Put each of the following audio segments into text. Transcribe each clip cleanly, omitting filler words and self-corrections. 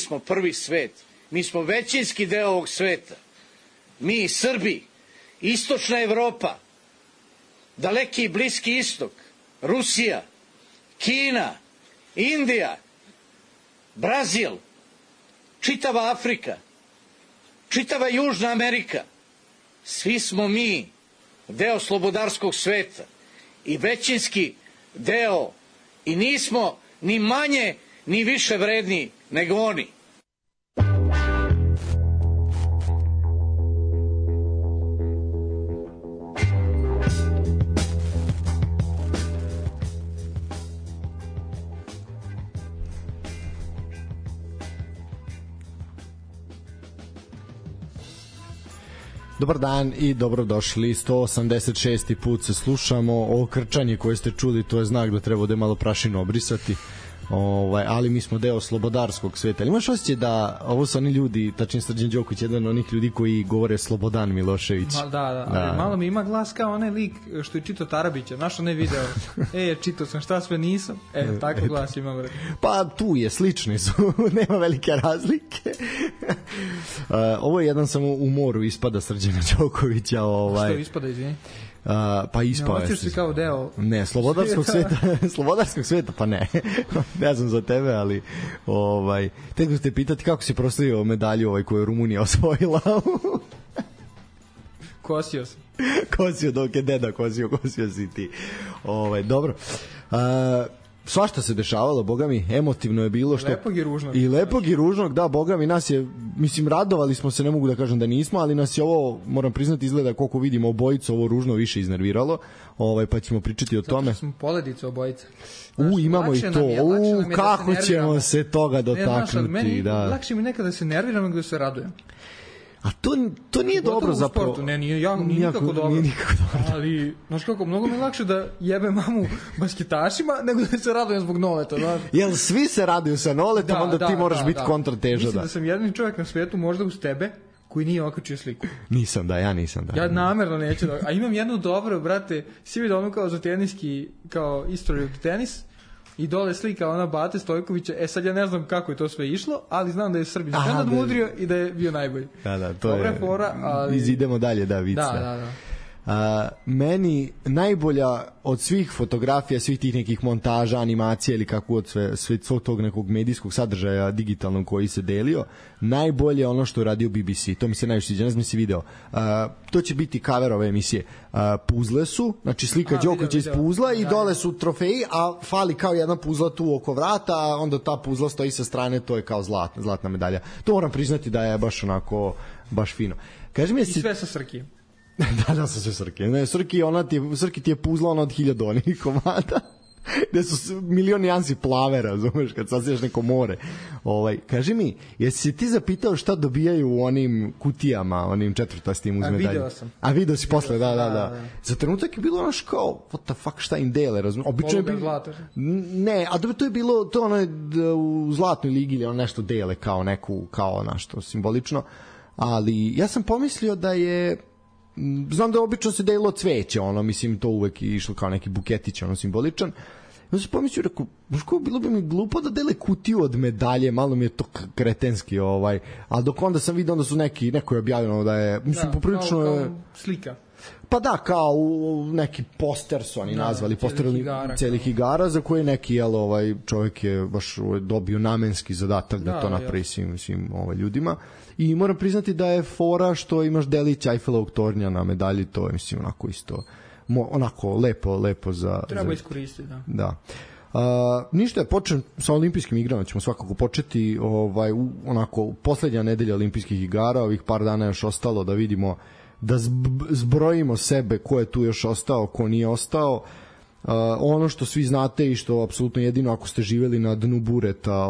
smo prvi svet. Mi smo većinski deo ovog sveta. Mi, Srbi, istočna Evropa, daleki i bliski istok, Rusija, Kina, Indija, Brazil, čitava Afrika, čitava Južna Amerika. Svi smo mi deo slobodarskog sveta i većinski deo i nismo ni manje ni više vredni nego oni. Dobar dan i dobrodošli. 186. put se slušamo. Ovo krčanje koje ste čuli, to je znak da treba da je malo prašinu obrisati. Ali mi smo deo slobodarskog sveta. Ali imaš osjećaj da ovo su oni ljudi, tačnije Srđan Đoković, jedan od onih ljudi koji govore Slobodan Milošević. Da. Malo mi ima glas kao onaj lik što je čitao Tarabića. Znaš onaj video? Čitao sam šta sve nisam. Tako glas imam. Pa tu je, slični su. Nema velike razlike. Ovo je jedan samo u moru ispada Srđana Đokovića. Što ispada, izvini? Pa ispao je. Ne, hoćeš si kao deo... Ne, slobodarskog sveta, pa ne. Ne znam za tebe, ali teko ste pitati kako si proslavio medalju koju je Rumunija osvojila. Kosio sam. Kosio, dok je deda kosio si ti. Dobro. Svašta se dešavalo, boga mi, emotivno je bilo. Lepog i ružnog. I lepog i ružnog, da, boga mi, nas je, mislim, radovali smo se, ne mogu da kažem da nismo, ali nas je ovo, moram priznati, izgleda koliko vidimo obojicu, ovo ružno više iznerviralo, pa ćemo pričati o tome. Zato smo poledicu obojica. Imamo i to, kako ćemo se toga dotaknuti. Meni lakše mi nekada se nerviram nego da se radujem. A to nije dobro zapravo. Ne, nije nikako dobro. Ali, znaš kako, mnogo mi je lakše da jebe mamu basketašima nego da se radujem zbog noleta. Znaš. Jel svi se raduju sa noletom, onda ti moraš biti kontrateža. Mislim da sam jedini čovjek na svetu, možda uz tebe, koji nije okačio sliku. Ja nisam. Ja namerno neću da... A imam jednu dobro, brate, si vidio ono kao za teniski, kao history of tenis, i dole slika ona Bate Stojkovića. Sad ja ne znam kako je to sve išlo, ali znam da je Srbin sve nadmudrio i da je bio najbolji. Da, to dobra je fora, ali... Idemo dalje, da, vic. Da. Meni najbolja od svih fotografija, svih tih nekih montaža, animacija ili kako od sve tog nekog medijskog sadržaja digitalnog koji se delio, najbolje je ono što je radio BBC. To mi se najviše sviđa, ne znam si video. To će biti cover ove emisije. Puzle su, znači slika Đokovića iz puzla i dole su trofeji, a fali kao jedna puzla tu oko vrata, a onda ta puzla stoji sa strane, to je kao zlatna medalja. To moram priznati da je baš onako, baš fino. Kaži mi, i sve sa Srki. Da, sa sve Srki. Ne, Srki ti je puzla ona od 1000 onih komada. Gde su milion nijansi plave, razumeš, kad sasiješ neko more. Kaži mi, jesi se ti zapitao šta dobijaju u onim kutijama, onim četvrtastim uz medalje? Video sam. A video si posle, da. Za trenutak je bilo ono kao, what the fuck, šta im dele, razumeš? Obično je bilo... Ne, a to je bilo, to ono u Zlatnoj ligi ili ono nešto dele kao neku, kao nešto simbolično. Ali ja sam pomislio da je... Znam da obično se delilo cveće, mislim, to uvek je išlo kao neki buketić, simboličan. Ja sam pomislio, rekao, bilo bi mi glupo da dele kutiju od medalje, malo mi je to kretenski, ali dok onda sam vidio, onda su neko je objavljeno da je, mislim, poprilično kao slika. Pa da, kao neki poster su oni nazvali, poster celih igara, za koje neki, čovjek je baš dobio namenski zadatak da to napravi svim ljudima. I moram priznati da je fora što imaš delić Eiffelovog tornja na medalji, to je, mislim, onako isto, onako lepo za... Treba iskoristiti, da. Ništa, počnem sa olimpijskim igrama, ćemo svakako početi, onako, poslednja nedelja olimpijskih igara, ovih par dana još ostalo da vidimo, da zbrojimo sebe ko je tu još ostao, ko nije ostao. Ono što svi znate i što apsolutno jedino ako ste živeli na dnu bureta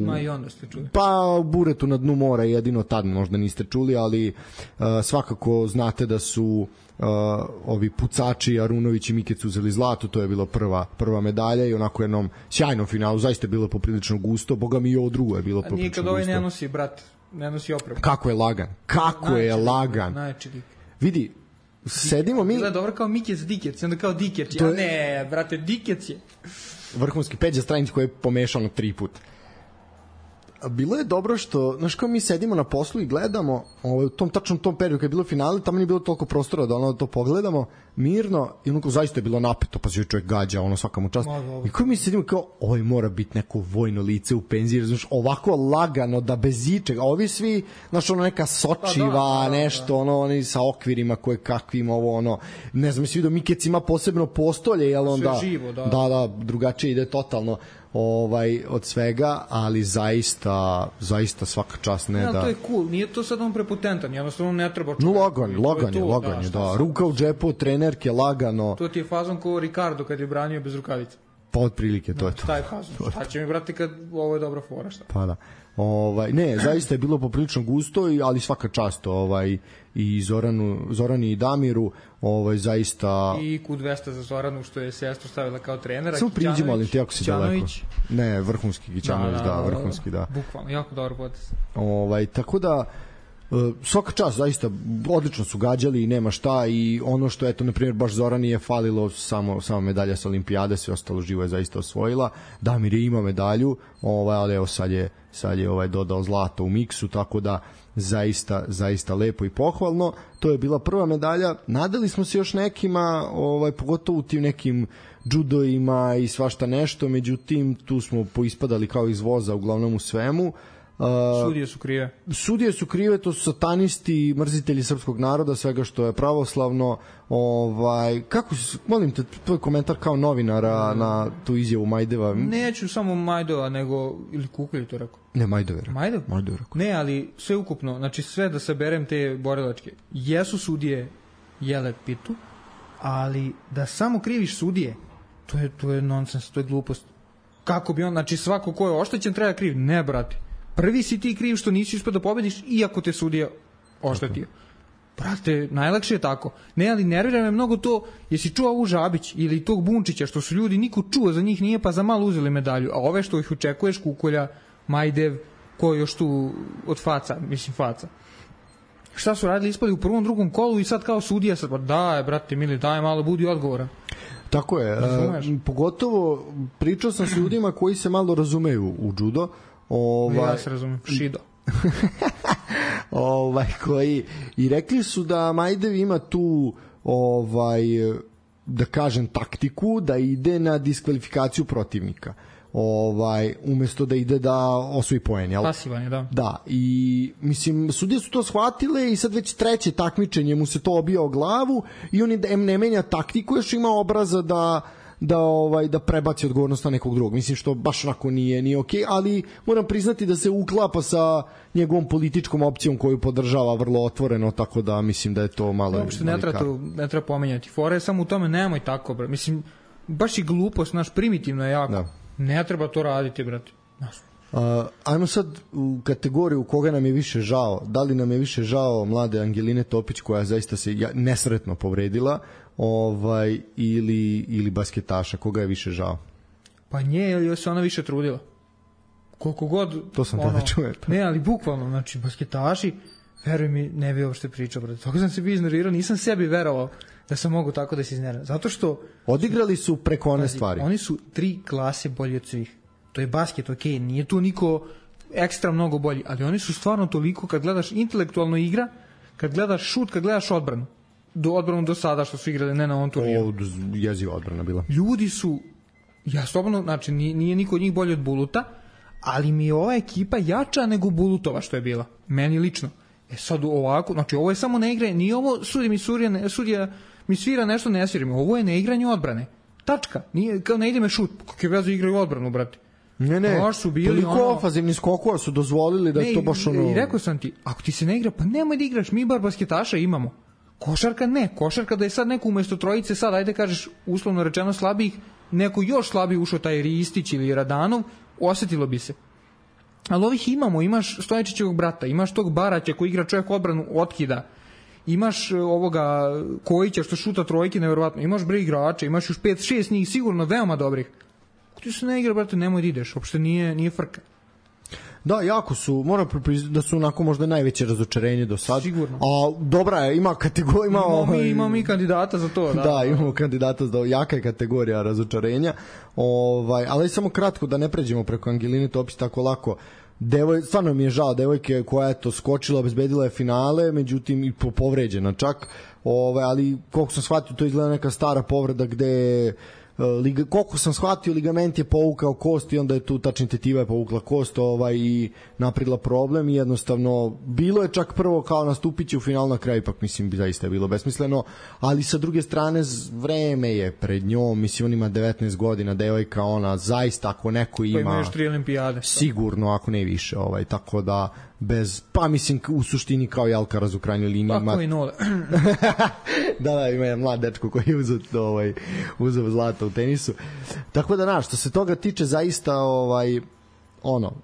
ma i onda ste čuli. Pa u buretu na dnu mora jedino tad možda niste čuli, ali svakako znate da su ovi pucači Arunović i Mikec uzeli zlato, to je bilo prva medalja i onako jednom sjajnom finalu, zaista je bilo poprilično gusto, boga mi i ovo drugo je bilo poprilično gusto. Nikad ovaj ne nosi, brat, ne nosi opremu. Kako je lagan. Vidi, sedimo mi... Bilo je dobro kao Mikec Dikec, onda kao Dikec. Ja ne, brate, Dikec je. Vrhunski Peđa Stranić koji je pomešano 3 puta. bilo je dobro što, znaš, kao mi sedimo na poslu i gledamo, u tom tačnom tom periodu kad je bilo finale, tamo nije bilo toliko prostora da to pogledamo mirno i onako zaista je bilo napeto, pa se čovjek gađa, svaka mu čast. I kao mi sedimo kao, ovo mora biti neko vojno lice u penziji, znaš, ovako lagano da bez ičega, a ovi svi, znaš, neka sočiva, nešto, oni sa okvirima koje kakvim, ne znam, si vidio, Mikec ima posebno postolje, jel onda, živo, da, drugačije ide totalno od svega, ali zaista svaka čast, ne, da. To je cool, nije to sad on prepotentan, jednostavno ne treba čovjek. Lagan je, da. Ruka u džepu, trenerke, lagano. To ti je fazon kao Ricardo kad je branio bez rukavica. Pa otprilike, to je to. Taj fazon, šta će mi brati kad ovo je dobra fora, šta? Pa da. Ne, zaista je bilo poprilično gusto, ali svaka čast i Zorani i Damiru, zaista... I Q200 za Zoranu, što je sestru stavila kao trenera. Samo priđimo, ali ti jako si daleko. Ne, vrhunski Gićanović, vrhunski, da. Bukvalno, jako dobro potez. Tako da, svaka čast, zaista, odlično su gađali i nema šta, i ono što, eto, na primjer, baš Zorani je falilo samo medalja sa olimpijade, sve ostalo živo je zaista osvojila. Damir je ima medalju, ali evo sad je dodao zlato u miksu, tako da zaista lepo i pohvalno. To je bila prva medalja. Nadali smo se još nekima, pogotovo u tim nekim džudoima i svašta nešto, međutim tu smo poispadali kao iz voza uglavnom u svemu. Sudije su krive, to su satanisti, mrzitelji srpskog naroda, svega što je pravoslavno. Kako se, molim te, tvoj komentar kao novinara na tu izjavu Majdeva? Neću samo Majdeva, nego, ili Kukolj to rekao? Ne, Majdeva rekao. Ne, ali sve ukupno, znači sve da saberem te borilačke, jesu sudije jele pitu, ali da samo kriviš sudije, to je nonsens, to je glupost. Kako bi on, znači svako ko je oštećen treba kriv? Ne, brate. Prvi si ti kriv što nisi uspio da pobediš, iako te sudija oštetio. Brate, najlakše je tako. Ne, ali nervira me mnogo to, jesi čuo ovu Žabić ili tog Bunčića, što su ljudi, niko čuo za njih nije, pa za malo uzeli medalju. A ove što ih očekuješ, Kukolja, Majdev, ko je još tu od faca. Šta su radili, ispali u prvom, drugom kolu i sad kao sudija, sad, daj, brate mili, daj malo, budi odgovoran. Tako je, pogotovo pričao sam s ljudima koji se malo razumeju u judo. Ja se razumem, Šido. Koji i rekli su da Majdev ima tu da kažem taktiku da ide na diskvalifikaciju protivnika. Umesto da ide da osvoji poen, jel? Pasivan je, da. Da, i mislim, sudije su to shvatile i sad već treće takmičenje mu se to obija o glavu i on ne menja taktiku, još ima obraza da prebaci odgovornost na nekog drugog. Mislim što baš onako nije okej, ali moram priznati da se uklapa sa njegovom političkom opcijom koju podržava vrlo otvoreno, tako da mislim da je to malo... Uopšte ne treba pomenjati. Fora je samo u tome, nemoj tako, bro. Mislim, baš i glupost, primitivno je jako. Da. Ne treba to raditi, brate. Ajmo sad u kategoriju koga nam je više žao. Da li nam je više žao mlade Angeline Topić, koja zaista se nesretno povredila, ili basketaša, koga je više žao? Pa nje, ili se ona više trudila? Koliko god... To sam tada čuo. Ne, ali bukvalno, znači, basketaši, veruj mi, ne bi uopšte pričao, brate. Tako sam se bi iznervirao, nisam sebi verovao da sam mogu tako da se iznerviram. Zato što... Odigrali su preko one stvari. Oni su 3 klase bolji od svih. To je basket, okej, nije tu niko ekstra mnogo bolji, ali oni su stvarno toliko, kad gledaš intelektualno igra, kad gledaš šut, kad gledaš odbranu do sada što su igrali, ne na ovom turniru. Jeziva odbrana bila. Ljudi su, ja slobodno, znači nije niko od njih bolji od Buluta, ali mi je ova ekipa jača nego Bulutova što je bila, meni lično. Sad ovako, znači ovo je samo ne igre, nije ovo sudija mi svira nešto, ne svira mi, ovo je ne igranje odbrane. Tačka, nije, kao ne ide me šut, kakve vezu igraju odbranu, brate. Ne, toliko ofazivni skokova su dozvolili da je to baš ono... I rekao sam ti, ako ti se ne igra, pa nemoj da igraš, mi bar basketaša imamo. Košarka ne, košarka da je sad neko umesto trojice, sad ajde kažeš uslovno rečeno slabijih, neko još slabiji ušao, taj Ristić ili Radanov, osetilo bi se. Ali ovih imamo, imaš Stojačićevog brata, imaš tog Baraća koji igra čovjek odbranu, otkida, imaš ovoga Kojića što šuta trojke, nevjerovatno, imaš bre igrača, imaš još 5-6 njih sigurno veoma dobrih. Ako ti se ne igra, brate, nemoj da ideš, uopšte nije frka. Da, jako su, moram pripričati da su onako možda najveće razočarenje do sad. Sigurno. A dobra je, ima kategorija... Imamo mi kandidata za to. Da, imamo kandidata za to, jaka je kategorija razočarenja. Ali samo kratko, da ne pređemo preko Angeline Topić tako lako. stvarno mi je žao devojke koja je to skočila, obezbedila je finale, međutim i povređena čak, ali koliko sam shvatio to izgleda neka stara povreda gde koliko sam shvatio ligament je povukao kost i onda je tu tačni tetiva je povukla kost i napravila problem i jednostavno bilo je čak prvo kao nastupit će u finalu, na kraju ipak mislim bi zaista je bilo besmisleno, ali sa druge strane vreme je pred njom, mislim on ima 19 godina, devojka, ona zaista ako neko ima pa ima još 3 olimpijade sigurno ako ne više, tako da pa mislim u suštini kao i Alcaraz u krajnjoj liniji pa koji nole da ima jedan mlad dečko koji je uzeo zlata u tenisu, tako da što se toga tiče zaista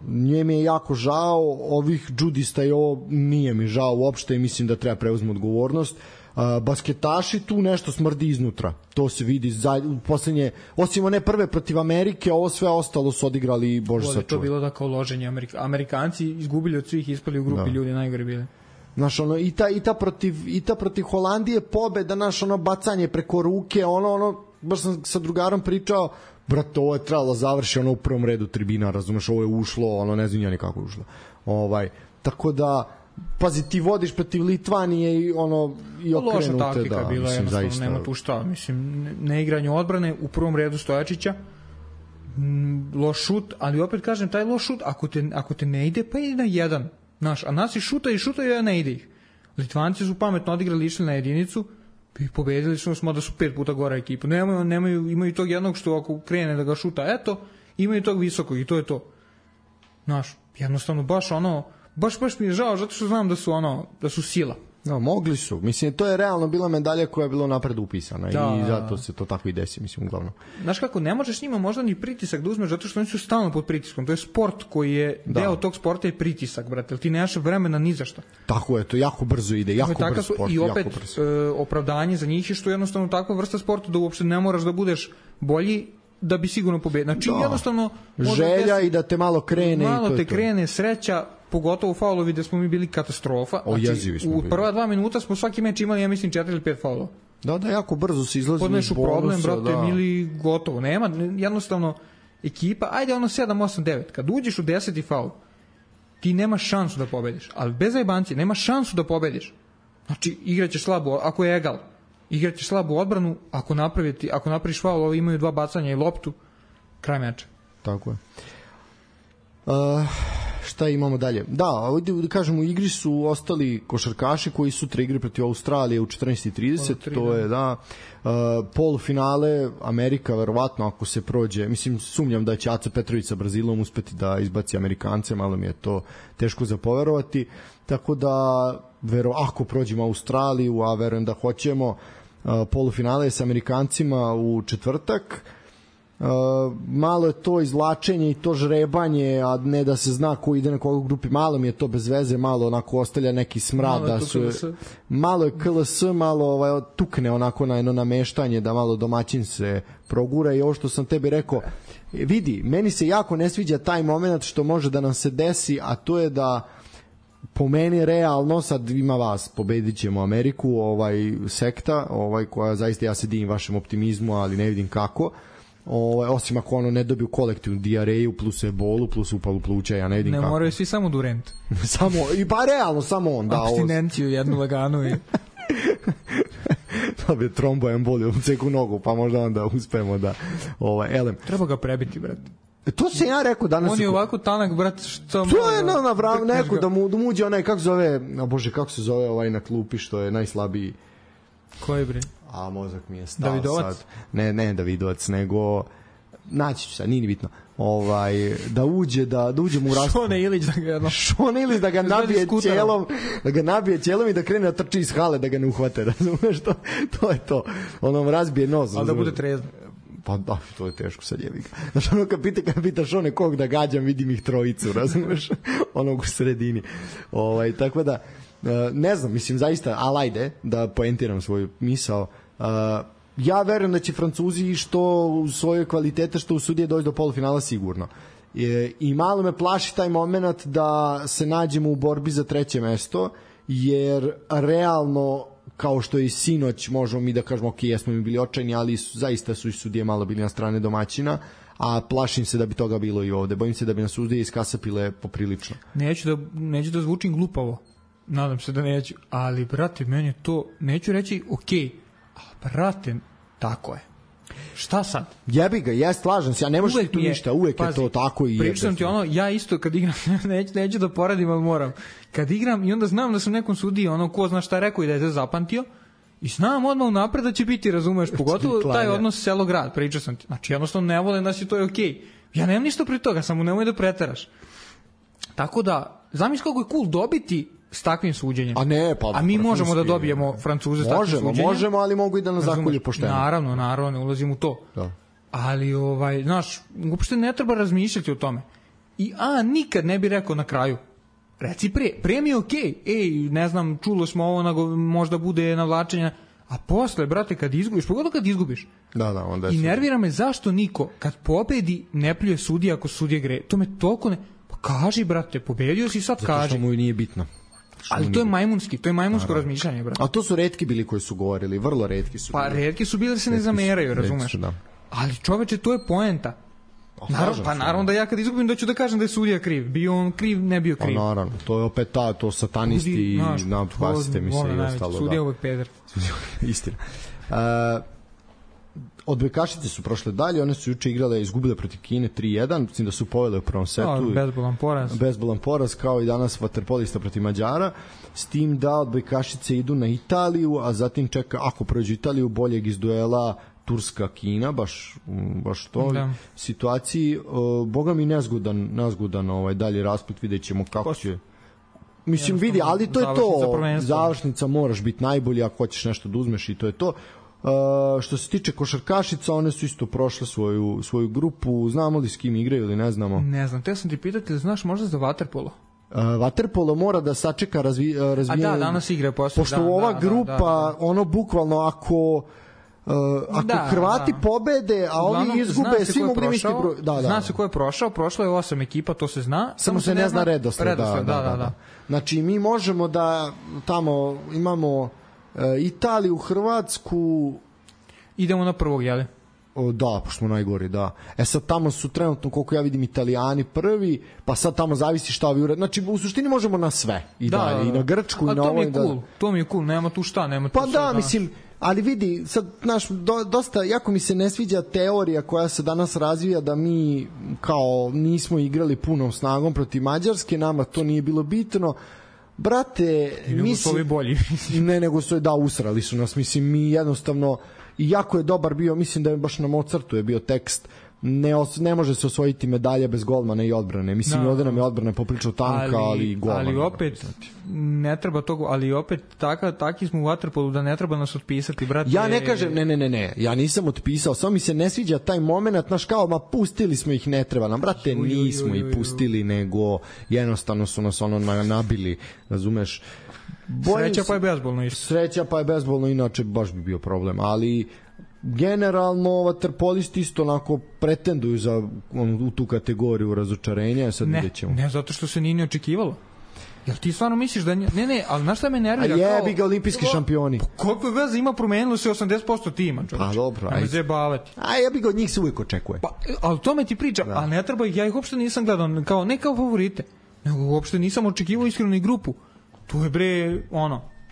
nije mi je jako žao ovih džudista i ovo nije mi žao uopšte i mislim da treba preuzeti odgovornost. Basketaši tu nešto smrdi iznutra, to se vidi u poslednje, osim one prve protiv Amerike, ovo sve ostalo su odigrali bože sačuvaj. To bilo da kao loženje, Amerikanci izgubili od svih, ispali u grupi ljudi, najgore bili. Znaš, i ta protiv Holandije pobeda, bacanje preko ruke, baš sam sa drugarom pričao, brate, ovo je trebalo završi u prvom redu tribina, razumeš, ovo je ušlo, ne znam ja nikako je ušlo. Tako da pazi, ti vodiš protiv Litvanije i okrenute. Loša taktika bila, jednostavno nema tu šta. Mislim, neigranje odbrane, u prvom redu Stojačića, loš šut, ali opet kažem, taj loš šut, ako te ne ide, pa ide na jedan. A nas i šuta i ne ide ih. Litvanci su pametno odigrali, išli na jedinicu i pobedili smo da su 5 puta gora ekipa. Imaju tog jednog što ako krene da ga šuta, imaju tog visokog i to je to. Jednostavno baš mi je žao, zato što znam da su sila. Mogli su. Mislim, to je realno bila medalja koja je bila napred upisana i zato se to tako i desi, mislim, uglavnom. Znaš kako, ne možeš njima možda ni pritisak da uzmeš, zato što oni su stalno pod pritiskom. To je sport koji je, deo tog sporta je pritisak, brate, jer ti nemaš vremena ni za šta. Tako je, to jako brzo ide, jako brzo sport. I opet, opravdanje za njih je što je jednostavno takva vrsta sporta da uopšte ne moraš da budeš bolji da bi sigurno pobedio. Znači, jednostavno... Želja i da te malo krene. Malo te krene, sreća, pogotovo faulovi gde smo mi bili katastrofa. U prva 2 minuta smo svaki meč imali, ja mislim, 4 ili 5 faulova. Da, jako brzo se izlazi iz bonusa. Podnešu problem, brate, mili, gotovo. Nema, jednostavno, ekipa, ajde 7, 8, 9. Kad uđeš u 10. faul, ti nemaš šansu da pobediš. Ali bez zajebancije, nemaš šansu da pobediš. Znači, igraćeš slabo, ako je egal. Igraćeš slabu odbranu, ako napraviš faul, ovi imaju 2 bacanja i loptu, kraj meča. Tako je. Šta imamo dalje? Da, ovdje da kažem, u igri su ostali košarkaši koji sutra igri protiv Australije u 14:30, to je polufinale, Amerika verovatno ako se prođe, mislim sumnjam da će Aca Petrović sa Brazilom uspeti da izbaci Amerikance, malo mi je to teško za poverovati, tako da ako prođemo Australiju, a verujem da hoćemo, polufinale je sa Amerikancima u četvrtak. Malo je to izvlačenje i to žrebanje, a ne da se zna ko ide na koga u grupi, malo mi je to bez veze, malo onako ostavlja neki smrad, malo je KLS, malo tukne onako na jedno nameštanje, da malo domaćin se progura. I ovo što sam tebi rekao, vidi, meni se jako ne sviđa taj moment što može da nam se desi, a to je da po meni realno, sad ima vas, pobedit ćemo Ameriku, sekta, koja zaista, ja se divim vašem optimizmu, ali ne vidim kako, osim ako ne dobiju kolektivnu dijareju plus ebolu plus upalu pluća, ja ne vidim kako. Ne moraju svi samo Durant. Pa realno samo on. Abstinenciju jednu laganu i... Dobije tromboemboliju u ceku nogu, pa možda onda uspemo da... elem. Treba ga prebiti, brate. To se ja rekao danas. On je ovako tanak, brate, što... To je neko da mu uđe onaj, kako se zove na klupi što je najslabiji. Koji bre? A mozak mi je stao Davidovac? sad. Ne Davidovac, nego naći ću sad, nije ni bitno. Da uđe mu u raspravu. Šone Ilić da ga nabije ćelom i da krene da trči iz hale, da ga ne uhvate, razumeš, to je to. Ono razbije nos. Ali da bude trezno. Pa da, to je teško sad jebi ga. Znaš, ono kad pita Šone kog da gađam, vidim ih trojicu, razumeš, onog u sredini. Tako da, ne znam, mislim zaista, ali ajde da poentiram svoju misao. Ja verujem da će Francuzi što u svojoj kvalitete, što u sudije doći do polufinala sigurno. I malo me plaši taj moment da se nađemo u borbi za 3. mesto, jer realno, kao što je i sinoć, možemo mi da kažemo ok, jesmo mi bili očajni, ali zaista su i sudije malo bili na strane domaćina, a plašim se da bi toga bilo i ovde. Bojim se da bi nas sudije iskasapile poprilično. Neću da zvučim glupavo, nadam se da neću, ali brate, meni to, neću reći okej, a brate, tako je. Šta sad? Jebi ga, ja slažem se, ja ne možeš tu ništa, uvek pazi, je to tako i pričam ti ono, ja isto kad igram, neću da poradim, ali moram. Kad igram i onda znam da sam nekom sudiji, ono, ko zna šta je rekao i da je to zapamtio, i znam odmah unapred da će biti, razumeš, pogotovo taj odnos selo-grad, pričao sam ti. Znači, jednostavno ne volim da si to je okej. Ja nemam ništa pri toga, samo nemoj da preteraš. Tako da, zamisli kako je cool dobiti s takvim suđenjem. A mi možemo da dobijemo Francuze s takvim suđenjem. Možemo, ali mogu i da nas zakolje pošteno. Naravno, ne ulazim u to. Da. Ali, znaš, uopšte ne treba razmišljati o tome. I nikad ne bi rekao na kraju. Reci pre mi je okej. Ne znam, čulo smo ovo, možda bude navlačenja. A posle, brate, kad izgubiš, pogotovo kad izgubiš. Da, onda je. I nervira me zašto niko, kad pobedi, ne pljuje sudija ako sudije gre. To me toliko ne... Pa kaži, brate, pobedio si, sad kaži. Zato što mu nije bitno. Ali to je majmunsko razmišljanje, brate. A to su retki bili koji su govorili, vrlo retki su. Pa retki su bili da se ne zameraju, razumeš? Da. Ali čoveče, to je poenta. Naravno da ja kad izgubim da ću da kažem da je sudija kriv. Bio on kriv, ne bio kriv. Pa naravno, to je opet to satanisti i napasite mi se i ostalo. Sudija uvek peder. Istina. Odbojkašice su prošle dalje, one su juče igrale, izgubile protiv Kine 3-1, mislim da su povele u prvom setu. Bezbolan poraz, kao i danas vaterpolista protiv Mađara, s tim da odbojkašice idu na Italiju, a zatim čeka, ako prođu Italiju, boljeg iz duela Turska-Kina, baš to situaciji. Boga mi nezgodan dalje rasplet, vidjet ćemo kako će. Mislim, vidi, ali to je to. Završnica moraš biti najbolji ako hoćeš nešto da uzmeš i to je to. Što se tiče košarkašica, one su isto prošle svoju grupu. Znamo li s kim igraju ili ne znamo? Ne znam, te sam ti pitati, znaš možda za vaterpolo? Vaterpolo mora da sačeka razvijanje. A da, danas igra posle. Pošto ova grupa, ono bukvalno ako Hrvati pobede, a ovi izgube, svi mogu imati broj. Zna se ko je prošao, prošlo je 8 ekipa, to se zna. Samo se ne zna redosled. Da. Znači mi možemo da tamo imamo Italiju, Hrvatsku. Idemo na prvog, jel? Da, pošto smo najgori, da. Sad tamo su trenutno, koliko ja vidim, Italijani prvi, pa sad tamo zavisi šta ovi urede. Znači, u suštini možemo na sve. I dalje, i na Grčku, i na ovo. To mi je cool, nema tu šta, nema tu pa da, mislim, ali vidi, sad, znaš, dosta, jako mi se ne sviđa teorija koja se danas razvija da mi, kao, nismo igrali punom snagom protiv Mađarske, nama to nije bilo bitno. Brate, nego su usrali su nas, mislim, mi jednostavno, i jako je dobar bio, mislim da je baš na Mozartu je bio tekst, ne može se osvojiti medalja bez golmana i odbrane, mislim, ovde nam je odbrana popričao tanka, ali golman. Ali opet, ne treba toga, ali opet taki smo u vaterpolu da ne treba nas otpisati, brate. Ja ne kažem, ne, ja nisam otpisao, samo mi se ne sviđa taj moment, znaš kao, pustili smo ih, ne treba nam, brate, nismo ih pustili, nego jednostavno su nas nabili, razumeš? Sreća pa je bezbolno inače baš bi bio problem, ali generalno vaterpolisti isto onako pretenduju u tu kategoriju razočarenja, sad vidjet ćemo. Ne, zato što se nije ni očekivalo. Jel ti stvarno misliš da... Ne, ali znaš šta me nervira? A jebi ga, olimpijski šampioni. Koliko veze ima, promenilo se 80% tima, čovječ. Pa dobro. Ne zajebavati. A jebi ga, od njih se uvijek očekuje. Ali to me ti priča, a ne treba, ja ih uopšte nisam gledao, ne kao favorite, nego uopšte nisam očekivao iskreno i grupu. Tu je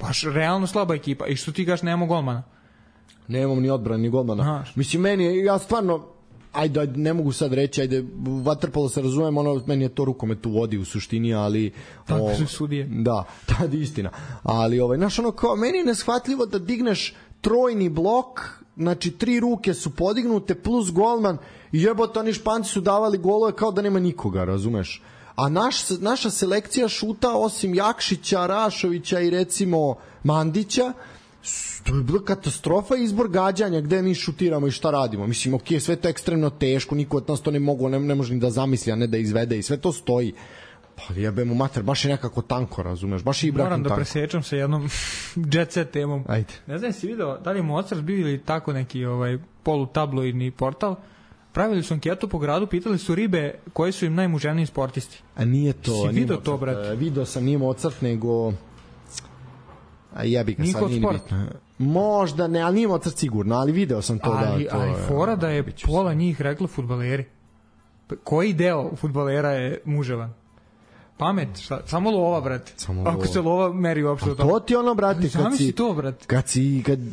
baš realno slaba ekipa. I što ti gaš, nemamo golmana? Nemamo ni odbrana, ni golmana. Mislim, ja stvarno, ne mogu sad reći, vaterpolo se razumem, meni je to rukomet u vodi u suštini, ali... Tako su sudije. Da, tad je istina. Ali, znaš, kao, meni je neshvatljivo da digneš trojni blok, znači 3 ruke su podignute, plus golman, i jebote, oni Španci su davali golove kao da nema nikoga, razumeš? A naša selekcija šuta, osim Jakšića, Rašovića i recimo Mandića, to je bila katastrofa, izbor gađanja, gde mi šutiramo i šta radimo. Mislim, okej, sve to je ekstremno teško, niko od nas to ne može ni da zamisli, a ne da izvede, i sve to stoji. Pa jebemo mater, baš je nekako tanko, razumeš, baš je Ibrahim tanko. Moram da presečem sa jednom jet set temom. Ajde. Ne znam, si video, da li je Mozart bio ili tako neki polutabloidni portal, pravili su anketu po gradu, pitali su ribe koji su im najmuženiji sportisti. A nije to. Si video to, brate? Video sam, nije Mozart, nego... A jebi ga, sad nije bitno. Možda ne, ali nije Mozart sigurno, ali video sam to. Ali fora da je pola njih reklo fudbaleri. Koji deo fudbalera je muževan? Pamet, šta? Samo lova, brate. Ako se lova meri uopšte. To ti ono, brate,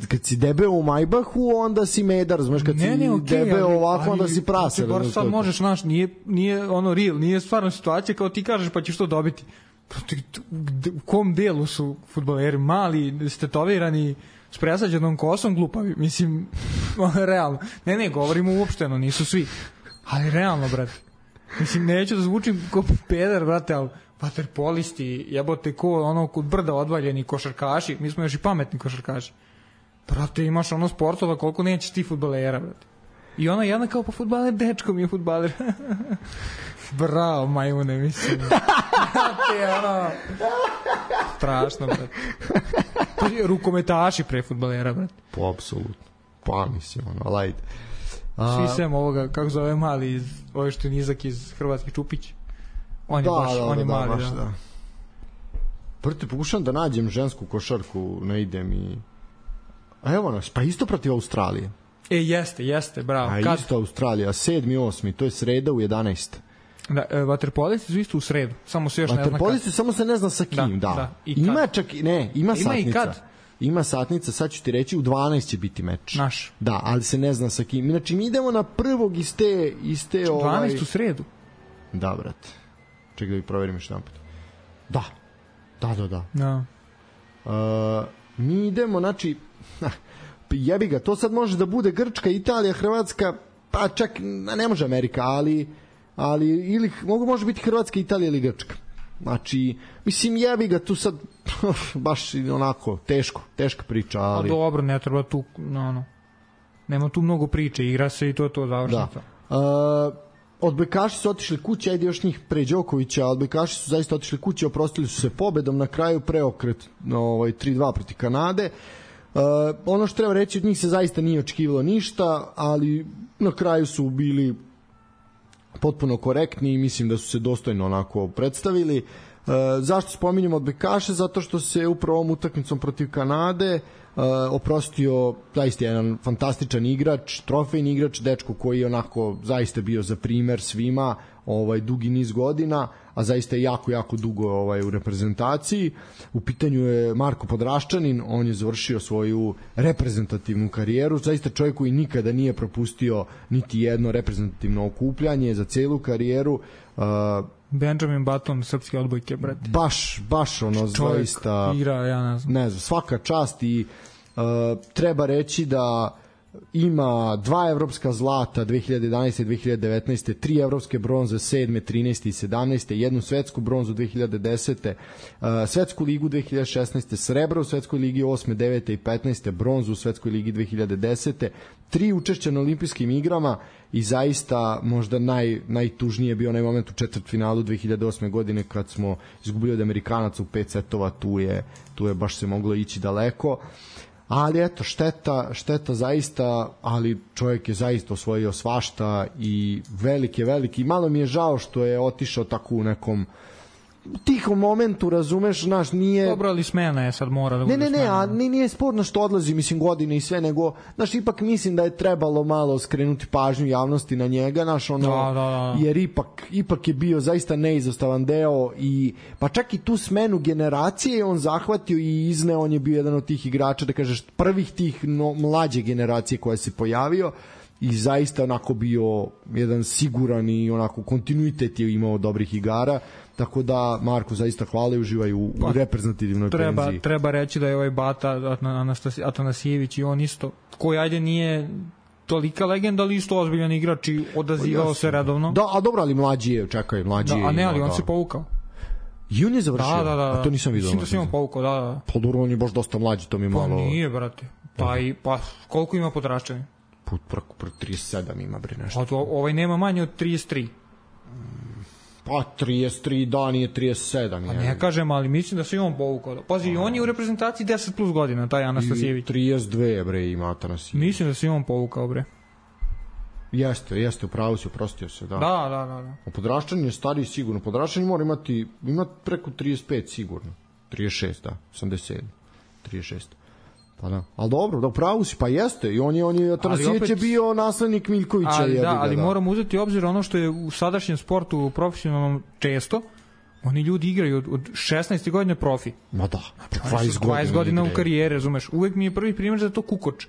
kad si debeo u Majbahu, onda si medar, znaš, kad si debeo ovako, onda si prase. Bar sad možeš, znaš, nije ono real, nije stvarno situacija kao ti kažeš pa ćeš to dobiti. U kom delu su fudbaleri? Mali, stetovirani, s presađenom kosom, glupavi. Mislim, realno. Ne, govorimo uopšteno, nisu svi. Ali realno, brate. Mislim, neću da zvučim ko peder, brate, ali vaterpolisti, jebote, ko ono kod brda odvaljeni košarkaši, mi smo još i pametni košarkaši. Brate, imaš ono sportova koliko nećeš ti fudbalera, brate. I ona jedna kao, pa fudbaler, dečko mi je fudbaler. Bravo, majmune, mislim. Brate, ono... Strašno, brate. Rukometaši pre fudbalera, brate. Po, apsolutno. Pa, mislim, ono, lajde. Svi sem ovoga, kako zove mali, ovo što je nizak iz Hrvatske, Čupić. On je mali, da. Prvo pokušam da nađem žensku košarku, ne idem i... A evo nas, pa isto protiv Australije. Jeste, bravo. A isto Australija, 7. 8. To je sreda u 11. Da, vaterpolisti su isto u sredu, samo se još ne zna kad. Vaterpolisti samo se ne zna sa kim, da. Ima čak, ne, ima satnica. I kad? Ima satnica, sad ću ti reći, u 12 će biti meč. Naš. Da, ali se ne zna sa kim. Znači, mi idemo na prvog iz te 12 u sredu. Da, brate. Čekaj da bi proverim još jedan put. Da. Mi idemo, znači, jebi ga, to sad može da bude Grčka, Italija, Hrvatska, pa čak ne može Amerika, ali ili može biti Hrvatska, Italija ili Grčka. Znači, mislim, jebi ga tu sad baš onako teška priča, ali... A dobro, ne treba tu, nema tu mnogo priče, igra se i to završnica. Da. Odbojkaši su otišli kući, ajde još njih pre Đokovića, odbojkaši su zaista otišli kući, oprostili su se pobedom, na kraju preokret 3-2 protiv Kanade. Ono što treba reći, od njih se zaista nije očekivalo ništa, ali na kraju su bili potpuno korektni i mislim da su se dostojno onako predstavili. Zašto spominjamo odbojkaše? Zato što se upravo ovom utakmicom protiv Kanade oprostio zaista jedan fantastičan igrač, trofejni igrač, dečko koji je onako zaista bio za primer svima dugi niz godina, a zaista je jako dugo u reprezentaciji. U pitanju je Marko Podraščanin, on je završio svoju reprezentativnu karijeru, zaista čovjek koji nikada nije propustio niti jedno reprezentativno okupljanje za celu karijeru. Benjamin Button, srpske odbojke, brate. Baš ono, čovjek zaista igra, ja ne znam. Svaka čast i treba reći da ima 2 evropska zlata 2011. i 2019. 3 evropske bronze 7. 13. i 17. jednu svetsku bronzu 2010. Svetsku ligu 2016. srebro u svetskoj ligi 8. 9. i 15. bronzu u svetskoj ligi 2010. 3 učešća na olimpijskim igrama i zaista možda najtužnije bio onaj moment u četvrtfinalu 2008. godine kad smo izgubili od Amerikanaca u 5 setova, tu je baš se moglo ići daleko. Ali eto, šteta zaista, ali čovjek je zaista osvojio svašta i veliki. Malo mi je žao što je otišao tako u nekom tihom momentu, razumeš, znaš, nije... Dobro, ali smena je sad, mora da bude smena. Ne, a nije sporno što odlazi, mislim, godine i sve, nego, znaš, ipak mislim da je trebalo malo skrenuti pažnju javnosti na njega, znaš, ono, da. Jer ipak je bio zaista neizostavan deo i, pa čak i tu smenu generacije on zahvatio i izneo, on je bio jedan od tih igrača, da kažeš, prvih tih mlađe generacije koja se pojavio i zaista onako bio jedan siguran i onako kontinuitet je imao dobrih igara. Tako da, Marko, zaista hvala i uživaju u reprezentativnoj penziji. Treba reći da je ovaj Bata Atanasijević i on isto, koji ajde nije tolika legenda, ali isto ozbiljan igrač i odazivao se redovno. Da, a dobro, ali mlađi je. A ne, ali on se povukao. I on je završio? Da. A to nisam vidio. Mislim da se on povukao, da. Pa dobro, on je baš dosta mlađi, to mi malo... Pa nije, brate. Pa koliko ima Podraščanin? Preko 37 ima, bre, nešto. A ovaj nema manje od 33. Pa 33, da, nije 37. Pa ne kažem, ali mislim da se i on povukao. Pazi, on je u reprezentaciji 10 plus godina, taj Anastasijević. 32, bre, ima Atanasijević. Mislim da se i on povukao, bre. Jeste, upravo si, oprostio se, da. Da. O Podraščanin je stariji sigurno. Podraščanin mora ima preko 35 sigurno. 36, da, 87. 36. Pa da. Ali dobro, da pravu si, pa jeste. I on je Tanasijević je bio naslednik Miljkovića. Ali moramo uzeti obzir ono što je u sadašnjem sportu profesionalnom često. Oni ljudi igraju od 16. godine profi. Ma da, 20 godina u karijere, razumeš. Uvek mi je prvi primjer za to Kukoč,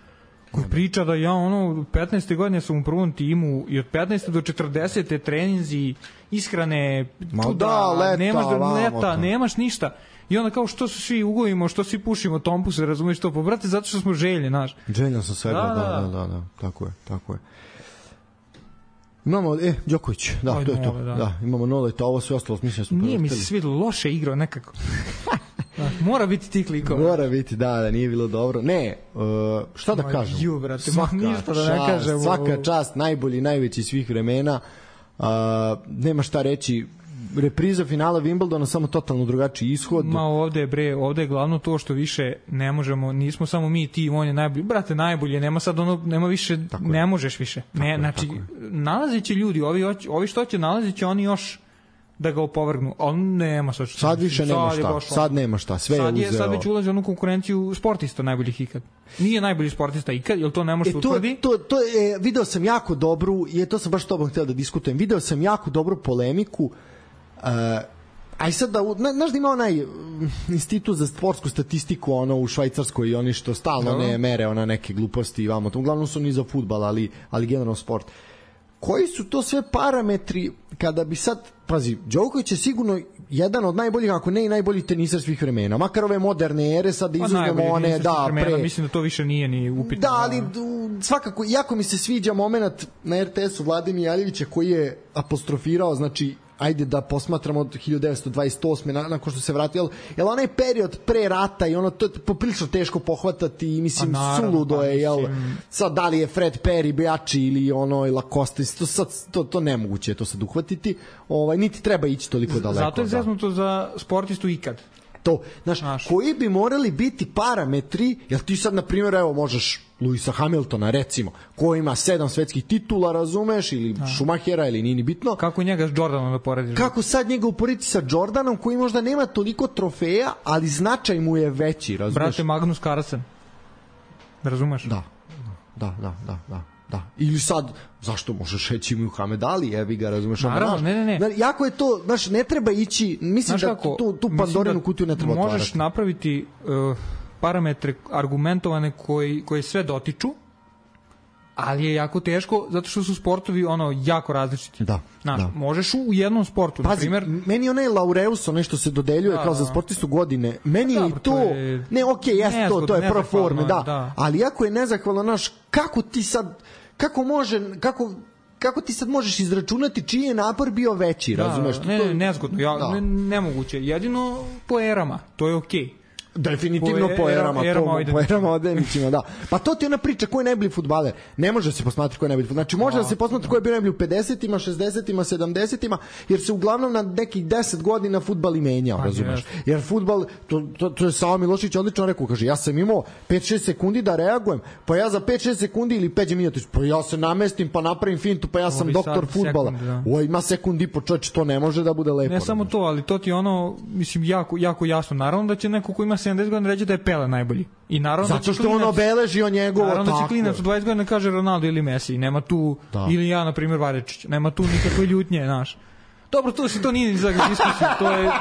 koji priča da ja od 15. godine sam u prvom timu i od 15. do 40. treninzi, ishrane, leta, nemaš ništa. I onda kao što se svi ugovimo, što svi pušimo tompuse, razumiješ to? Pa brate, zato što smo željni, znaš. Željan sam svega, da, tako je. Imamo, Đoković, to je to. Da, imamo Noleta, ovo sve ostalo, mislim da smo nije mi se svidilo, loše igrao nekako. Mora biti tih likova. Mora biti, da, nije bilo dobro. Ne, šta da kažem? Svaka čast, najbolji, najveći svih vremena. Nema šta reći. Repriza finala Wimbledona, samo totalno drugačiji ishod. Ma ovde je glavno to što više ne možemo, nismo samo mi ti, on je najbolji. Brate, najbolje, nema sad ono, nema više, ne možeš više. Znači, nalaziće ljudi, ovi što će nalaziće, oni još da ga opovrgnu. On nema sad više nema šta. Sad nema šta, sve je uzeo. Sad već ulazi u onu konkurenciju sportista najboljih ikad. Nije najbolji sportista ikad, jel to ne može se utvrdi? To je, video sam jako dobru, to sam baš tobom htio da diskutujem, video sam jako dobru polemiku. Aj sad da, znaš da ima onaj institut za sportsku statistiku u Švajcarskoj i oni što stalno ne mere neke gluposti i vamo, uglavnom su ni za fudbal, ali generalno sport. Koji su to sve parametri kada bi sad, pazi, Đoković je sigurno jedan od najboljih, ako ne i najbolji tenisar svih vremena, makar ove moderne ere, sad da izuzmemo one, mislim da to više nije ni upitno. Da, ali svakako, jako mi se sviđa moment na RTS-u Vlade Mijaljevića koji je apostrofirao, znači ajde da posmatramo od 1928. nakon što se vratio, jel onaj period pre rata i to je poprilično teško pohvatati i mislim suludo je, sad da li je Fred Perry bejači ili Lacoste, to nemoguće je to sad uhvatiti, niti treba ići toliko daleko. Zato je zeznuto za sportistu ikad. To, znaš, koji bi morali biti parametri, jel ti sad, na primjer, evo, možeš Luisa Hamiltona, recimo, koji ima 7 svetskih titula, razumeš, ili Schumachera, ili nije ni bitno. Kako njega s Jordanom da porediš? Kako sad njega uporediti sa Jordanom, koji možda nema toliko trofeja, ali značaj mu je veći, razumeš? Brate, Magnus Carlsen. Razumeš? Da. Ili sad, zašto možeš reći Muhammed Ali, jebi ga, razumeš? Naravno, ne. Jako je to, znaš, ne treba ići, mislim da tu Pandorinu kutiju ne treba otvarati. Možeš napraviti parametre argumentovane koji sve dotiču, ali je jako teško zato što su sportovi jako različiti. Da. Možeš u jednom sportu, na primjer. Meni onaj Laureus, nešto se dodeljuje kao za sportistu godine. Meni je to to je pro forme, da. Ali jako je nezahvalno, znaš, kako ti sad možeš izračunati čiji je napor bio veći, razumeš? Nezgodno, nemoguće. Jedino po erama, to je okej. Definitivno po erama odenićima, da. Pa to ti je ona priča ko je najbolji fudbaler. Ne može se posmatrati ko je najbolji fudbaler. Znači može da se posmatra ko je bio najbolji u 50-ima, 60-ima, 70-ima, jer se uglavnom na nekih 10 godina fudbal i menjao, razumeš? Jer fudbal, to je Savo Milošević odlično rekao, kaže, ja sam imao 5-6 sekundi da reagujem, pa ja za 5-6 sekundi ili Peđe Mijatović, pa ja se namestim, pa napravim fintu, pa ja sam doktor fudbala. Ima sekund i po, čoveče, to ne može da bude lepo. Ne samo to, ali to ti mislim, jako jasno. Naravno da će neko ko ima 70 godina reći da je Pele najbolji. I naravno zato što on obeležio njegovo tako. Naravno da će klinac u 20 godina kaže Ronaldo ili Messi. Nema tu, ili ja, na primjer, Varečić. Nema tu nikakve ljutnje, znaš. Dobro, to nije ni za diskusiju. To je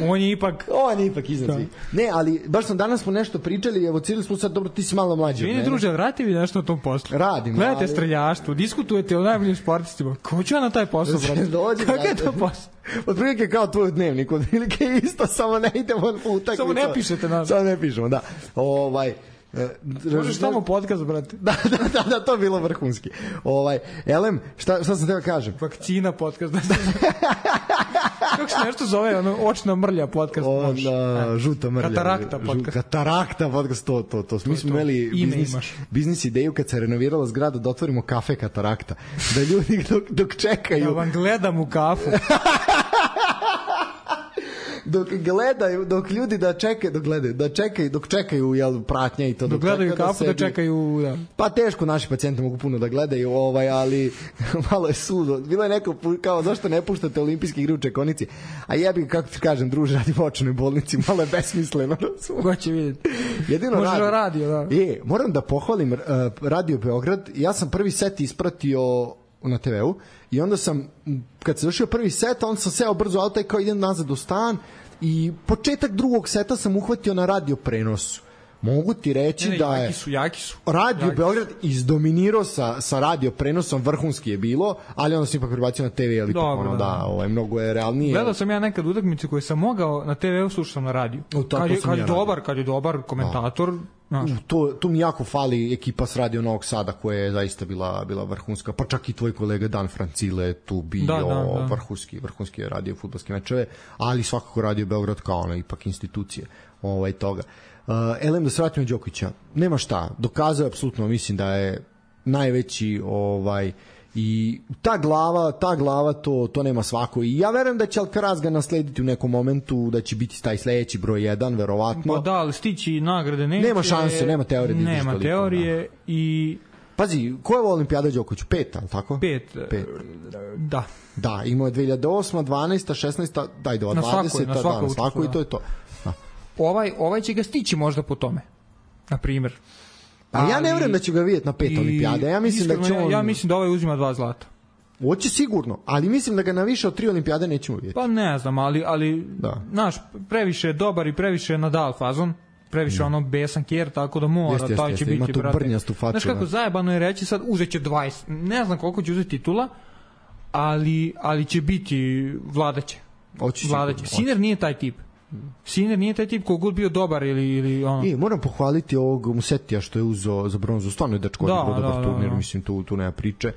on je ipak iznad svih. Ne, ali baš danas smo nešto pričali, evo cijeli smo sad, dobro, ti si malo mlađi od mene. Druže, vrati vi nešto o tom poslu. Radim. Gledajte streljaštvo, diskutujete o najboljim sportistima. Ko će na taj posao, brate? Kako je to posao? Otprilike kao tvoj dnevnik, otprilike isto, samo ne idemo u utakmicu. Samo ne pišete nas. Samo ne pišemo, da. Možeš tamo podcast, brate. Da, to je bilo vrhunski. Elem, šta sam teo kažem? Vakcina podcast. Kako se nešto zove, očna mrlja podcast. Žuta mrlja. Katarakta podcast. Katarakta podcast, to. Mi smo imali biznis ideju kad se renovirala zgrada da otvorimo kafe Katarakta. Da ljudi dok čekaju. Da vam gledam u kafu. dok ljudi dok čekaju jel, pratnja i to dok gledaju kafu da čekaju da. Pa teško, naši pacijenti mogu puno da gledaju, ali malo je sudo. Bilo je neko kao zašto ne puštate olimpijske igre u čekonici, a jebi kako ti kažem, druže, radi u očnoj bolnici, malo je besmisleno. Ko će vidjeti? Jedino radio, da. Moram da pohvalim Radio Beograd. Ja sam prvi set ispratio na TV-u i onda sam, kad se završio prvi set, onda sam seo brzo auto i kao idem nazad u stan i početak drugog seta sam uhvatio na radio prenosu. Mogu ti reći da je jaki su. Radio Beograd izdominirao sa radio prenosom, vrhunski je bilo, ali onda sam ipak prebacio na TV, ali mnogo je realnije. Gledao sam ja nekad utakmice koje sam mogao na TV-u, slušao sam na radiju. Kad je dobar komentator. Tu mi jako fali ekipa s Radio Novog Sada koja je zaista bila vrhunska, pa čak i tvoj kolega Dan Francile tu bio vrhunski je radio fudbalske mečeve, ali svakako Radio Beograd kao ona ipak institucije toga. Elem, da se vratimo Đokovića, nema šta, dokazao je apsolutno, mislim da je najveći i ta glava to nema svako i ja verujem da će Alcaraz ga naslediti u nekom momentu, da će biti taj sledeći broj 1 verovatno. Pa da, ali stići nagrade neće. Nema šanse, nema teorije. Nema teorije i... Pazi, koja je Olimpijada Đokoviću? 5, ali tako? 5. Da. Da, imao je 2008, 12, 16, daj do 20, na svaku i to je to. Da. Ovaj će ga stići možda po tome, na primjer. Ali ja ne vjerujem da će ga vidjeti na 5 olimpijade. Ja mislim da ovaj uzima 2 zlata. Hoće sigurno, ali mislim da ga na više od 3 olimpijade nećemo vidjeti. Pa ne znam, ali znaš, previše je dobar i previše je Nadal fazon, previše ono besan kjer, tako da mora, taj će biti, brate. Znaš kako zajebano je reći sad, uzet će 20, ne znam koliko će uzeti titula, ali će biti vladaće. Sinner nije taj tip. Sinner nije taj tip koji god bio dobar ili ono. Moram pohvaliti ovog Musetija što je uzeo za bronzu, stvarno je dečko odigrao dobar turnir, mislim tu nema priče.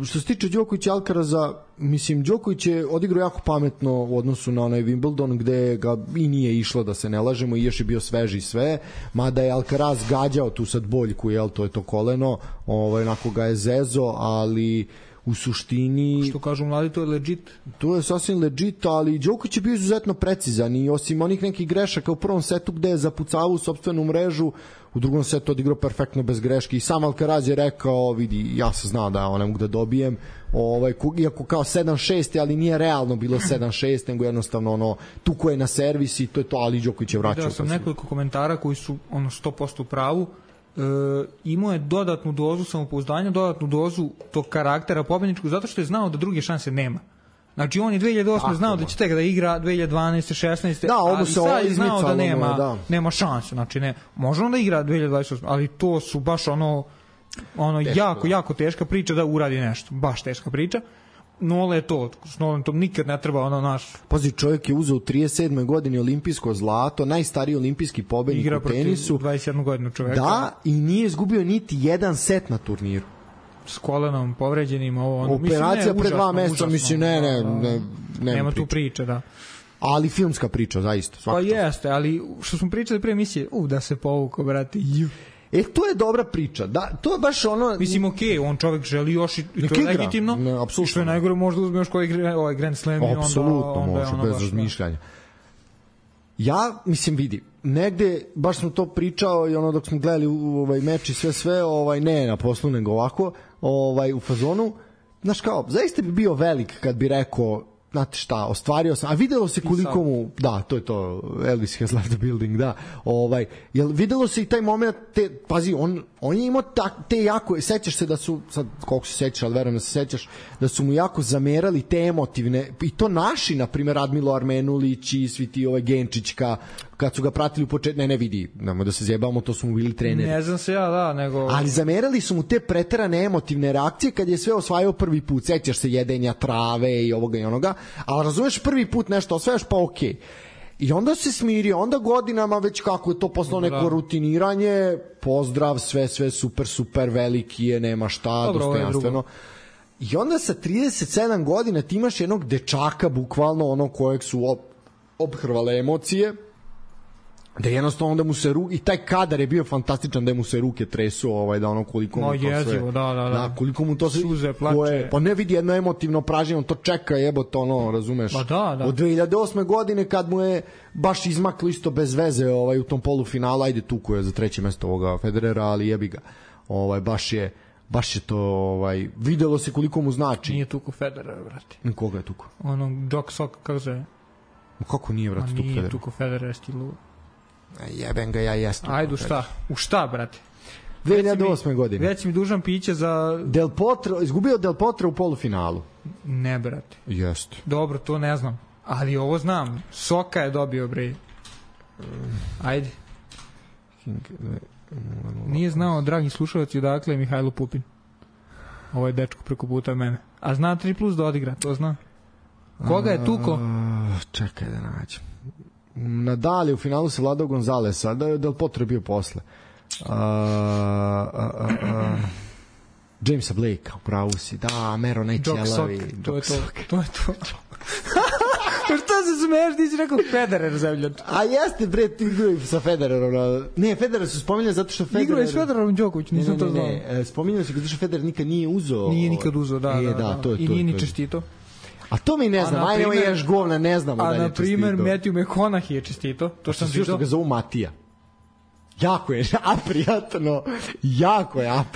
Što se tiče Đokovića i Alcaraza, mislim Đoković je odigrao jako pametno u odnosu na onaj Wimbledon gde ga i nije išlo, da se ne lažemo, i još je bio sveži sve, mada je Alcaraz gađao tu sad boljku, to je to koleno, onako ga je zezo, ali u suštini... Što kažu mladi, to je legit. To je sasvim legit, ali Đoković je bio izuzetno precizan i osim onih nekih grešaka u prvom setu gde je zapucavao u sopstvenu mrežu, u drugom setu odigrao perfektno bez greške i sam Alcaraz je rekao, vidi, ja sam znao da ne mogu da dobijem, iako kao 7-6, ali nije realno bilo 7-6, nego jednostavno tuko je na servis i to je to, ali Đoković je vraćao. Vidio sam nekoliko komentara koji su 100% u pravu. Imao je dodatnu dozu samopouzdanja, dodatnu dozu tog karaktera pobedničkog, zato što je znao da druge šanse nema. Znači on je 2008. znao da će tek da igra 2012. 16. ali sad je znao da nema šanse. Znači može on da igra 2028. ali to su baš jako teška priča da uradi nešto. Baš teška priča. Nole je to, s Nolem to nikad ne treba naš... Pazi, čovjek je uzeo u 37. godini olimpijsko zlato, najstariji olimpijski pobednik u tenisu. Igra protiv 21 godinu čovjeka. Da, i nije izgubio niti jedan set na turniru. S kolenom povređenim, operacija pre 2 meseca, mislim, nema tu priče, da. Ali filmska priča, zaista. Pa jeste, ali što smo pričali pre emisije, da se povuko, brate, to je dobra priča. Da, to je baš mislim, on čovjek želi još i to je legitimno. I što je najgore, možda uzme još koji Grand Slam i onda... Apsolutno može, bez razmišljanja. Ja, mislim, vidi, negde, baš smo to pričao i dok smo gledali meč i sve, ne na poslu, nego ovako, u fazonu, znaš kao, zaista bi bio velik kad bi rekao, znate šta, ostvario sam, a videlo se koliko mu, da, to je to, Elvis has left the building, da, jel videlo se i taj moment, pazi, on je imao te jako, sećaš se da su, sad koliko se sećaš, ali verujem da se sećaš, da su mu jako zamerali te emotivne, i to naši, na primjer, Radmilo Armenulić i svi ti Genčićka, kad su ga pratili u početku, ne vidi, nemoj da se zjebamo, to su mu bili treneri. Ne znam se ja, da, nego... Ali zamerali su mu te preterane emotivne reakcije kad je sve osvajao prvi put, sećaš se jedenja trave i ovoga i onoga, ali razumeš prvi put nešto osvajaš, pa okej. I onda se smirio, onda godinama već kako je to postalo neko rutiniranje, pozdrav, sve super, veliki je, nema šta, dostojanstveno. I onda sa 37 godina ti imaš jednog dečaka, bukvalno kojeg su obhrvale emocije, da jednostavno da mu se i taj kadar je bio fantastičan, da mu se ruke tresu, da ono koliko mu to jezivo, sve da, koliko mu to suze, plače, pa ne vidi jedno emotivno pražnje, on to čeka, jebote, ono, razumeš, od 2008. godine kad mu je baš izmaklo isto bez veze u tom polufinalu, ajde tuko je za 3. mesto ovoga Federera, ali jebi ga, baš je to, videlo se koliko mu znači. Nije tuko Federer, brate. Koga je tuko? Doc Sok, kako se... Kako nije, brate, tuko Federer? Nije tuko Federer, stilu. Jeben ga, ja jesam. Ajde, u šta, brate? 2008. godine. Već mi dužan piće za... Del Potro, izgubio Del Potro u polufinalu. Ne, brate. Jeste. Dobro, to ne znam. Ali ovo znam. Soka je dobio, bre. Ajde. Nije znao, dragi slušalci, odakle je Mihajlo Pupin. Ovo je dečko preko puta mene. A zna 3+ da odigra, to zna. Koga je tuko? Čekaj da nađem. Nadal je u finalu se vladao Gonzalesa, da je Del Potro bio posle. Jamesa Blakea, upravo si. Da, Mero najćelavi. To je to. Šta se smeješ, ti si rekao Federer, zemljač. A jeste, bre, ti igraju sa Federerom. Ne, Federer su spominjali zato što Federer... Igraju s Federerom Đoković, nisam to znao. Ne, spominjali su zato što Federer nikad nije uzeo... Nije nikad uzeo, da. I nije ni čestito. A to mi ne znam, ajde ovo ješ govna, ne znamo da je čestito. A na primer, Matthew McConaughey je čestito, to sam vidio. Što ga zovu Matija. Jako je aprijatno,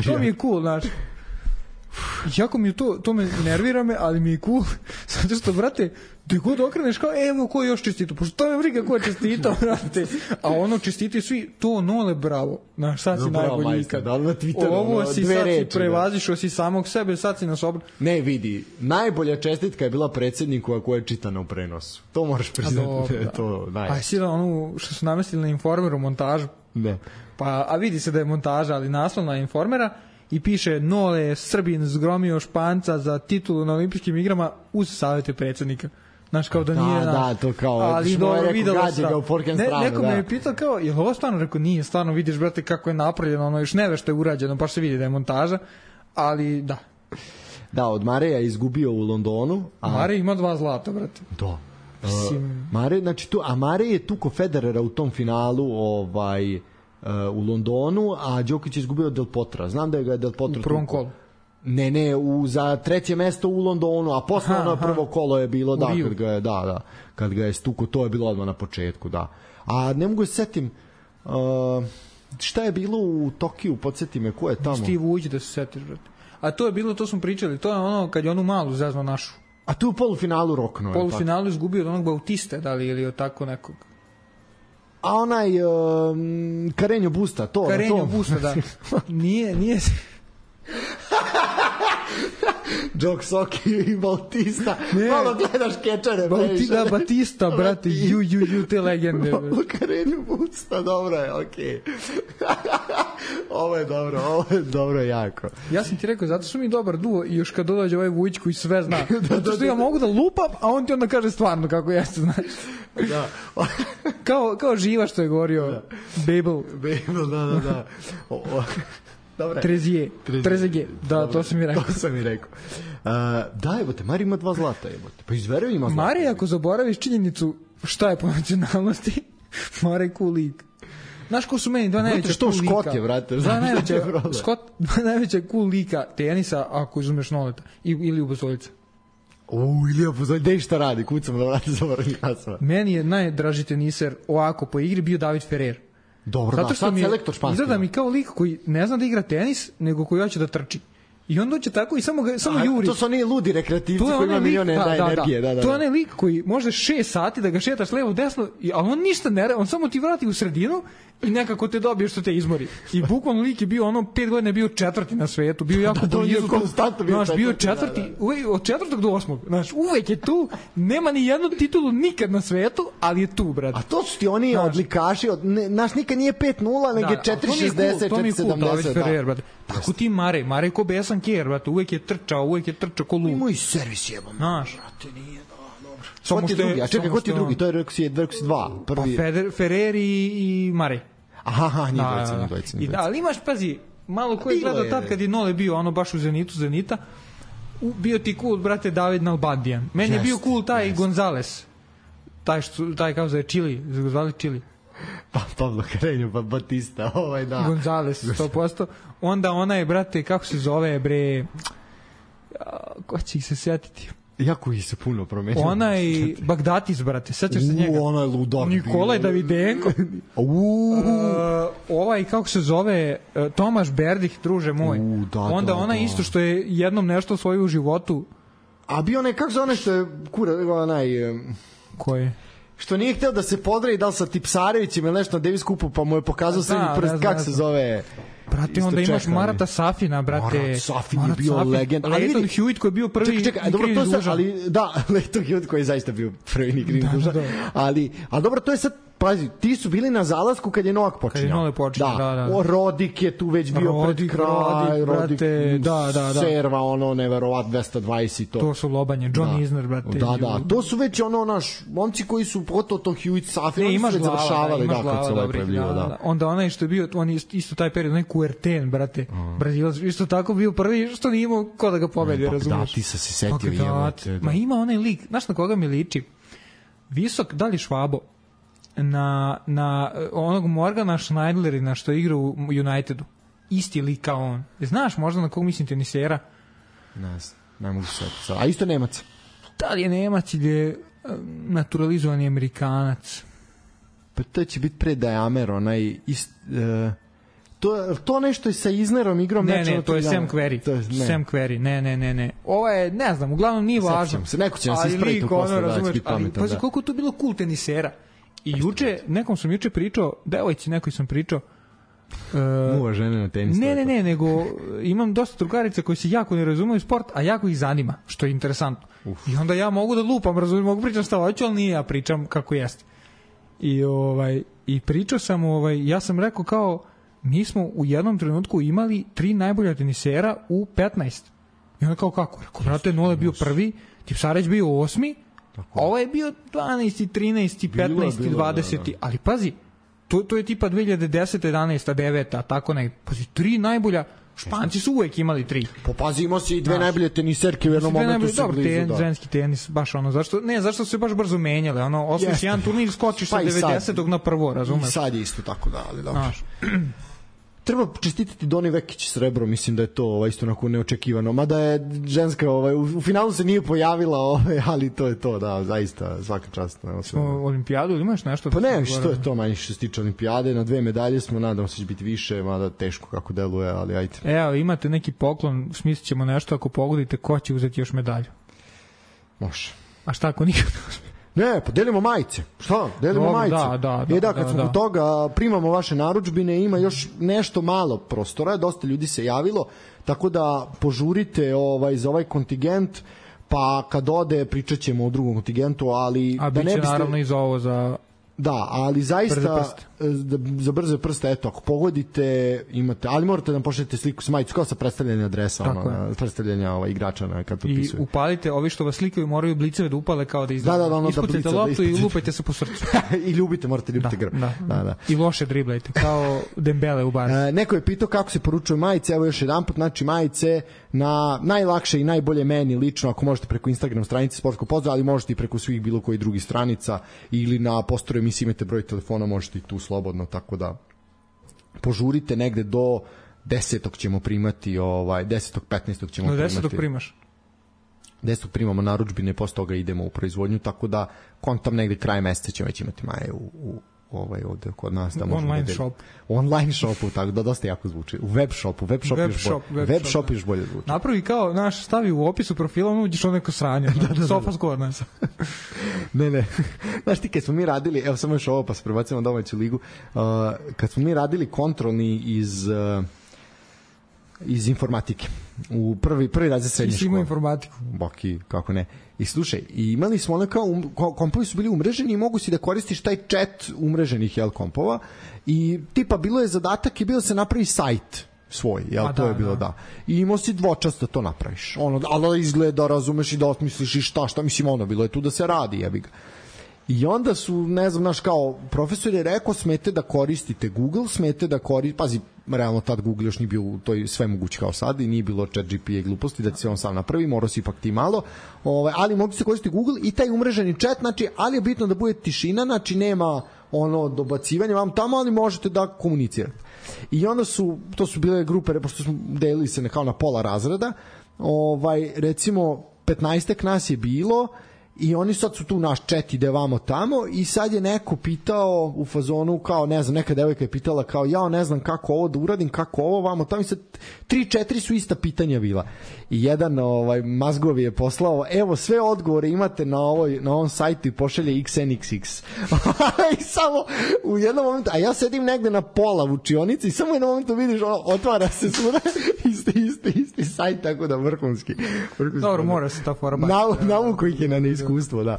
To mi je cool, znaš. Jako mi je to me nervira me, ali mi je cool, zato što, brate, da god okreneš kao, evo ko je još čestito, pošto to me briga ko je čestito, brate, a ono čestiti svi, to Nole, bravo, znaš, sad si najbolji ikad, ovo si sad si prevazišao si samog sebe, sad si nas obra. Ne, vidi, najbolja čestitka je bila predsjedniku koja je čitana u prenosu, to moraš priznati, to najbolje. A si da onu što su namestili na Informeru montažu, ne. Pa, a vidi se da je montaža, ali naslov na Informera, i piše Nole Srbin zgromio Španca za titulu na olimpijskim igrama uz savjete predsjednika. Znaš, kao da nije... Da, to kao... Ali dobro, videlo se. Neko me je pitao kao, je li ovo stvarno? Rekao, nije, stvarno vidiš, brate, kako je napravljeno, ono još neve što je urađeno, baš se vidi da je montaža, ali da. Da, od Mareja je izgubio u Londonu. Marej ima 2 zlata, brate. Da. Marej, znači tu, a Marej je tuko Federera u tom finalu, u Londonu, a Đoković je izgubio Del Potra. Znam da je ga Del Potro u prvom kolu. Ne, za 3. mesto u Londonu, a posle ono prvo kolo je bilo, kad ga je stuko, to je bilo odmah na početku, da. A ne mogu se setim, šta je bilo u Tokiju, podsjeti me, ko je tamo? Steve uđi da se setiš, brate. A to je bilo, to smo pričali, to je ono kad je onu malu zezno našu. A tu u polufinalu rokno. U polufinalu izgubio od onog Bautiste, da li, ili od tako nekog. A onaj Carreño Busta, to. Carreño Busta, da. Nije... Džok Soki i Bautista. Malo gledaš kečare. Batista, brate, te legende. Carreño Busta, dobro je, okej. Ovo je dobro jako. Ja sam ti rekao, zato su mi dobar duo i još kad dođe ovaj Vujić koji sve zna. Zato što ja mogu da lupam, a on ti onda kaže stvarno kako jeste, znaš. Da. Kao Živa što je govorio. Babel, da. Trezeguet. Da, to sam mi rekao. Da, jebote, Mari ima 2 zlata, jebote. Pa izverujem ima zlata. Mari, ako zaboraviš činjenicu šta je po nacionalnosti, Mari je cool lik. Znaš ko su meni 2 najveća cool lika? Škot je, vrate. 2 najveća cool lika tenisa, ako izumeš Noleta. Ili Ubozoljica. Ilija Buzolj, gde šta radi? Kucam da vrati zaboravim jasno. Meni je najdraži teniser ovako po igri bio David Ferrer. Dobro, da, sad selektor španski. Izgleda mi kao lik koji ne zna da igra tenis, nego koji hoće da trči. I on dođe tako i samo juri. To su oni ludi rekreativci koji ima milione energije. Da. To je onaj lik koji može 6 sati da ga šetaš levo desno, ali on ništa ne radi, on samo ti vrati u sredinu i nekako te dobije što te izmori. I bukvalno lik je bio 5 godina je bio 4. na svetu, bio jako blizu. Bio 4. od 4. do 8. Znaš, uvek je tu, nema ni jednu titulu nikad na svetu, ali je tu, brate. A to su ti oni odlikaši, naš nikad nije 5-0, nego je 4-60, 4-70. Tako ti Mare ko besan kjer, brate, uvek je trčao ko lud. Imao i servis jebam. Znaš. Brate, nije, dobro. Ko ti drugi? A čekaj, ko ti drugi? To je rekao si 2. Prvi. Pa Ferrer i Mare. Aha, njih dvojica. Ali imaš, pazi, malo ko je gledao tad kad je Nole bio, ono baš u Zenita, bio ti cool, brate, David Nalbandian. Meni je bio cool taj Gonzales. Taj kao zove Chili, Gonzales Chili. Pablo Carreño, Batista, da. Gonzales, 100%. Onda ona je, brate, kako se zove, bre, ko će ih se sjetiti? Jako ih se puno promenio. Ona i Bagdatis, brate, sećaš se njega? Ona je ludak. Nikolaj Davidenko. Ovaj, kako se zove, Tomaš Berdih, druže moj. Onda ona isto što je jednom nešto svoju u životu. A bio onaj, kako se onaj što je onaj... Koji? Što nije hteo da se podre i da li sa Tipsarevićem ili nešto na Davis Cupu, pa mu je pokazao srednji prst, kako se zove... Brate, onda imaš Marata Safina, brate. Marat Safin je bio legend. Leighton Hewitt koji je bio prvi čekaj, dobro, to sad, ali da, Leighton Hewitt koji je zaista bio prvi ni kriv dužan. Ali dobro, to je sad, pazi, ti su bili na zalasku kad je Novak počinjao. Kad je Novak počinjao, da. Rodik je tu već bio pred kraj, Rodik, da. Serva, neverovat, 220 i to. To su lobanje, John Isner, brate. Da, to su već momci koji su pogotovo to Hewitt, Safin, oni su već završavali, da, kad se pojavljivo, da. Onda onaj što je bio, on je isto taj period, onaj Kuerten, brate, Brazilac, isto tako bio prvi, što nije imao ko da ga pobedi, razumiješ? Da, ti se setio. Ma ima onaj lik, znaš na koga mi liči? Visok, da li Švabo? Na onog Morgana Schneiderlina što igra u Unitedu. Isti lik kao on. Znaš možda na kog mislim tenisera? Ne mogu se setiti. A isto Nemac? Da li je Nemac ili je naturalizovani Amerikanac? Pa to će biti pre Dajamer, onaj to nešto je sa Iznerom igrom. Ne, to je Sam Querrey. Sam Querrey, ne. Ovo je, ne znam, uglavnom nije važno. Neko će nas ispraviti posle, da će biti pametan. Ali koliko je tu bilo cool tenisera. I juče, nekom sam juče pričao, devojci nekoj sam pričao, muva žene na tenis. Ne, nego imam dosta drugarica koji se jako ne razumiju sport, a jako ih zanima, što je interesantno. I onda ja mogu da lupam, razumijem, mogu pričam šta hoću, ali nije, ja pričam kako jeste. I pričao sam, ja sam rekao kao, mi smo u jednom trenutku imali 3 najbolja tenisera u 15. I onda kao kako? Rekao, brate, Nole je bio prvi, Tipsarević bio 8. Ovo je bio 12. 13. 15. 20. Ali pazi, to je tipa 2010. 11. 9. Tako ne. Pazi, 3 najbolja. Španci su uvek imali 3. Pazi, imao si i 2 najbolje teniserke u jednom momentu su blizu. Dobro, ženski tenis, baš zašto su se baš brzo menjale. Osmiš jedan turnir, skočiš sa 90. na prvo, razumeš? I sad je isto tako, da, ali dobro. Treba čestitati Doni Vekić srebro, mislim da je to isto onako neočekivano, mada je ženska u finalu se nije pojavila, ali to je to, da, zaista svaka čast. Smo olimpijadu ili imaš nešto? Pa ne, što je to manje što se tiče olimpijade, na 2 medalje smo, nadam se će biti više, mada teško kako deluje, ali ajde. Evo, imate neki poklon, smislit ćemo nešto ako pogodite ko će uzeti još medalju. Može. A šta ako nikad ne uzme? Ne, pa delimo majice. Šta? Delimo majice. Da, kad smo kod toga, primamo vaše narudžbine, ima još nešto malo prostora, dosta ljudi se javilo, tako da požurite za ovaj kontingent, pa kad ode pričat ćemo o drugom kontingentu, ali... A bit će naravno i za ovo za... Da, ali zaista za brze prste, eto, ako pogodite, imate, ali morate da nam pošaljete sliku s majicu, kao sa predstavljanja adresa, predstavljanja igrača kad potpisuju. I upalite, ovi što vas slikaju moraju bliceve da upale kao da izdaju. Da, ispucajte loptu i lupajte se po srcu. I morate ljubiti grb. Da. I loše driblajte, kao Dembele u Barci. Neko je pitao kako se poručuju majice, evo još jedan put, znači majice na najlakše i najbolje meni lično, ako možete preko Instagram stranice Sportskog pozdrava, ali možete i preko svih bilo koji drugih stranica ili na postoru emisiji imate broj telefona, možete i tu slobodno, tako da požurite negde do 10. ćemo primati 10. 15. ćemo primati. 10. primaš? 10. primamo narudžbine, posle toga idemo u proizvodnju, tako da kontam negde kraj meseca ćemo već imati maje u ovde kod nas da online shopu, tako da dosta jako zvuči. U web shopu još bolje zvuči. Napravi kao naš, stavi u opisu profila, uđeš neko sranje. Sofa skor nas. Ne. Znaš ti, kad smo mi radili, evo samo još ovo pa se prebacimo na domaću ligu, kad smo mi radili kontrolni iz informatike. U prvi razred srednje škole. I si imao informatiku. Boki, kako ne. I slušaj, imali smo ono kao kompovi su bili umreženi i mogu si da koristiš taj chat umreženih kompova i tipa bilo je zadatak i bilo se napravi sajt svoj, to je bilo da. I imao si dvočasto to napraviš. Ali izgleda, razumeš i da osmisliš i šta, mislim, bilo je tu da se radi, jebi ga. I onda su, ne znam, naš kao profesor je rekao, smete da koristite Google, smete da koristite, pazi, realno tad Google još nije bio u toj sve moguće kao sad i nije bilo chat GP i gluposti da se on sam napravi, morao si ipak ti malo, ali mogu se koristiti Google i taj umreženi chat, znači, ali je bitno da bude tišina, znači nema ono dobacivanje vam tamo, ali možete da komunicirate. I onda to su bile grupe, pošto smo delili se kao na pola razreda, recimo 15 nas je bilo i oni sad su tu naš chat ide vamo tamo i sad je neko pitao u fazonu kao ne znam, neka devojka je pitala kao ja ne znam kako ovo da uradim, kako ovo vamo tamo i sad 3-4 su ista pitanja bila i jedan mazgov je poslao evo sve odgovore imate na ovom sajtu i pošalje XNXX i samo u jednom momentu, a ja sedim negde na pola u učionici i samo u jednom momentu vidiš otvara se svuda isti sajt, tako da vrhunski. Dobro, mora se ta forma navuko ih je na neiskustvo, da.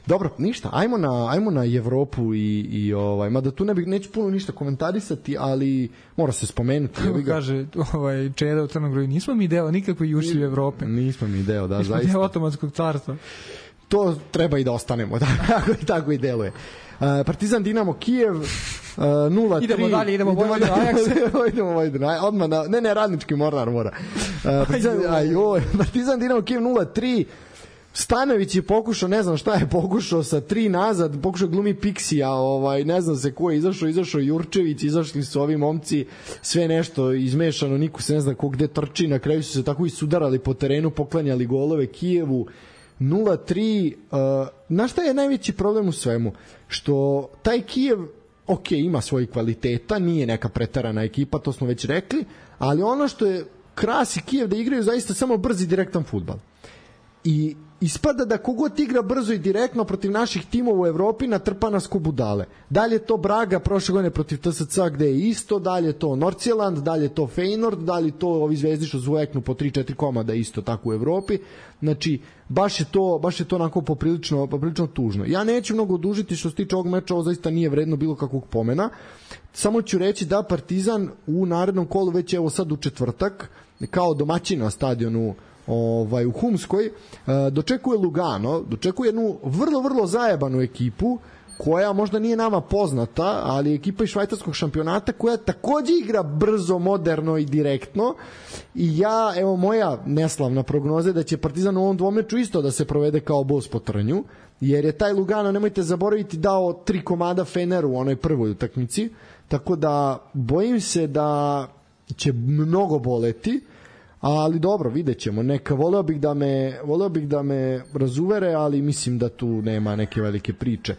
Dobro, ništa, ajmo na Evropu i mada tu neću puno ništa komentarisati, ali mora se spomenuti. Kaže Čeda u Crnogoru, nismo mi deo nikakve jušljive Evrope. Nismo mi deo, da, nismo zaista. Deo Otomanskog carstva. To treba i da ostanemo, da, tako i deluje. Partizan Dinamo Kijev 0-3. Idemo dalje, idemo Vojvodinu Ajax. Idemo Vojvodinu, odmah ne, Radnički Mornar mora. Partizan Dinamo Kijev 0-3. Stanović je pokušao, ne znam šta je pokušao sa 3 nazad, pokušao glumi Piksija, ne znam se ko je izašao Jurčević, izašli su ovi momci, sve nešto izmešano, niko se ne zna ko gde trči, na kraju su se tako i sudarali po terenu, poklanjali golove Kijevu. 0-3. Na šta je najveći problem u svemu? Što taj Kijev, ok, ima svojih kvaliteta, nije neka preterana ekipa, to smo već rekli, ali ono što je krasi Kijev da igraju zaista samo brzi direktan fudbal. I ispada da kogod igra brzo i direktno protiv naših timova u Evropi natrpa nas ko budale. Dalje je to Braga prošle godine protiv TSC gde je isto, dalje je to Nordsjælland, dalje je to Feyenoord, dalje je to ovi zvezdi što zvojeknu po 3-4 komada isto tako u Evropi. Znači, baš je to onako poprilično tužno. Ja neću mnogo odužiti što se tiče ovog meča, ovo zaista nije vredno bilo kakvog pomena. Samo ću reći da Partizan u narednom kolu već evo sad u četvrtak kao domaćin na stadionu u Humskoj dočekuje Lugano, dočekuje jednu vrlo zajebanu ekipu koja možda nije nama poznata, ali ekipa iz švajcarskog šampionata koja takođe igra brzo, moderno i direktno i moja neslavna prognoza je da će Partizan u ovom dvomeču isto da se provede kao bos po trnju, jer je taj Lugano, nemojte zaboraviti, dao 3 komada Feneru u onoj prvoj utakmici, tako da bojim se da će mnogo boleti, ali dobro, vidjet ćemo. Voleo bih da me razuvere, ali mislim da tu nema neke velike priče.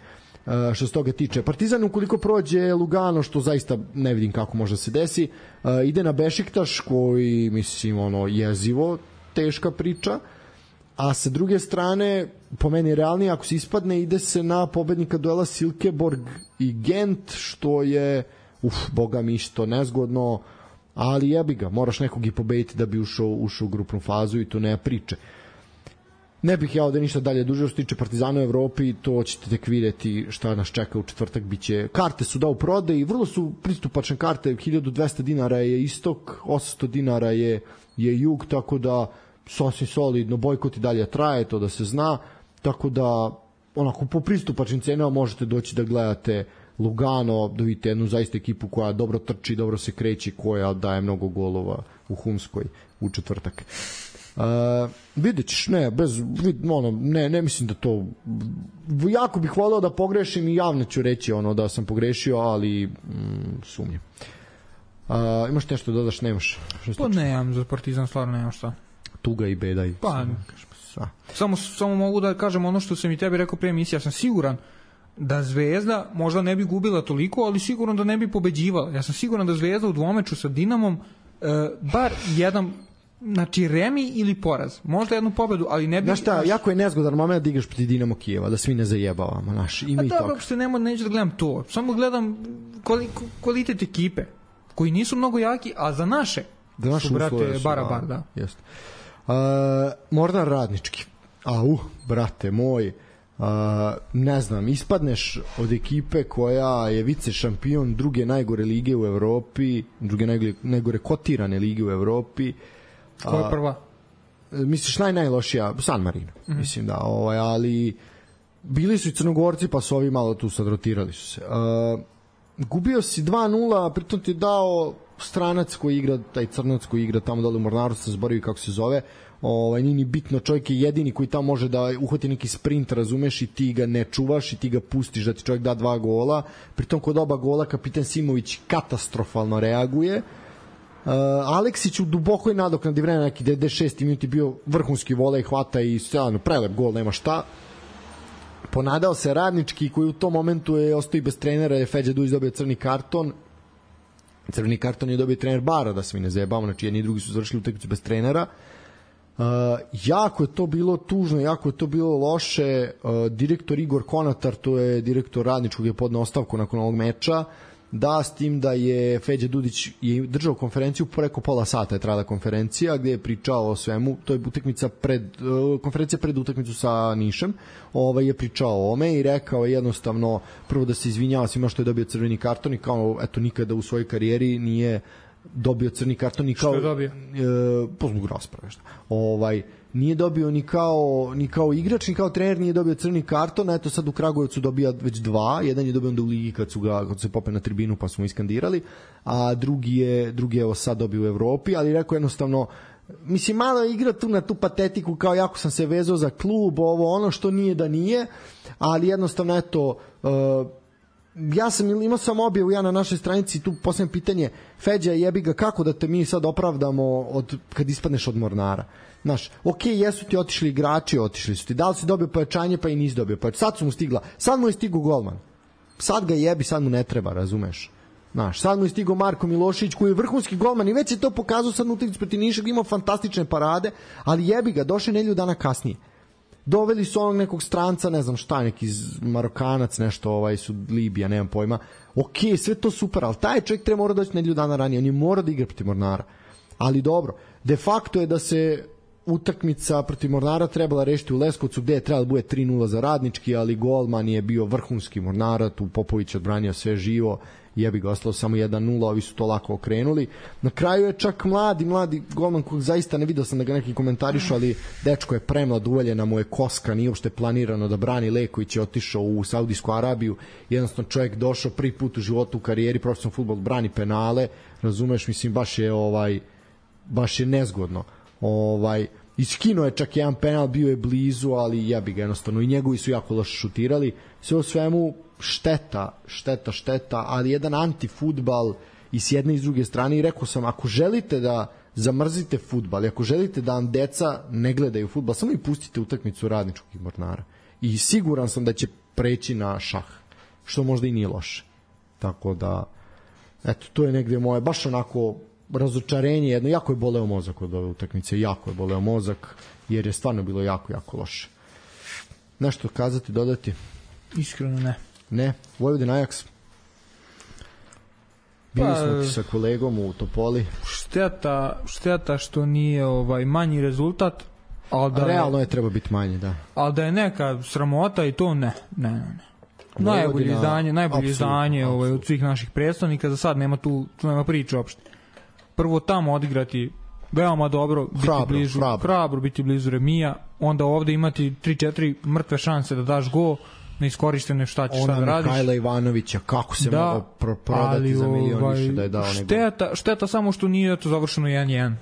Što se toga tiče, Partizan ukoliko prođe Lugano, što zaista ne vidim kako može se desi, ide na Bešiktaš koji mislim jezivo teška priča, a sa druge strane po meni realnije ako se ispadne ide se na pobednika duela Silkeborg i Gent, što je boga mi isto nezgodno, ali jebi ga, moraš nekog i pobediti da bi ušao u grupnu fazu i to nema priče. Ne bih ja ovde ništa dalje duže što se tiče Partizana u Evropi, to ćete tek vidjeti šta nas čeka u četvrtak. Biće, karte su u prodaji, vrlo su pristupačne karte, 1200 dinara je istok, 800 dinara je jug, tako da sasvim solidno, bojkot i dalje traje, to da se zna, tako da onako po pristupačnim cenama možete doći da gledate Lugano, da vidite jednu zaista ekipu koja dobro trči, dobro se kreće, koja daje mnogo golova u Humskoj u četvrtak. Vidjet ćeš, ne mislim da to, jako bih voleo da pogrešim i javno ću reći da sam pogrešio, ali sumnjam. Imaš nešto da dodaš, nemaš? Pa nemam, za Partizan stvarno nemam šta. Tuga i beda i samo mogu da kažem ono što sam i tebi rekao pre emisije, ja sam siguran da Zvezda možda ne bi gubila toliko, ali sigurno da ne bi pobeđivala. Ja sam siguran da Zvezda u dvomeču sa Dinamom bar jedan, znači remi ili poraz. Možda jednu pobedu, ali ne bi... Znaš šta, jako je nezgodan moment da igraš proti Dinamo Kijeva, da svi ne zajebavamo, ima i toga. Dobro, uopšte neću da gledam to. Samo gledam kvalitet ekipe, koji nisu mnogo jaki, a za naše su, brate, bara, da. Jeste. Mornar Radnički. Brate moj, ne znam, ispadneš od ekipe koja je vice šampion druge najgore lige u Evropi, druge najgore kotirane lige u Evropi. Koja je prva? Misliš najlošija? San Marino. Mislim da, ali bili su i Crnogorci, pa su ovi malo tu sad rotirali su se. gubio si 2-0, pritom ti je dao stranac koji igra, taj crnac koji igra tamo dole u Mornaru, se zaboravio kako se zove, nije ni bitno, čovjek je jedini koji tamo može da uhvati neki sprint, razumeš, i ti ga ne čuvaš i ti ga pustiš da ti čovjek da 2 gola, pritom kod oba gola kapitan Simović katastrofalno reaguje. Aleksić u dubokoj nadoknadi vremena, neki 96. minut je bio vrhunski volej, hvata i stvarno prelep gol, nema šta. Ponadao se Radnički koji u tom momentu je ostao i bez trenera, je Feđa Dujić dobio crni karton. Crveni karton je dobio trener Bara, da se mi ne zajebamo, znači jedni i drugi su završili utakmicu bez trenera. Jako je to bilo tužno, jako je to bilo loše. Direktor Igor Konatar, to je direktor Radničkog, je podneo ostavku nakon ovog meča, da, s tim da je Feđa Dudić je držao konferenciju, preko pola sata je trajala konferencija gde je pričao o svemu, to je utakmica konferencija pred utakmicu sa Nišem, je pričao o ome i rekao je jednostavno prvo da se izvinjava svima što je dobio crveni karton i kao eto nikada u svojoj karijeri nije dobio crni karton i kao što je dobio? Po zbog rasprave nije dobio ni kao igrač ni kao trener, nije dobio crni karton, eto sad u Kragujevcu dobija već 2, jedan je dobio onda u ligi kad se popeo na tribinu pa su mu iskandirali, a drugi je sad dobio u Evropi, ali rekao jednostavno, mislim malo igra tu na tu patetiku kao jako sam se vezao za klub, ono što nije da nije, ali jednostavno eto, imao sam objavu ja na našoj stranici, tu posljedno pitanje, Feđa, jebi ga, kako da te mi sad opravdamo kad ispadneš od Mornara? Znaš, jesu ti otišli igrači, otišli su ti, da li si dobio pojačanje pa i nisi dobio pojačanje, sad su mu stigla, sad mu je stigu golman, sad ga jebi, sad mu ne treba, razumeš? Znaš, sad mu je stigo Marko Milošević koji je vrhunski golman i već je to pokazao sad utakmicu protiv Niša, imao fantastične parade, ali jebi ga, došao nedelju dana kasnije. Doveli su onog nekog stranca, ne znam šta, neki Marokanac, nešto, su Libija, nemam pojma. Sve to super, ali taj čovjek treba mora doći nedelju dana ranije, on je mora da igra protiv Mornara. Ali dobro, de facto je da se utakmica protiv Mornara trebala rešiti u Leskovcu, gde je trebalo bude 3-0 za Radnički, ali golman je bio vrhunski Mornara, tu Popović odbranio sve živo, jebi ga, ostalo samo 1-0, ovi su to lako okrenuli. Na kraju je čak mladi golman kojeg zaista ne vidio sam da ga neki komentarišu, ali dečko je premlad, uvaljena mu je koska, nije uopšte planirano da brani, Leković je otišao u Saudijsku Arabiju, jednostavno čovjek došao prvi put u životu u karijeri, profesionalni fudbal, brani penale, razumeš, mislim, baš je nezgodno. Iskinuo je čak jedan penal, bio je blizu, ali jebi ga jednostavno, i njegovi su jako loše šutirali, sve u svemu šteta, ali jedan antifudbal i s jedne i s druge strane, i rekao sam, ako želite da zamrzite fudbal i ako želite da vam deca ne gledaju fudbal, samo i pustite utakmicu Radničkog i Mornara i siguran sam da će preći na šah, što možda i nije loše. Tako da, eto, to je negde moje, baš onako razočarenje jedno, jako je boleo mozak od ove utakmice, jako je boleo mozak, jer je stvarno bilo jako, jako loše. Nešto kazati, dodati? Iskreno ne. Ne, Vojvodina Ajax. Bili smo ti sa kolegom u Topoli. Šteta što nije manji rezultat, ali da realno je treba biti manje, da. Ali da je neka sramota i to ne. Najbolje izdanje od svih naših predstavnika, za sad nema tu nema priče uopšte. Prvo tamo odigrati veoma dobro, hrabro biti blizu remija, onda ovde imati 3-4 mrtve šanse da daš gol, neiskorištene, šta da radiš. Ona Mihajla Ivanovića, kako se mogao prodati za milion više da je dao nego. Šteta samo što nije to završeno 1-1.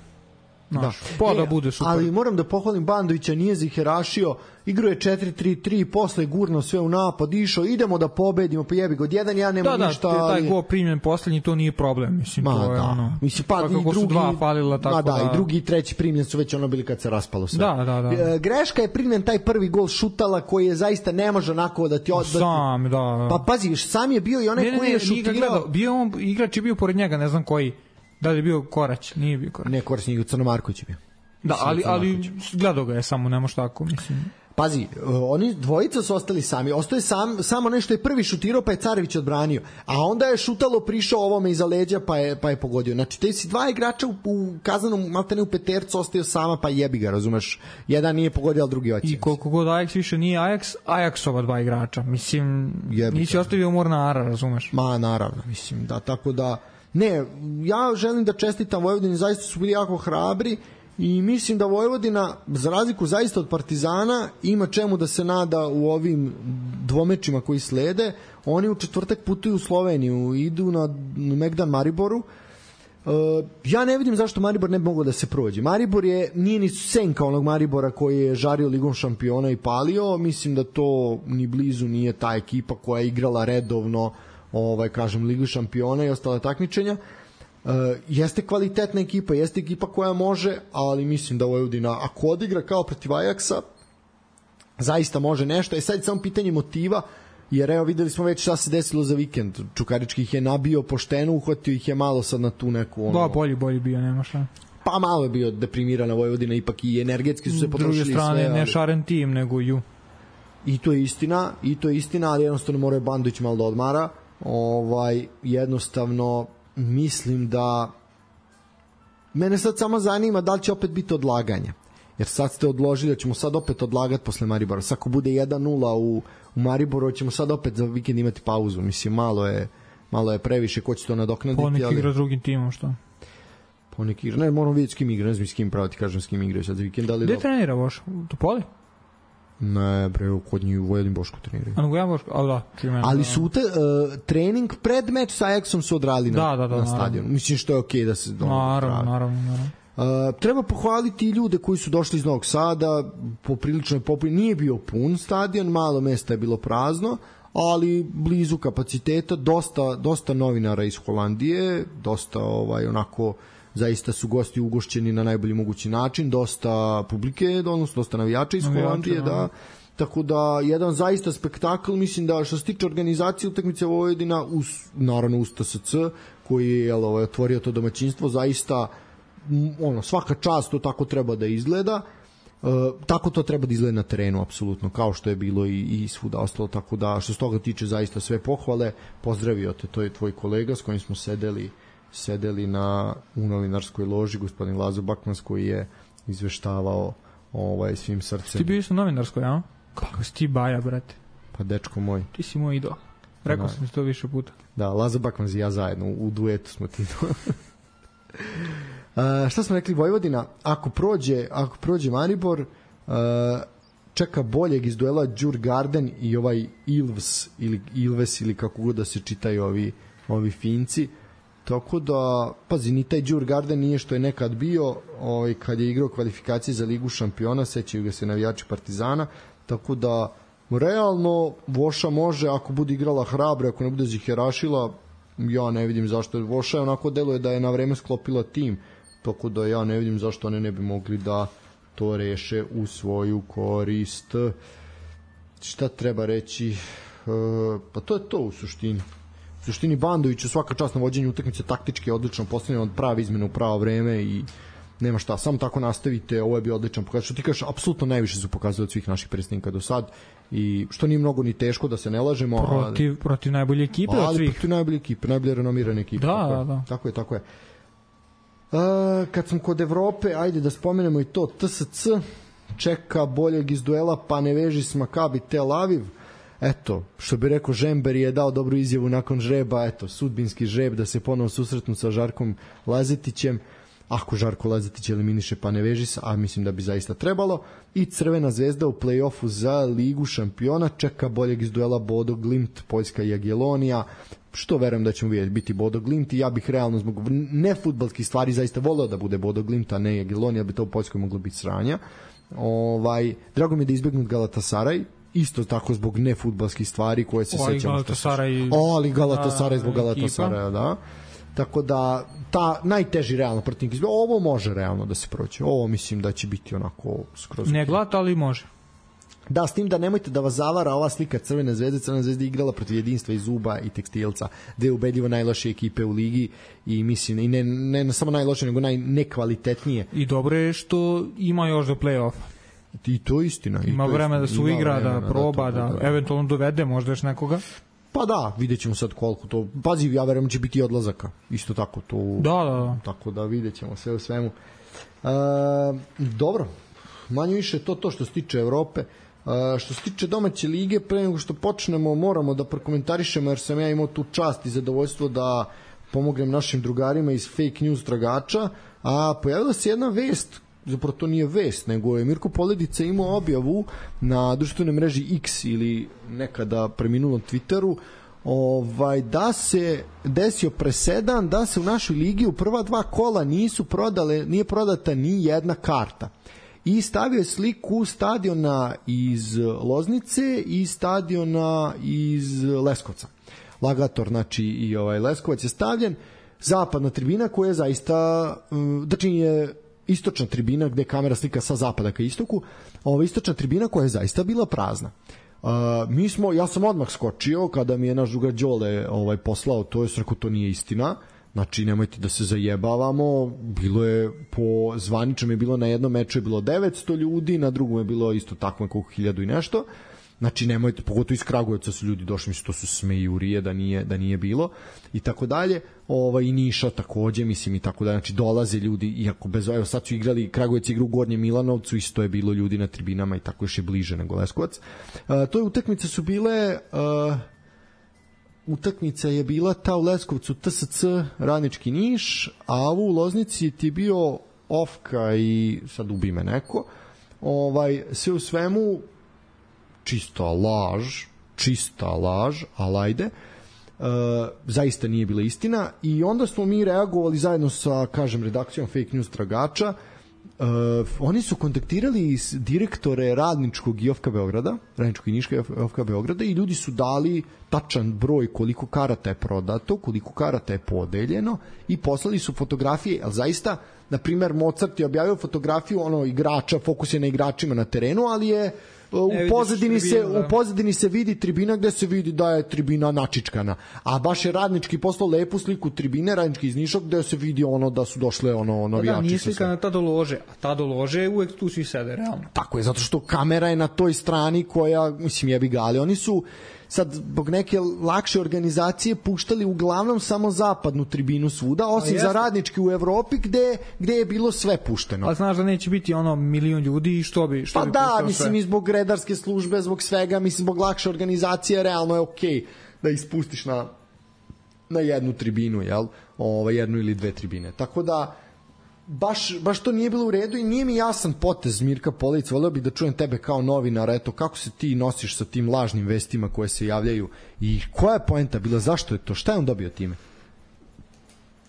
Da bude super. Ali moram da pohvalim Bandovića, nije ziherašio, igrao je 4-3-3, posle gurno sve u napad, išao, idemo da pobedimo, pa jebi ga, od 1-1 nema ništa. Da, taj gol primljen poslednji, to nije problem, mislim, to je ono. Mislim, pa i drugi, su dva falila, tako da. I drugi i treći primljen su već ono bili kad se raspalo sve. Da. Greška je primljen taj prvi gol Šutala koji je zaista ne može onako da ti odbati. Sam, da. Pa pazi, sam je bio i onaj koji je šutirao. Igrač je bio pored njega, ne znam koji. Da li je bio Korać? Nije bio Korać. Ne, Korać nije, Crnomarković je bio. Da, ali gledao ga je samo, nemoš tako, mislim. Pazi, oni dvojica su ostali sami. Ostaje samo nešto je prvi šutirao, pa je Carević odbranio. A onda je Šutalo prišao ovome iza leđa, pa je pogodio. Znači, te si dva igrača u kazanom, maltene u petercu, ostaju sama, pa jebi ga, razumeš? Jedan nije pogodio, ali drugi oće. I koliko god Ajax više nije Ajaxova dva igrača. Mislim, nisi ostavio Mornara, razumeš? Ma, naravno, mislim, da, tako da. Ne, ja želim da čestitam Vojvodini, zaista su bili jako hrabri i mislim da Vojvodina, za razliku zaista od Partizana, ima čemu da se nada u ovim dvomečima koji slede. oni u četvrtak putuju u Sloveniju, idu na Megdan Mariboru. Ja ne vidim zašto Maribor ne bi mogao da se prođe. Maribor nije ni senka onog Maribora koji je žario Ligom šampiona i palio. Mislim da to ni blizu nije ta ekipa koja je igrala redovno kažem, Ligu šampiona i ostale takmičenja. Jeste kvalitetna ekipa, jeste ekipa koja može, ali mislim da Vojvodina, ako odigra kao protiv Ajaksa, zaista može nešto. Sad samo pitanje motiva, jer evo videli smo već šta se desilo za vikend. Čukarički ih je nabio pošteno, uhvatio ih je malo sad na tu neku... bolji bio, nema šta. Pa malo je bio deprimirana Vojvodina, ipak i energetski su se potrošili sve. S druge strane, ne Šaren tim, nego Ju. I to je istina, ali jednostavno mora Bandović malo da odmara. Jednostavno mislim da mene sad samo zanima da li će opet biti odlaganja, jer sad ste odložili da ćemo sad opet odlagati posle Maribora. Sad ako bude 1-0 u Mariboru, ćemo sad opet za vikend imati pauzu. Mislim, malo je previše, ko će to nadoknaditi. Ponek igra s drugim timom, što? Ponek igra, ne, moram vidjeti s kim igra, ne znam s kim pravo ti kažem s kim igraju sad za vikend. Gde trenira Boš? U Topoli? Ne, bre, kod njih u Vojvodin Bošku treniraju. A Vojvodin Bošku, ali su trening pred meč sa Ajaxom su odradili na stadionu. Mislim što je okej da se... Naravno. Treba pohvaliti i ljude koji su došli iz Novog Sada, poprilično je nije bio pun stadion, malo mesta je bilo prazno, ali blizu kapaciteta, dosta novinara iz Holandije, dosta onako zaista su gosti ugošćeni na najbolji mogući način, dosta publike, odnosno dosta navijača iz Holandije, da. Tako da, jedan zaista spektakl, mislim da što se tiče organizacije utakmice Vojvodina, naravno uz TSC, koji je otvorio to domaćinstvo, zaista svaka čast to tako treba da izgleda. Tako to treba da izgleda na terenu, apsolutno, kao što je bilo i svuda ostalo, tako da što se toga tiče zaista sve pohvale. Pozdravio te, to je tvoj kolega s kojim smo sedeli u novinarskoj loži, gospodin Lazo Bakmans, koji je izveštavao svim srcem. Ti bio isto novinarskoj, a? Kako si ti baja, brate? Pa dečko moj. Ti si moj idol. Rekao sam ti to više puta. Da, Lazo Bakmans i ja zajedno, u duetu smo ti to. Šta smo rekli, Vojvodina, ako prođe Maribor, čeka boljeg iz duela Djurgarden i Ilves ili kako god da se čitaju ovi Finci. Tako da, pazi, ni taj Djurgarden nije što je nekad bio, kad je igrao kvalifikacije za Ligu šampiona, sećaju ga se navijači Partizana, tako da realno Voša može, ako bude igrala hrabro, ako ne bude ziherašila, ja ne vidim zašto. Voša je onako deluje da je na vreme sklopila tim, tako da ja ne vidim zašto one ne bi mogli da to reše u svoju korist. Šta treba reći? Pa to je to u suštini. U suštini Bandoviću svaka čast na vođenju utakmice, taktički je odlično postavljeno, od prave izmene u pravo vreme i nema šta, samo tako nastavite, ovo je bio odličan pokazatelj. Što ti kažeš, apsolutno najviše su pokazali od svih naših predstavnika do sad, i što nije mnogo ni teško, da se ne lažemo. Protiv najbolje ekipe od svih. Protiv najbolje ekipe, najbolje renomirane ekipe. Da. Tako je. Kad smo kod Evrope, ajde da spomenemo i to, TSC čeka boljeg iz duela, pa ne veži s Makabi Tel Aviv. Eto, što bi rekao Žember je dao dobru izjavu nakon žreba, eto, sudbinski žreb da se ponovo susretnu sa Žarkom Lazetićem, ako Žarko Lazetić eliminiše pa ne veži se, a mislim da bi zaista trebalo. I Crvena zvezda u play-offu za Ligu šampiona čeka boljeg iz duela Bodo Glimt, Poljska i Jagiellonija, što verujem da ćemo biti Bodo Glimt, i ja bih realno zbog nefudbalskih stvari zaista voleo da bude Bodo Glimt, a ne Jagiellonija, bi to u Poljskoj moglo biti sranja. Drago mi je da izbegnut Galatasaraj, isto tako zbog nefudbalskih stvari koje se sećamo. Ali Galatasaraj zbog Galatasaraja, da. Tako da, ta najteži realno protivnik izbira, ovo može realno da se prođe. Ovo mislim da će biti onako skroz... Ne glat, ali može. Da, s tim da nemojte da vas zavara ova slika Crvene zvezde. Crvena zvezda igrala protiv Jedinstva i Zuba i Tekstilca, dve ubedljivo najlošije ekipe u ligi, i mislim, i ne samo najlošije, nego najnekvalitetnije. I dobro je što ima još do play-offa. I to je istina. Ima vreme da se uigra, da proba, da eventualno dovede možda još nekoga. Pa da, vidjet ćemo sad koliko to... Pazi, ja verujem će biti odlazaka. Isto tako to... Da. Tako da vidjet ćemo sve u svemu. Dobro, manje više to što se tiče Evrope. Što se tiče domaće lige, pre nego što počnemo, moramo da prokomentarišemo, jer sam ja imao tu čast i zadovoljstvo da pomognem našim drugarima iz fake news tragača, a pojavila se jedna vest, zapravo to nije vest, nego je Mirko Poledica imao objavu na društvenoj mreži X ili nekada preminulom Twitteru, da se desio presedan da se u našoj ligi u prva 2 kola nije prodata ni jedna karta. I stavio je sliku stadiona iz Loznice i stadiona iz Leskovca. Lagator, znači i Leskovac je stavljen. Zapadna tribina koja je zaista, znači je istočna tribina gde kamera slika sa zapada ka istoku, istočna tribina koja je zaista bila prazna. Ja sam odmah skočio kada mi je naš drugar Đole poslao to, je rekao to nije istina, znači nemojte da se zajebavamo, bilo je po zvaničnom je bilo na jednom meču je bilo 900 ljudi, na drugom je bilo isto tako nekoliko 1000 i nešto. Znači nemojte, pogotovo iz Kragujevca su ljudi došli, mislim to su smejurije da nije bilo i tako dalje. I Niša takođe, mislim i tako dalje. Znači dolaze ljudi, iako evo sad su igrali Kragujevac igru u Gornjem Milanovcu, isto je bilo ljudi na tribinama i tako još je bliže nego Leskovac. To je utakmice su bile utakmica je bila ta u Leskovcu TSC Radnički Niš, a u Loznici ti je bio Ofka i sad ubi me neko. Sve u svemu čista laž, ali ajde, zaista nije bila istina i onda smo mi reagovali zajedno sa, kažem, redakcijom Fake News Tragača. Oni su kontaktirali direktore Radničkog i OFK Beograda, Radničkog i Niška OFK Beograda i ljudi su dali tačan broj koliko karata je prodato, koliko karata je podeljeno i poslali su fotografije, ali zaista, na primer, Mozart je objavio fotografiju igrača, fokus je na igračima na terenu, ali je u pozadini se vidi tribina gde se vidi da je tribina načičkana, a baš je Radnički poslao lepu sliku tribine, Radnički iz Niša, gde se vidi da su došle navijači. Da, nije slika na tada lože, a tada lože uvek tu svi sede, realno. Tako je, zato što kamera je na toj strani koja, mislim, jebi ga, ali oni su sad zbog neke lakše organizacije puštali uglavnom samo zapadnu tribinu svuda, osim za Radnički u Evropi gde je bilo sve pušteno. A znaš da neće biti milion ljudi i što bi da, mislim, i zbog redarske službe, zbog svega, mislim, zbog lakše organizacije, realno je okej da ispustiš na jednu tribinu, jel? Jednu ili dve tribine. Tako da baš to nije bilo u redu i nije mi jasan potez Mirka Polić. Voleo bih da čujem tebe kao novinara, eto, kako se ti nosiš sa tim lažnim vestima koje se javljaju i koja je poenta bila, zašto je to, šta je on dobio time?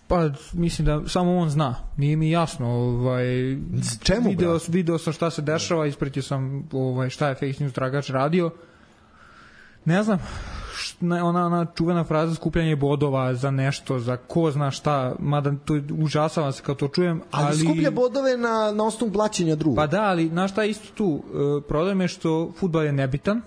Pa mislim da samo on zna, nije mi jasno. Čemu, video sam šta se dešava, ispratio sam šta je Fake News Tragač radio, ne znam, ona čuvena fraza skupljanje bodova za nešto, za ko zna šta, mada to užasavam se kao to čujem, ali skuplja bodove na osnovu blaćenja druga. Pa da, ali znaš šta je isto tu, problem je što fudbal je nebitan,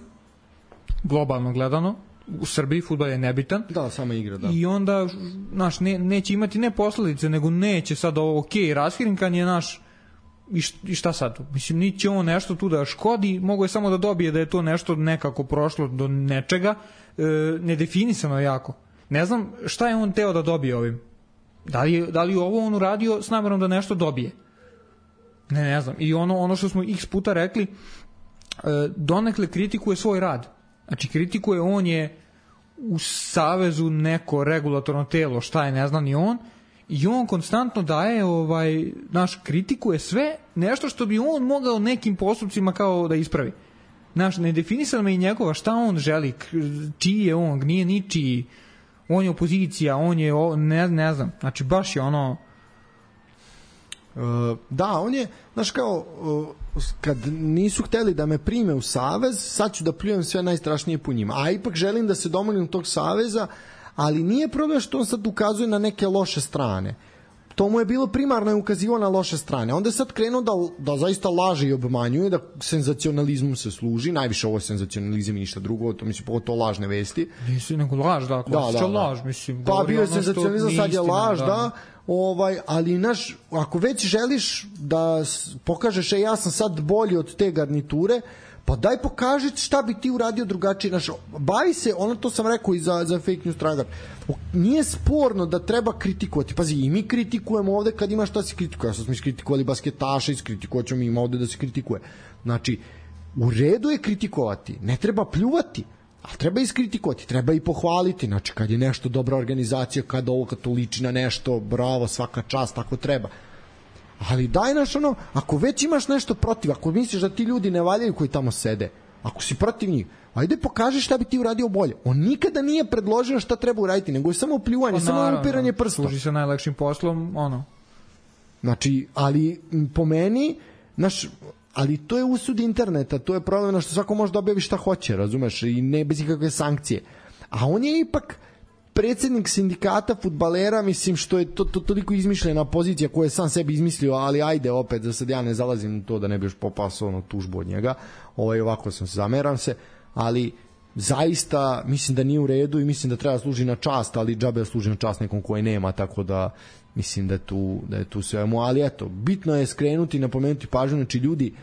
globalno gledano, u Srbiji fudbal je nebitan. Da, sama igra, da. I onda, znaš, neće imati ne posledice, nego neće sad raskrinkan je naš, i šta sad? Mislim, niće on nešto tu da škodi, mogo je samo da dobije da je to nešto nekako prošlo do nečega, nedefinisano jako. Ne znam šta je on teo da dobije ovim. Da li ovo on uradio s namerom da nešto dobije? Ne znam. I ono što smo x puta rekli, donekle kritikuje svoj rad. Znači, kritikuje, on je u savezu neko regulatorno telo, šta je, ne zna ni on, i on konstantno daje, kritikuje sve, nešto što bi on mogao nekim postupcima kao da ispravi. Znaš, nedefinisano je i njegova šta on želi, čiji je on, nije ničiji, on je opozicija, on je, ne znam, znači baš je da, on je, znaš, kao kad nisu hteli da me prime u savez, sad ću da pljujem sve najstrašnije po njima, a ipak želim da se domognem tog saveza, ali nije problem što on sad ukazuje na neke loše strane. To mu je bilo primarno je ukazivao na loše strane. Onda je sad krenuo da zaista laže i obmanjuje, da senzacionalizmom se služi, najviše ovo je senzacionalizam i ništa drugo, to mislim pogotovo lažne vesti. Nisi nego laž, da, klasična laž, mislim. Pa bio je senzacionalizam, sad je laž, da. Ali ako već želiš da pokažeš ja sam sad bolji od te garniture, pa daj pokaži šta bi ti uradio drugačije. Bavi se, to sam rekao i za Fake News Tragač, nije sporno da treba kritikovati. Pazi, i mi kritikujemo ovde kad ima šta se kritikuje. Ja sam smo iskritikovali basketaša, iskritikovat ćemo ima ovde da se kritikuje. Znači, u redu je kritikovati, ne treba pljuvati, ali treba iskritikovati, treba i pohvaliti. Znači, kad je nešto dobra organizacija, kad to liči na nešto, bravo, svaka čast, tako treba. Ali daj ako već imaš nešto protiv, ako misliš da ti ljudi ne valjaju koji tamo sede, Ako si protiv njih, ajde pokaži šta bi ti uradio bolje. On nikada nije predložio šta treba uraditi, nego je samo pljuvanje, samo upiranje prstom. Služi se najlakšim poslom, Znači, ali po meni, ali to je usud interneta, to je problem što svako može da objavi šta hoće, razumeš, i ne bez ikakve sankcije. A on je ipak predsednik sindikata fudbalera, mislim, što je to toliko izmišljena pozicija koju je sam sebi izmislio, ali ajde opet, da sad ja ne zalazim u to da ne bi još popasao tužbu od njega, ovako zameram se, ali zaista mislim da nije u redu i mislim da treba služi na čast, ali džabe služi na čast nekom koji nema, tako da mislim da je tu svemu, ali eto, bitno je skrenuti, napomenuti pažnju, znači ljudi,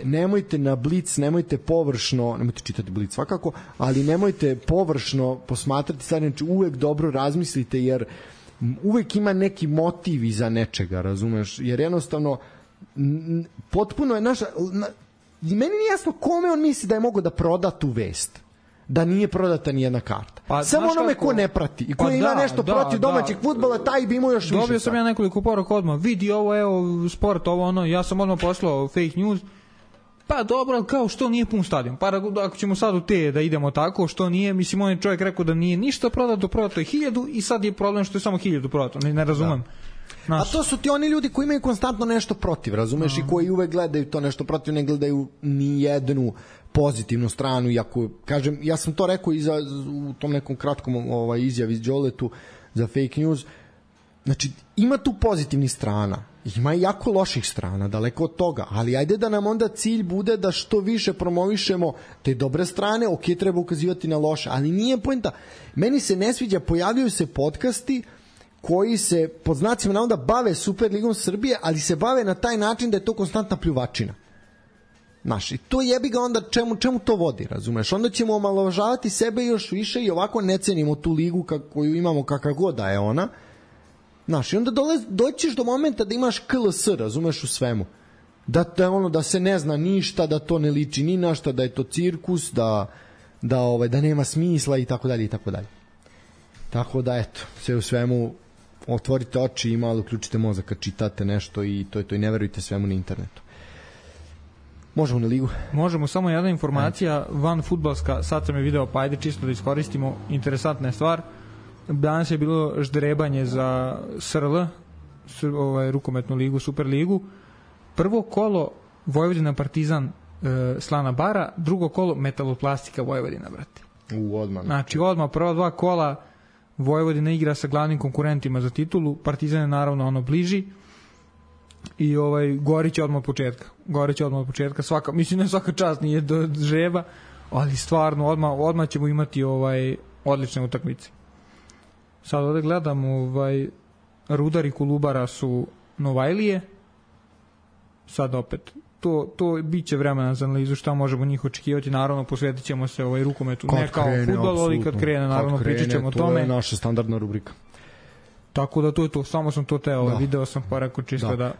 nemojte na Blic, nemojte površno, nemojte čitati Blic svakako, ali nemojte površno posmatrati stvari, znači uvek dobro razmislite, jer uvek ima neki motiv iza nečega, razumeš, jer jednostavno potpuno je i meni nije jasno kome on misli da je mogao da proda tu vest, da nije prodata ni jedna karta. Samo onome ko ne prati i ko ima nešto protiv domaćeg fudbala, taj bi imao još više. Dobio sam ja nekoliko poruka odmah, vidi ovo, evo, sport, ovo, ja sam odmah poslao fake news. Pa dobro, kao što nije pun stadion. Pa ako ćemo sad u te da idemo tako, što nije, mislim, on je čovjek rekao da nije ništa prodato je 1000 i sad je problem što je samo 1000 prodato, ne razumem. A to su ti oni ljudi koji imaju konstantno nešto protiv, razumeš, i koji uvek gledaju to nešto protiv, ne gledaju ni jednu pozitivnu stranu, iako, kažem, ja sam to rekao i u tom nekom kratkom izjavi iz Đoletu za fake news, znači, ima tu pozitivnih strana, ima i jako loših strana, daleko od toga, ali ajde da nam onda cilj bude da što više promovišemo te dobre strane, ok, treba ukazivati na loše, ali nije poenta. Meni se ne sviđa, pojavljaju se podcasti koji se, pod znacima navoda, bave Superligom Srbije, ali se bave na taj način da je to konstantna pljuvačina. Znaš, i to jebi ga onda čemu to vodi, razumeš? Onda ćemo omalovažavati sebe još više i ovako ne cenimo tu ligu koju imamo kakva god da je ona. Znaš, i onda doćiš do momenta da imaš KLS, razumeš, u svemu. Da se ne zna ništa, da to ne liči ni na šta, da je to cirkus, da nema smisla i tako dalje i tako dalje. Tako da, eto, sve u svemu, otvorite oči i malo uključite mozak kad čitate nešto i to je to, i ne verujte svemu na internetu. Možemo na ligu? Možemo, samo jedna informacija, van fudbalska, sad sam je video, pa ajde čisto da iskoristimo, interesantna je stvar. Danas je bilo ždrebanje za SRL, rukometnu ligu, Superligu. Prvo kolo Vojvodina Partizan Slana Bara, drugo kolo Metaloplastika Vojvodina, brate. Odmah. Znači, odmah prva dva kola Vojvodina igra sa glavnim konkurentima za titulu, Partizan je naravno bliži i Gorić je odmah od početka. Mislim, ne svaka čast nije do žreba, ali stvarno odmah ćemo imati odlične utakmice. Sad ovde gledam, Rudar i Kolubara su Novajlije, sad opet to biće vremena za analizu šta možemo njih očekivati, naravno posvetit ćemo se rukometu, ne kao fudbalu, ali kad krene, naravno pričat ćemo o tome. To je naša standardna rubrika. Tako da to je to, samo sam to teo, video sam pa rekao čisto da...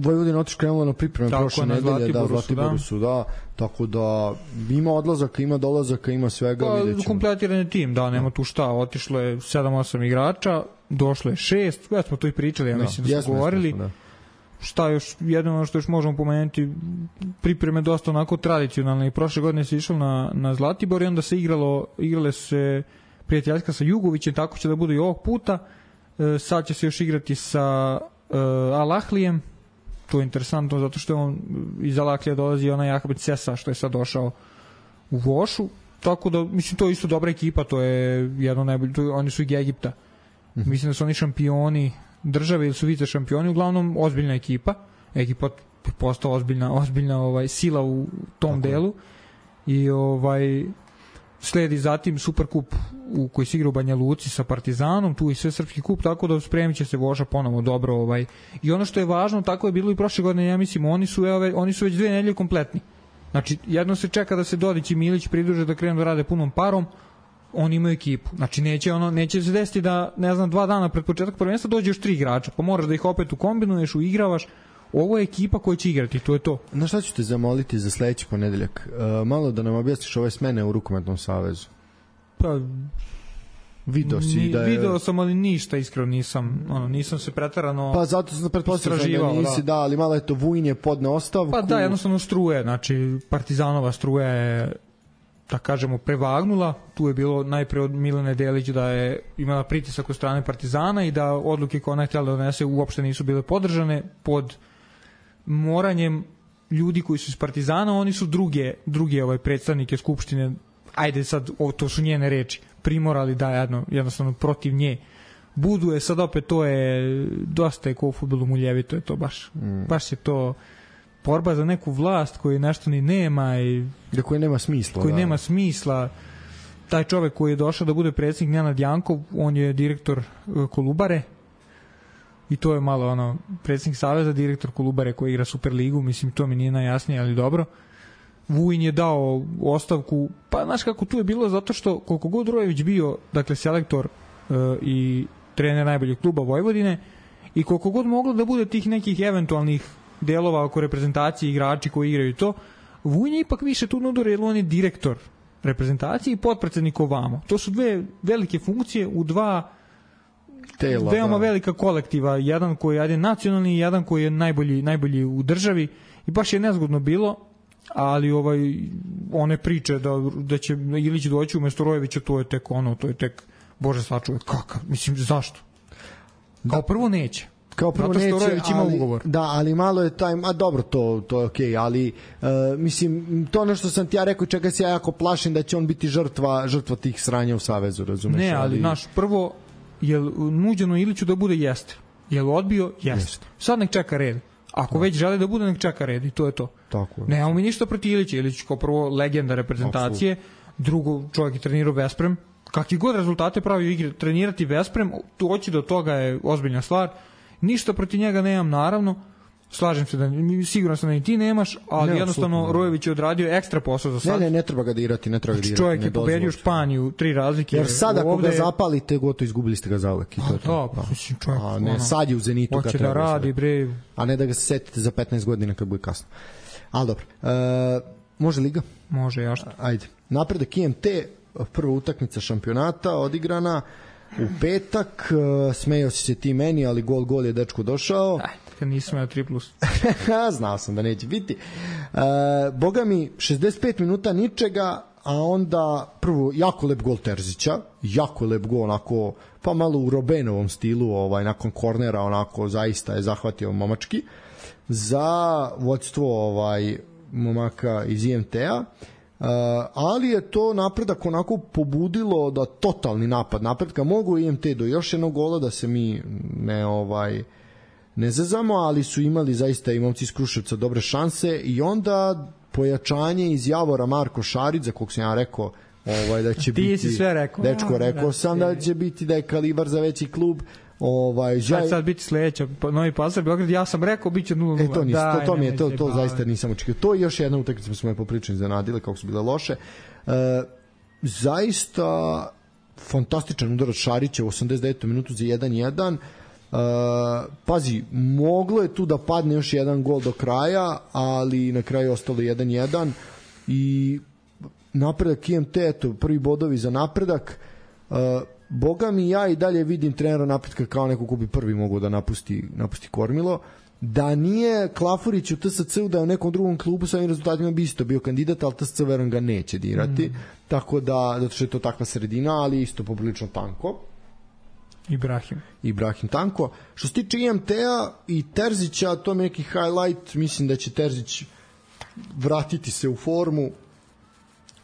Vojvodina otišla krenula na pripreme prošle nedelje, Zlatiboru su, tako da ima odlazaka, ima dolazaka, ima svega, vidjet ćemo. Kompletiran je tim, nema tu šta, otišlo je 7-8 igrača, došlo je 6, već smo to i pričali, ja mislim da smo govorili. Šta još, jedino što još možemo pomenuti, pripreme dosta onako tradicionalne, i prošle godine se išlo na Zlatibor i onda se igrale se prijateljska sa Jugovićem, tako će da bude i ovog puta. Sad će se još igrati sa Al-Ahlijem, to je interesantno zato što on iz Al-Ahlija dolazi onaj Ahmed Sesa što je sad došao u Vošu, tako da mislim to je isto dobra ekipa, to je jedno najbolje, oni su iz Egipta, mislim da su oni šampioni države ili su vice šampioni, uglavnom ozbiljna ekipa je postao ozbiljna sila u tom delu i sledi zatim Superkup u koji se igra u Banja Luci sa Partizanom, tu i sve srpski kup, tako da spremit će se Voža ponovo dobro. I ono što je važno, tako je bilo i prošle godine, ja mislim, oni su već 2 nedelje kompletni. Znači, jedno se čeka da se Dodić i Milić pridruže da krenu da rade punom parom, oni imaju ekipu. Znači, neće se desiti da, 2 dana pred početak prvenstva dođe još 3 igrača, pa moraš da ih opet ukombinuješ, uigravaš. Ovo je ekipa koja će igrati, to je to. Na šta ću te zamoliti za sledeći ponedeljak? Malo da nam objasniš ove smene u Rukometnom savezu. Pa, Video sam, ali ništa iskreno nisam se preterano pa zato sam pretpostavljao da nisi, da, ali malo je to Vujin je podne ostavku. Pa da, jednostavno struje, znači Partizanova struja je, da kažemo, prevagnula. Tu je bilo najpre od Milane Delić da je imala pritisak od strane Partizana i da odluke koje ona je htjela da donese uopšte nisu bile podržane pod moranjem ljudi koji su iz Partizana. Oni su druge predstavnike Skupštine, ajde sad, to su njene reči, primorali da jednostavno protiv nje budu. Je sad opet, to je dosta je ko u fudbalu muljevito, je to baš je to borba za neku vlast koji nešto ni nema i koji nema smisla. Nema smisla. Taj čovek koji je došao da bude predsjednik, Nenad Jankov, on je direktor Kolubare i to je malo predsjednik Saveza, direktor Kolubare koji igra Superligu, mislim to mi nije najjasnije, ali dobro. Vujin je dao ostavku, pa znaš kako tu je bilo, zato što koliko god Rojević bio, dakle, selektor i trener najboljeg kluba Vojvodine i koliko god moglo da bude tih nekih eventualnih delova oko reprezentacije, igrači koji igraju to, Vujin je ipak više tu nudor, jer on je direktor reprezentacije i potpredsednik ovamo. To su dve velike funkcije u dva tela, veoma velika kolektiva, jedan koji je nacionalni i jedan koji je najbolji u državi, i baš je nezgodno bilo. Ali one priče da će Ilić doći umesto Rojevića, to je tek Bože sačuvaj, kakav, mislim, zašto? Kao prvo neće. Zato što Rojević ima ugovor. Da, ali malo je dobro, to je okej, ali mislim, to ono što sam ti ja rekao, čega se ja jako plašim da će on biti žrtva tih sranja u Savezu, razumeš? Ne, ali naš prvo, je nuđeno Iliću da bude jeste? Je li odbio? Jeste. Sad nek čeka red. Ako već žele da bude, nek čeka red i to je to. Nemamo mi ništa protiv Ilića. Ilić kao prvo legenda reprezentacije, drugo čovjek je trenirao Vesprem, kakvi god rezultate pravio igre, trenirati Vesprem, doći do toga je ozbiljna stvar. Ništa protiv njega nemam, naravno. Slažem se siguran sam da i ti nemaš, ali jednostavno Rojević je odradio ekstra posao za sad. Ne treba ga dirati, Čovjek je pobedio Španiju 3 razlike. Jer sad ako ga zapalite, gotovo izgubili ste ga zauvek. Sad je u Zenitu kad treba. Radi, bre. A ne da ga se setite za 15 godina kad bude kasno. Ali dobro. Može Liga? Može, jašto. Ajde. Napredak IMT, prva utakmica šampionata odigrana u petak. Smejao si se ti meni, ali gol je dečko došao. Kad nisam imao 3+. Znao sam da neće biti. Boga mi, 65 minuta ničega, a onda prvo jako lep gol Terzića, jako lep gol, onako, pa malo u Robenovom stilu, nakon kornera, onako, zaista je zahvatio momački za vodstvo momaka iz IMT-a. Ali je to napredak onako pobudilo da totalni napad napredka mogu IMT do još jednog gola, da se mi ne zezamo, ali su imali zaista i momci iz Kruševca dobre šanse i onda pojačanje iz Javora Marko Šarić, za kog sam ja rekao da će biti... Ti si sve rekao. Dečko, rekao sam da će biti, da je kalibar za veći klub. Sad biti sledeća, Novi Pazar, Beograd, ja sam rekao bit će 0-0. To zaista nisam očekio. To je još jedna utakmica, smo je popričani zanadile kako su bile loše. Zaista fantastičan udar od Šarića u 89. minutu za 1-1. Pazi, moglo je tu da padne još jedan gol do kraja, ali na kraju ostalo 1-1 i napredak IMT, eto, prvi bodovi za napredak. Boga mi, ja i dalje vidim trenera napretka kao neko ko bi prvi mogao da napusti kormilo. Da nije Klafurić u TSC-u, da je u nekom drugom klubu sa ovim rezultatima bi isto bio kandidat, ali TSC verujem ga neće dirati, tako da, zato što je to takva sredina, ali isto poprilično tanko. Ibrahim tanko. Što se tiče IMT-a i Terzića, to mi je neki highlight, mislim da će Terzić vratiti se u formu.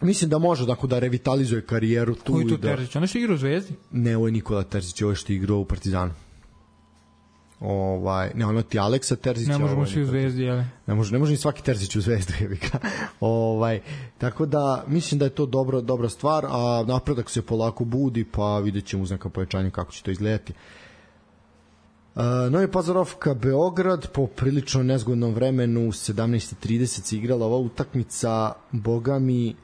Mislim da može da revitalizuje karijeru tu. Koji to Terzić? On je što igrao u Zvezdi? Ne, ovo je Nikola Terzić, ovo je što igrao u Partizanu. Ne, ono ti Aleksa Terzića. Ne možemo svi u Zvezdi, jel? Ne može ni svaki Terzić u Zvezdu, jebika. Tako da, mislim da je to dobra stvar, a napredak se polako budi, pa vidjet ćemo uz neka pojačanja kako će to izgledati. Novi Pazarovka Beograd, po prilično nezgodnom vremenu, 17:30 se igrala ova utakmica, boga mi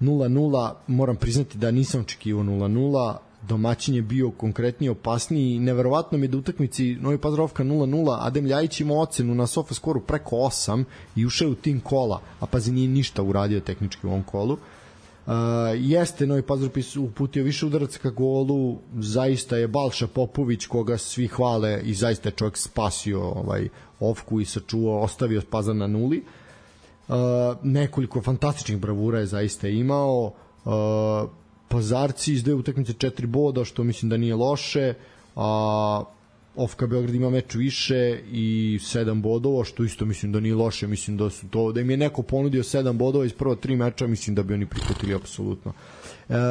0-0, moram priznati da nisam očekivao 0-0, domaćin je bio konkretnije opasniji, neverovatno mi je da utakmici Novi Pazarovka 0-0, Adem Ljajić ima ocenu na SofaScore preko 8 i ušao u tim kola, a pazi nije ništa uradio tehnički u ovom kolu. Jeste Novi Pazar uputio više udaraca ka golu, zaista je Balša Popović koga svi hvale i zaista je čovjek spasio Ofku i sačuvao, ostavio Pazar na nuli. Nekoliko fantastičnih bravura je zaista imao. Pazarci iz dve utakmice 4 boda, što mislim da nije loše, a Ofka Beograd ima meč više i 7 bodova, što isto mislim da nije loše. Mislim da im je neko ponudio 7 bodova iz prva 3 meča, mislim da bi oni prihvatili apsolutno.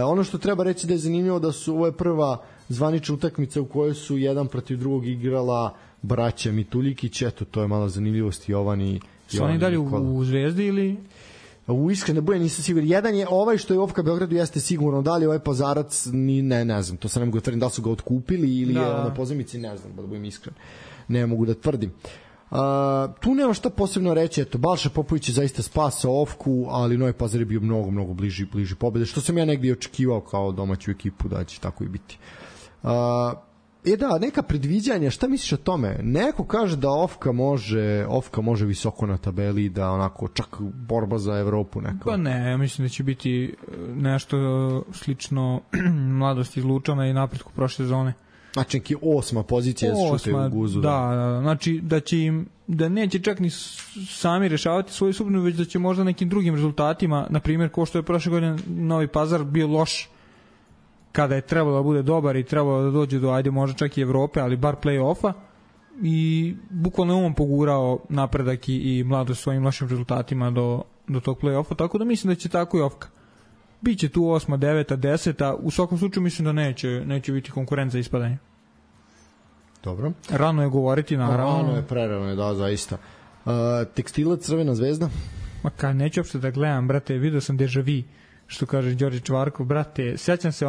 Ono što treba reći da je zanimljivo da su ovo je prva zvanična utakmica u kojoj su jedan protiv drugog igrala braća Mituljikić. Eto, to je malo zanimljivost. Jovan i su oni dalje u Zvezdi ili... U iskreno boje nisam siguran. Jedan je ovaj što je Ofka Beogradu jeste sigurno, da li ovaj Pazarac ne znam, to se ne mogu da tvrdim, da li su ga otkupili ili je na pozemici, ne znam, da budem iskren. Ne mogu da tvrdim. Tu nema šta posebno reći, eto, Balša Popović je zaista spasao Ofku, ali Novi Pazar je bio mnogo bliži pobede, što sam ja negdje očekivao kao domaću ekipu da će tako i biti. Neka predviđanja, šta misliš o tome? Neko kaže da Ofka može visoko na tabeli, da onako čak borba za Evropu neka. Pa ne, ja mislim da će biti nešto slično Mladosti iz Lučana i napretku prošle sezone. Znači neki 8. pozicija šute u guzu. Da, znači da će im, da neće čak ni sami rešavati svoju sudbinu, već da će možda nekim drugim rezultatima, na primjer ko što je prošle godine Novi Pazar bio loš kada je trebalo da bude dobar i trebalo da dođe do, ajde možda čak i Evrope, ali bar play-offa, i bukvalno on pogurao napredak i Mladost svojim lošim rezultatima do tog play-offa, tako da mislim da će tako i Ofka. Biće tu 8., 9., 10., u svakom slučaju mislim da neće biti konkurent za ispadanje. Dobro. Rano je govoriti, naravno. Rano je, prerano je, da, zaista. Tekstilac, Crvena zvezda? Ma kad, neću uopšte da gledam, brate, vidio sam deja vu, što kaže Đorđe Čvarkov, brate, sjećam se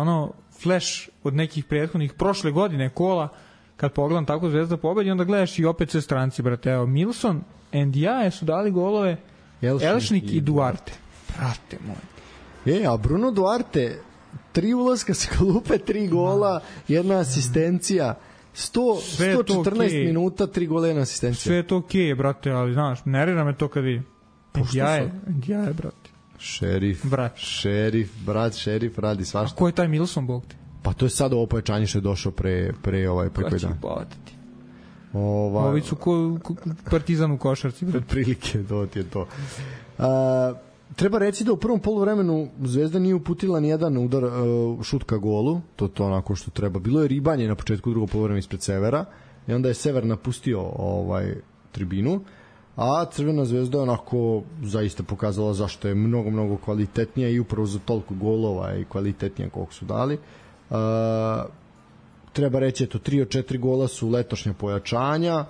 flash od nekih prethodnih prošle godine kola, kad pogledam tako Zvezda pobedi, onda gledaš i opet sve stranci, brate, evo, Milson, Ndiaye su dali golove, Elšnik i Duarte. Brate moj. A Bruno Duarte, 3 ulaska sa klupe, 3 gola, 1 asistencija, 114 minuta, 3 gola, 1 asistencija. Sve je to okej, brate, ali znaš, nervira me to kad vidim. Ndiaye, brate. Šerif radi svašta. A ko je taj Milson, bog te? Pa to je sad ovo pojačanje što je došao pre koji dan. Ovi su Partizan u košarci. Prilike, to ti je to. Treba reći da u prvom poluvremenu Zvezda nije uputila ni jedan udar šut ka golu, to onako što treba. Bilo je ribanje na početku drugog poluvremena ispred Severa i onda je Sever napustio tribinu, a Crvena zvezda je onako zaista pokazala zašto je mnogo kvalitetnija i upravo za toliko golova i kvalitetnija koliko su dali. Treba reći, 3 od 4 gola su letošnja pojačanja.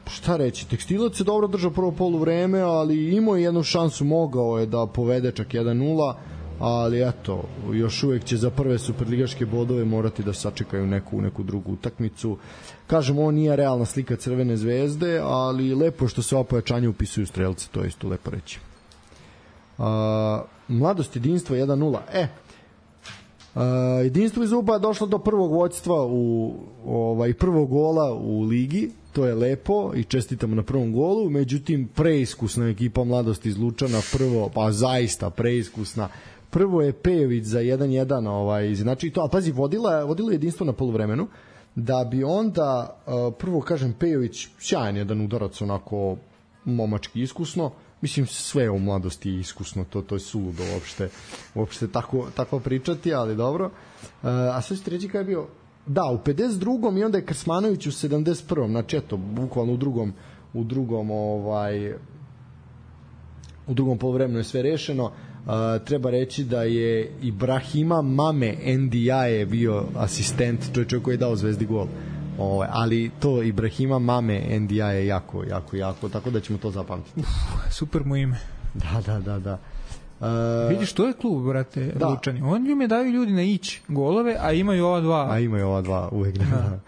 Šta reći, Tekstilac je dobro držao prvo poluvreme, ali imao je jednu šansu, mogao je da povede čak 1-0, ali eto, još uvek će za prve superligaške bodove morati da sačekaju neku drugu utakmicu. Kažem, ovo nije realna slika Crvene zvezde, ali lepo što se ova pojačanja upisuju strelce, to je isto lepo reći. Mladost jedinstvo 1-0. Jedinstvo iz Uba je došlo do prvog vođstva i prvog gola u ligi, to je lepo i čestitamo na prvom golu, međutim preiskusna ekipa Mladosti iz Lučana, zaista preiskusna. Prvo je Pejović za 1-1 znači to, a pazi, vodilo jedinstvo na poluvremenu, da bi onda prvo, kažem, Pejović sjajan jedan udarac, onako momački iskusno, mislim sve u Mladosti je iskusno, to je suludo uopšte tako pričati, ali dobro. A sve ćete reći kada je bio, da, u 52. i onda je Krsmanović u 71. znači eto, bukvalno u drugom poluvremenu je sve rešeno. Treba reći da je Ibrahima Mame Ndiaye bio asistent, čovjek koji je dao Zvezdi gol, ali to Ibrahima Mame Ndiaye jako, tako da ćemo to zapamtiti. Super mu ime. Da. Vidiš, to je klub, brate, Lučani. Oni mi daju ljudi na ić golove, a imaju ova dva. Uvek da.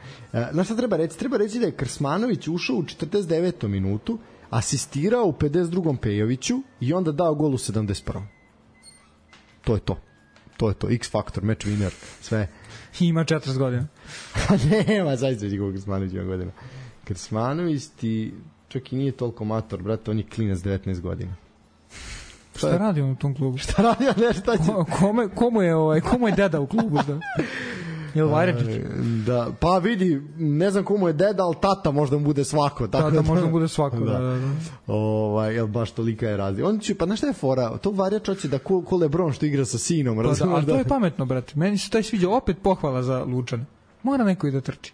Znaš šta treba reći? Treba reći da je Krsmanović ušao u 49. minutu, asistirao u 52. Pejoviću i onda dao gol u 71. To je to. X faktor, match winner, sve. Ima 40 godina. Nema, zaista će koliko Krsmanović ima godina. Krsmanović ti čak i nije toliko mator, brate, on je klinac 19 godina. Šta radi on u tom klubu? Šta radi on, šta će? Komu je deda u klubu? Da? Jel Vajrečić? Da, pa vidi, ne znam komu je deda, ali tata možda mu bude svako. Tako da možda mu bude svako, da. Jel baš tolika je razlika. On će, pa znaš šta je fora? To Varjač hoće da ko Lebron što igra sa sinom. Pa ali to je pametno, brate. Meni se taj sviđa, opet pohvala za Lučane. Mora neko i da trči.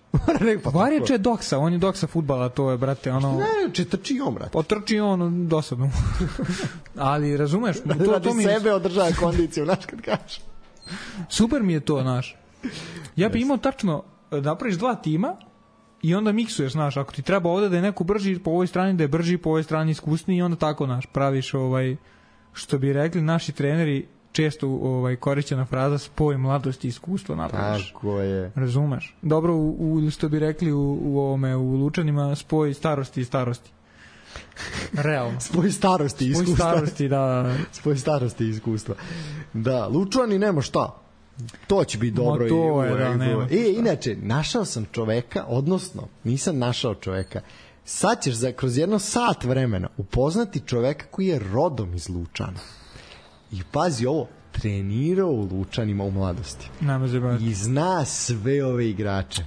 Varjač je doksa, on je doksa fudbala, to je, brate, ono... Ne, trči on, brate. Potrči on dosadno. Ali, razumeš? Radi sebe održava kondiciju, znaš kad kažeš. Super mi je to, znaš. Ja bi imao tačno, napraviš 2 tima i onda miksuješ, znaš, ako ti treba ovde da je neko brži po ovoj strani, da je brži po ovoj strani iskusniji i onda tako, znaš, praviš što bi rekli naši treneri, često korišćena fraza spoj mladosti i iskustva napraviš. Tako je. Razumeš? Dobro, što bi rekli u Lučanima, spoj starosti i starosti. Realno. Spoj starosti i iskustva. Spoj starosti, da. Spoj starosti i iskustva. Da, Lučani nema šta. To će biti dobro. Inače, našao sam čoveka, odnosno, nisam našao čoveka. Sad ćeš kroz jedno sat vremena upoznati čoveka koji je rodom iz Lučana. I pazi ovo, trenirao u Lučanima u mladosti. I zna sve ove igrače.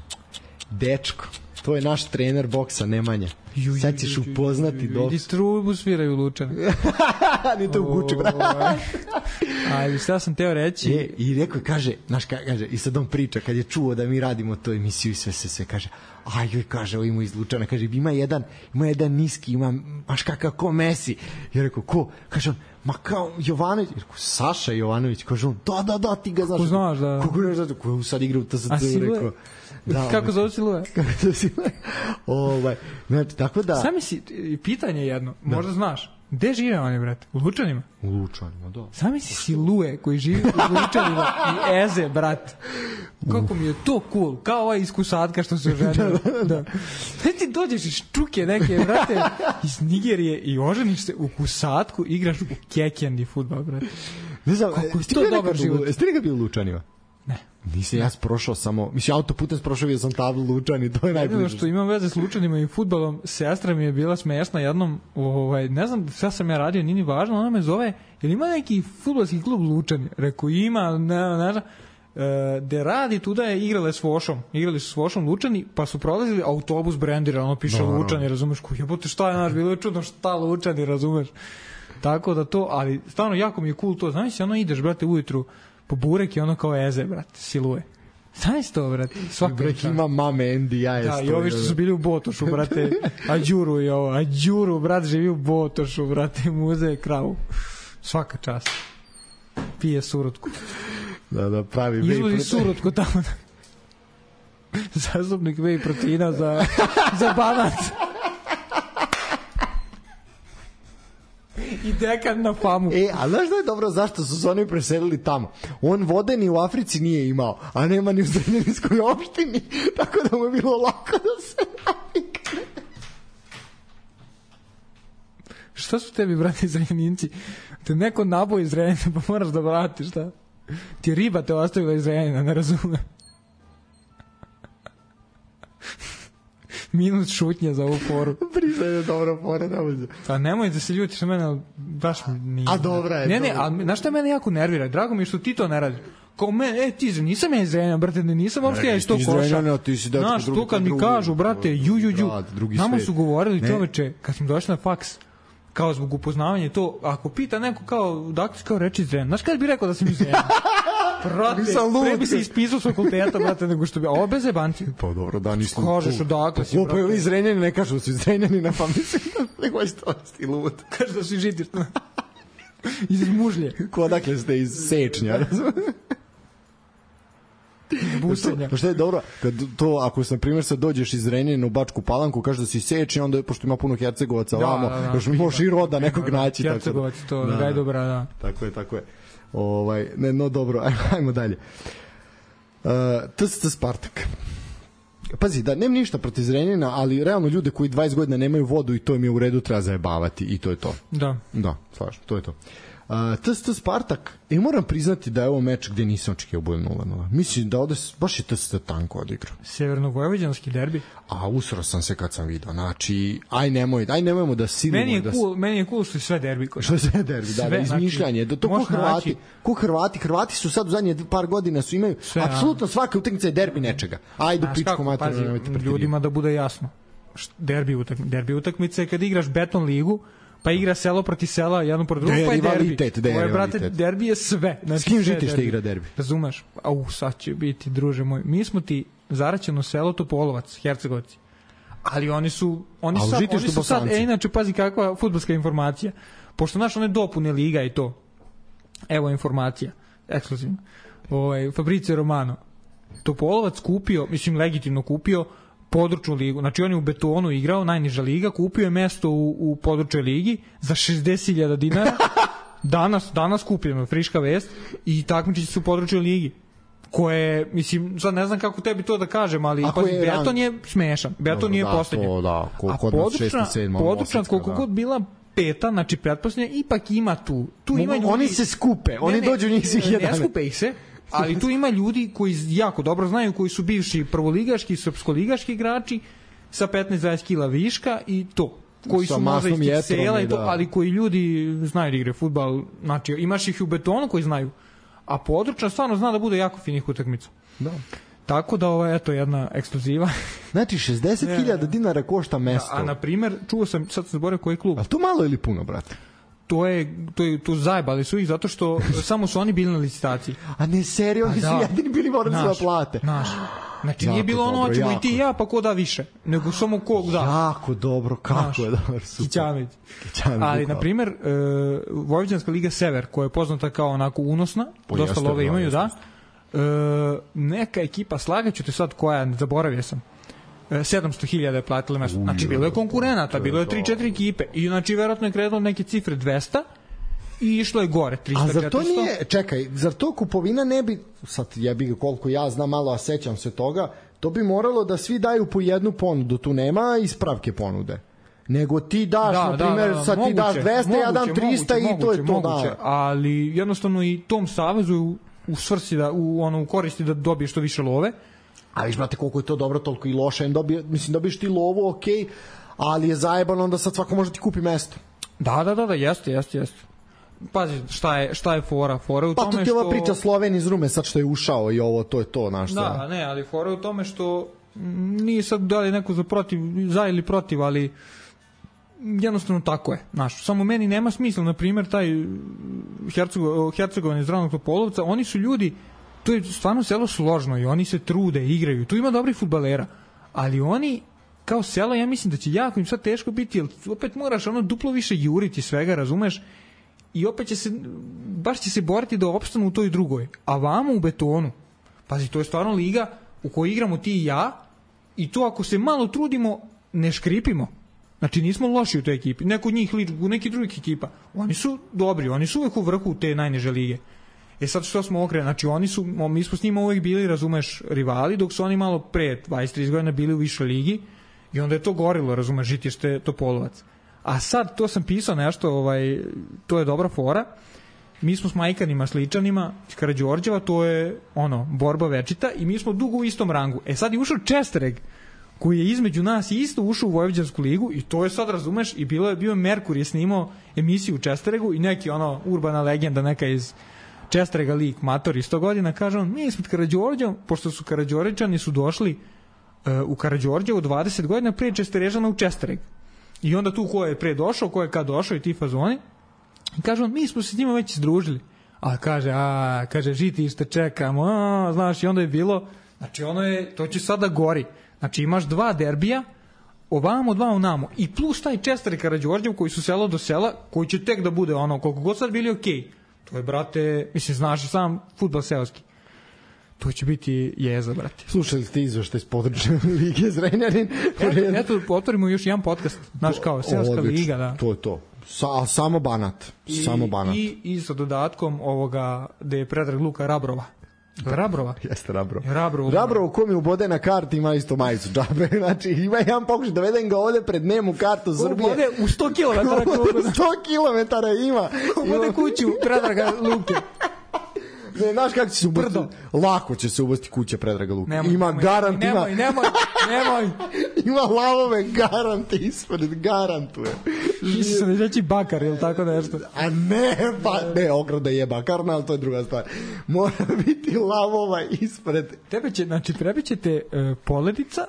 Dečko, to je naš trener boksa, Nemanja. Sad ćeš upoznati dok... I trubu sviraju u Lučani. Ni to u Guči, brate. Ali šta sam teo reći... I rekao, kaže, i sad on priča, kad je čuo da mi radimo to emisiju i sve, kaže, kaže, ovo ima iz Lučana, kaže, ima jedan niski, ima, baš kakav ko Messi. I rekao, ko? Kaže on, ma kao Jovanović, rekao, Saša Jovanović, kaže on, da, ti ga znaš. Ko znaš, da. Kako ne znaš, ko sad igra u TSC, rekao. Da, kako zove Silue? Znači, tako da... Sami si, pitanje jedno, možda znaš, gde žive oni, brate? U Lučanima? U Lučanima, da. Sami si Silue koji živi u Lučanima i Eze, brate. Kako mi je to cool, kao ova iz Kusatka što se oženio. Da. Ti dođeš iz Čuke neke, brate, iz Nigerije i oženiš se u Kusatku, igraš u Kekendi fudbal, brate. Ne znam, kako je to dobar život. Jeste li ga bio u Lučanima? Ne. Nisam, ja prošao samo, mislim, autoputem prošao, vidio sam tablu Lučani, to je najbliže. Jedino što imam veze s Lučanima i fudbalom, sestra mi je bila smešna jednom, ne znam šta sam ja radio, nije ni važno, ona me zove, jer ima neki fudbalski klub Lučani? Rekao, ima, ne znam, gde radi, tuda je igrali su s Vošom Lučani, pa su prolazili autobus brendiran, ono piše Lučani, razumeš, ko jebote, šta je naš, bilo je čudno, šta Lučani, razumeš. Tako da to, ali stvarno jako mi je cool to, znaš si, ono ideš, brate, ujutru po burek i ono kao Eze, brate, Silue. Znaš to, brate, svaka brek ima mame NDI. Da, i ovi što su bili u Botošu, brate, Ađuru, brate, živi u Botošu, brate, muze kravu. Svaka čast. Pije surutku. Da, pravi whey protein. Izvozi surutku tamo. Zastupnik whey proteina za Banat. I dekan na famu. A znaš da je dobro zašto su se oni preselili tamo? On vode ni u Africi nije imao, a nema ni u Zrenjaninskoj opštini, tako da mu je bilo lako da se navikne. Šta su tebi, brate, Zrenjaninci? Te neko naboji iz Zrenjanina, pa moraš da vratiš, šta? Ti riba te ostavila iz Zrenjanina, ne razumem. Minut šutnje za ovu foru. Priznaj je dobra fora. Pa nemoj da se ljutiš na mene, baš nije. A dobra je. Ne, ali znaš šta mene jako nervira? Drago mi je što ti to ne radiš. Kao mene, ti nisam ja iz Zrenjanina, brate, nisam uopšte ja iz tog koša. Znaš, to kad mi kažu, brate, Nama su govorili čoveče, kad smo došli na faks, kao zbog upoznavanja to, ako pita neko kao, dakle, kao reči iz Zrenjanina, znaš kada bi rekao da sam iz Zrenjanina? Brate, pre bi se ispisao s fakulteta, brate, nego što bi... Ovo bez jebanci. Pa dobro, da, nisam... Kažeš odakle si, brate. Pa iz Zrenjanina ne kažu da su iz Zrenjanina, pa mislim da nego je stosti lud. Kažu da su iz Žitišta. Iz Mužlje. Ko odakle ste iz Sečnja, razumiješ? Busenja. Pa što je dobro, kad to, ako na primjer sad dođeš iz Zrenjanina u Bačku Palanku, kaže da si Sečnja, onda pošto ima puno Hercegovaca ovamo, još možeš i roda nekog naći. Hercegovac, to, da je dobra, da. Tako je. No dobro, ajmo dalje. TSC Spartak. Pazi, da, nema ništa protiv Zrenjanina, ali realno ljude koji 20 godina nemaju vodu i to im je u redu, treba zajebavati i to je to. Da. Da, slažem, to je to. TST Spartak, moram priznati da je ovo meč gde nisam očekio bude 0-0. Mislim da ovde baš je TST tanko odigrao. Severno-vojvođanski derbi. A usro sam se kad sam vidio. Znači, nemojmo da silimo. Meni je cool što je sve derbi. Što je sve derbi, da, izmišljanje. To ko Hrvati su sad u zadnje par godina su imaju apsolutno svaka utakmica je derbi nečega. Ajde pičku materinu. Ljudima da bude jasno. Derbi utakmica je kad igraš beton ligu, pa igra selo proti sela, jedno proti drugo, pa je derbi. Ovo je, brate, derbi je sve. Znači, s kim žitiš da igra derbi? Razumeš? Sad će biti, druže moj. Mi smo ti zaraćeno selo Topolovac, Hercegovci. Ali oni su sad, inače, pazi kakva fudbalska informacija. Pošto naš one dopune liga i to. Evo informacija, ekskluzivno. Fabrizio Romano. Topolovac kupio, mislim legitimno kupio, područnu ligu. Znači on je u betonu igrao, najniža liga, kupio je mesto u područnoj ligi za 60.000 dinara. Danas kupljeno, friška vest, i takmičići su u područnoj ligi. Koje, mislim, sad ne znam kako tebi to da kažem, ali beton je smešan. Beton je poslednji. Da, a područna, koliko god bila peta, znači pretpostavljena, ipak ima tu ima ljudi. Oni se skupe, oni dođu njih svih 11. Ne skupe ih se, ali tu ima ljudi koji jako dobro znaju, koji su bivši prvoligaški, srpskoligaški igrači sa 15-20 kila viška i to. Koji su možda iz tih sela i to, ali koji ljudi znaju da igre fudbal. Znači, imaš ih u betonu koji znaju, a područna stvarno zna da bude jako finih utakmica. Da. Tako da ovo je jedna ekskluziva. Znači 60.000 dinara košta mesto. A na primer, čuo sam, sad sam zaboravio koji klub. A to malo ili puno, brate? To zajebali su ih zato što samo su oni bili na licitaciji. A ne, seriju, oni su jedini bili morali da plate. Znači nije bilo ono hoćemo i ti i ja pa ko da više, nego samo ko da. Jako dobro, kako je dobro, super. Kićanović. Ali na primer Vojvođanska liga Sever, koja je poznata kao onako unosna, dosta love imaju, da. Neka ekipa, slagaću te sad koja, zaboravio sam, 700.000 je platila mesto. Znači bilo je konkurenata, bilo je 3-4 ekipe i znači verovatno je kredilo neke cifre 200 i išlo je gore 300-400. A zar to nije, čekaj, zar to kupovina ne bi, sad jebi ga koliko ja znam malo, a sećam se toga, to bi moralo da svi daju po jednu ponudu, tu nema ispravke ponude. Nego ti daš, na primjer, sad ti daš 200, ja dam 300 i to je to. Moguće, ali jednostavno i tom savezu u svrsi da u koristi da dobiješ što više love. A viš, brate, koliko je to dobro, toliko i loše. Mislim, dobiješ ti lovu, okej, ali je zajebano, onda sad svako može ti kupi mesto. Da, jeste. Pazi, šta je fora? Fora u tome što... Pa to ti ova priča Sloven iz Rume, sad što je ušao i ovo, to je to, znaš. Da, ne, ali fora u tome što nije sad da li neko za ili protiv, ali jednostavno tako je, znaš. Samo meni nema smisla, na primjer, taj Hercegovan iz Ravnog Topolovca, oni su ljudi, to je stvarno selo složno i oni se trude, igraju, tu ima dobrih fudbalera, ali oni kao selo, ja mislim da će jako im sad teško biti, jer opet moraš duplo više juriti svega, razumeš, i opet baš će se boriti da opstanu u toj drugoj, a vamo u betonu, pazi, to je stvarno liga u kojoj igramo ti i ja, i to ako se malo trudimo, ne škripimo. Znači nismo loši u toj ekipi, neko od njih u neki drugih ekipa, oni su dobri, oni su uvek u vrhu te najniže lige. Sad što smo okrenuli, znači mi smo s njima uvek bili, razumeš, rivali, dok su oni malo pre 20-30 godina bili u višoj ligi i onda je to gorilo, razumeš, žitište Topolovac. A sad, to sam pisao nešto, to je dobra fora, mi smo s Majkanima, Sličanima, iz Karađorđeva, to je borba večita i mi smo dugo u istom rangu. Sad je ušao Čestereg, koji je između nas isto ušao u Vojvođansku ligu i to je sad, razumeš, i bio Merkur je snimao emisiju u Česteregu i neki urbana legenda, neka iz Česterega lik, mator, 100 godina, kaže on, mi smo Karađorđevom, pošto su Karađorđani su došli u Karađorđevu 20 godina prije Česterežana u Čestereg. I onda tu ko je pre došao, ko je kad došao i ti fazoni. I kaže on, mi smo se s njima već združili. A kaže, žitište čekamo, znaš, i onda je bilo, znači to će sada gori. Znači imaš 2 derbija, ovamo, 2 onamo. I plus taj Čester i Karađorđev koji su selo do sela, koji će tek da bude koliko god sad bili okej. To je, brate, mislim, znaš sam fudbal seoski. To će biti jeza, brate. Slušali ste izveštaj iz područne lige Zrenjanin? Eto, otvorimo još jedan podcast, znaš, kao seoska liga, da. To je to. Samo Banat. Samo Banat. I sa dodatkom ovoga, gde je Predrag Luka Rabrova. Rabrova? Jeste Rabrov. Rabrov ko mi ubode na karti ima isto majicu džabe. Znači ima jedan pokušaj, dovedem ga ovde pred nemu kartu Srbije. Ubode u 100 km. 100 km ima. Ubode kuću Predraga Luke. Ne, znaš kako će se ubasti? Lako će se ubasti kuća Predraga Luke. Ima garant, nemoj. Ima lavove garante ispred, garantuje. Misli se da će bakar ili tako nešto. A ne, pa ne, ograda je bakarna, ali to je druga stvar. Mora biti lavova ispred. Prebićete Poledica,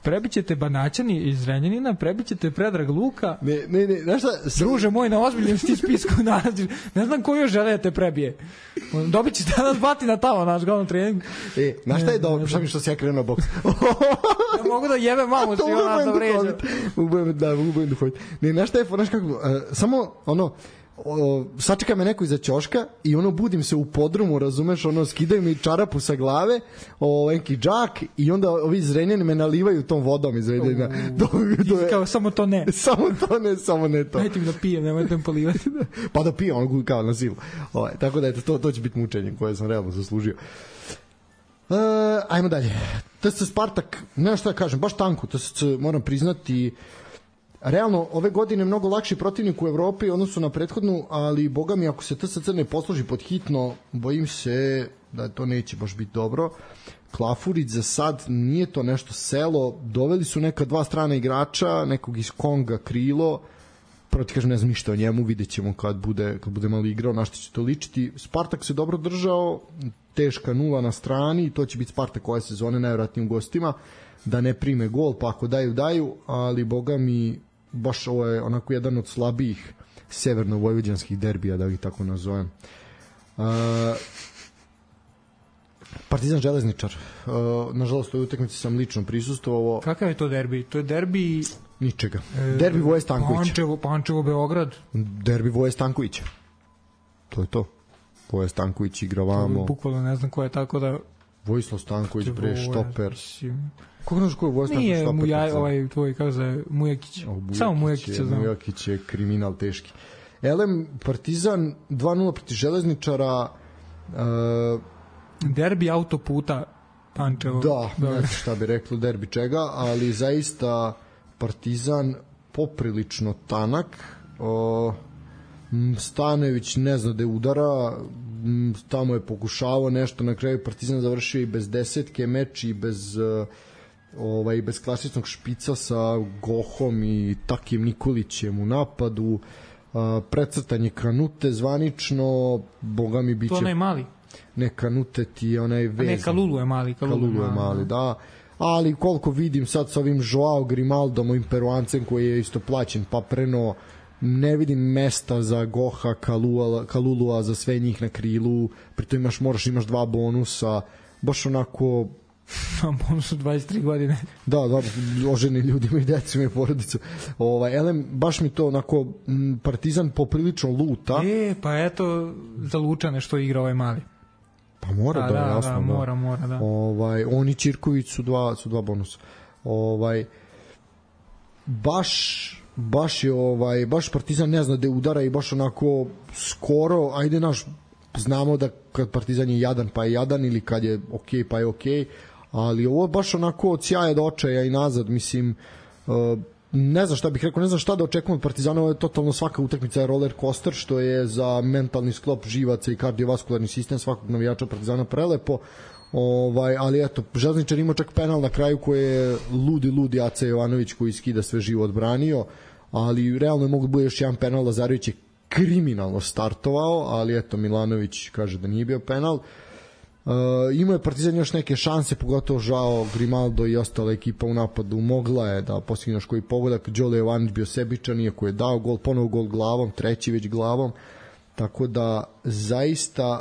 prebićete Banaćani iz Zrenjanina, prebićete Predrag Luka. Ne, znaš šta? Druže moj, na ozbiljnom ti spisku nalaziš. Ne znam ko još žele da te prebije. Dobit će danas batina tamo, naš glavnom treningu. Znaš šta je dobro? Šta mi što si ja krenuo boks? Ja mogu da jebe mamu si ona da vređa. Ubojim duhoviti. Ne, znaš šta je, znaš kako, samo ono, sačeka me neko iza ćoška i ono budim se u podrumu, razumeš, ono skidaju mi čarapu sa glave, neki džak i onda ovi Zrenjani me nalivaju tom vodom iz Zrenjanina. Kao samo to ne. Samo ne to. Dajte mi da pijem, nemojte mi polivati. Pa da pijem, ono kao na silu. Tako da eto, to će biti mučenje koje sam realno zaslužio. Ajmo dalje. TSC Spartak, ne šta da kažem, baš tanko, TSC moram priznati. Realno, ove godine mnogo lakši protivnik u Evropi odnosno na prethodnu, ali boga mi ako se TSC ne posloži pod hitno, bojim se da to neće baš biti dobro. Klafurić za sad nije to nešto selo, doveli su neka dva strana igrača, nekog iz Konga krilo, prvo ti kažem ne znam ništa o njemu, vidjet ćemo kad bude malo igrao, na što će to ličiti. Spartak se dobro držao, teška 0 na strani i to će biti Spartak ove sezone najvjerojatnije u gostima, da ne prime gol, pa ako daju, ali boga mi baš ovo je onako jedan od slabijih severno-vojvođanskih derbija, da ih tako nazovem. Partizan Železničar, nažalost u utakmici sam lično prisustvovao. Kakav je to derbi? To je derbi ničega. Derbi Voje Stankovića. Pančevo Beograd. Derbi Voje Stankovića. To je to. Voje Stanković igra vamo. Bukvalno ne znam ko je, tako da Vojislav Stanković, bre, štoper. Kako znaš ko je Vojislav Stanković štoper? Nije ovaj tvoj, kako se Mujakić. Samo Mujakić je znam. Mujakić je kriminal teški. Elem, Partizan 2-0 protiv Železničara. Derbi autoputa Pančevo. Da, ne znam šta bi reklo derbi čega, ali zaista Partizan poprilično tanak. Stanojević ne zna da je udara, tamo je pokušavao nešto, na kraju Partizan završio i bez desetke meč i bez klasičnog špica sa Gohom i Takijem Nikolićem u napadu. Precrtanje Kanute zvanično, boga mi biće... To onaj mali? Ne, Kanute ti je onaj vez. Ne, Kalulu je mali. Kalulu je mali, da. Ali koliko vidim sad sa ovim Joao Grimaldom, ovim Peruancem koji je isto plaćen papreno, ne vidim mesta za Goha, Kalulua, za sve njih na krilu, pritom imaš dva bonusa, baš onako... Bonus od 23 godine. Da, oženi ljudima i decima i porodicu. Elem, baš mi to onako, Partizan poprilično luta. Pa eto, za Lučane što igra ovaj mali. Pa mora da, jasno. Da, mora, da. Oni Ćirković su dva bonusa. Baš Partizan ne zna da udara i baš onako skoro, ajde znamo da kad Partizan je jadan pa je jadan ili kad je okej pa je okej, ali ovo je baš onako od sjaja do očaja i nazad, mislim, ne znam šta bih rekao, ne znam šta da očekujem od Partizana, ovo je totalno svaka utakmica je roller coaster, što je za mentalni sklop živaca i kardiovaskularni sistem svakog navijača Partizana prelepo, ali eto, Železničar imao čak penal na kraju koji je ludi Aca Jovanović koji skida sve živo odbranio, ali realno je mogu da bude još jedan penal, Lazarević je kriminalno startovao, ali eto Milanović kaže da nije bio penal. Imao je Partizan još neke šanse, pogotovo Žao, Grimaldo i ostala ekipa u napadu mogla je da postigne još koji pogodak. Đole Jovanić bio sebičan, iako je dao gol, ponovo gol glavom, treći već glavom, tako da zaista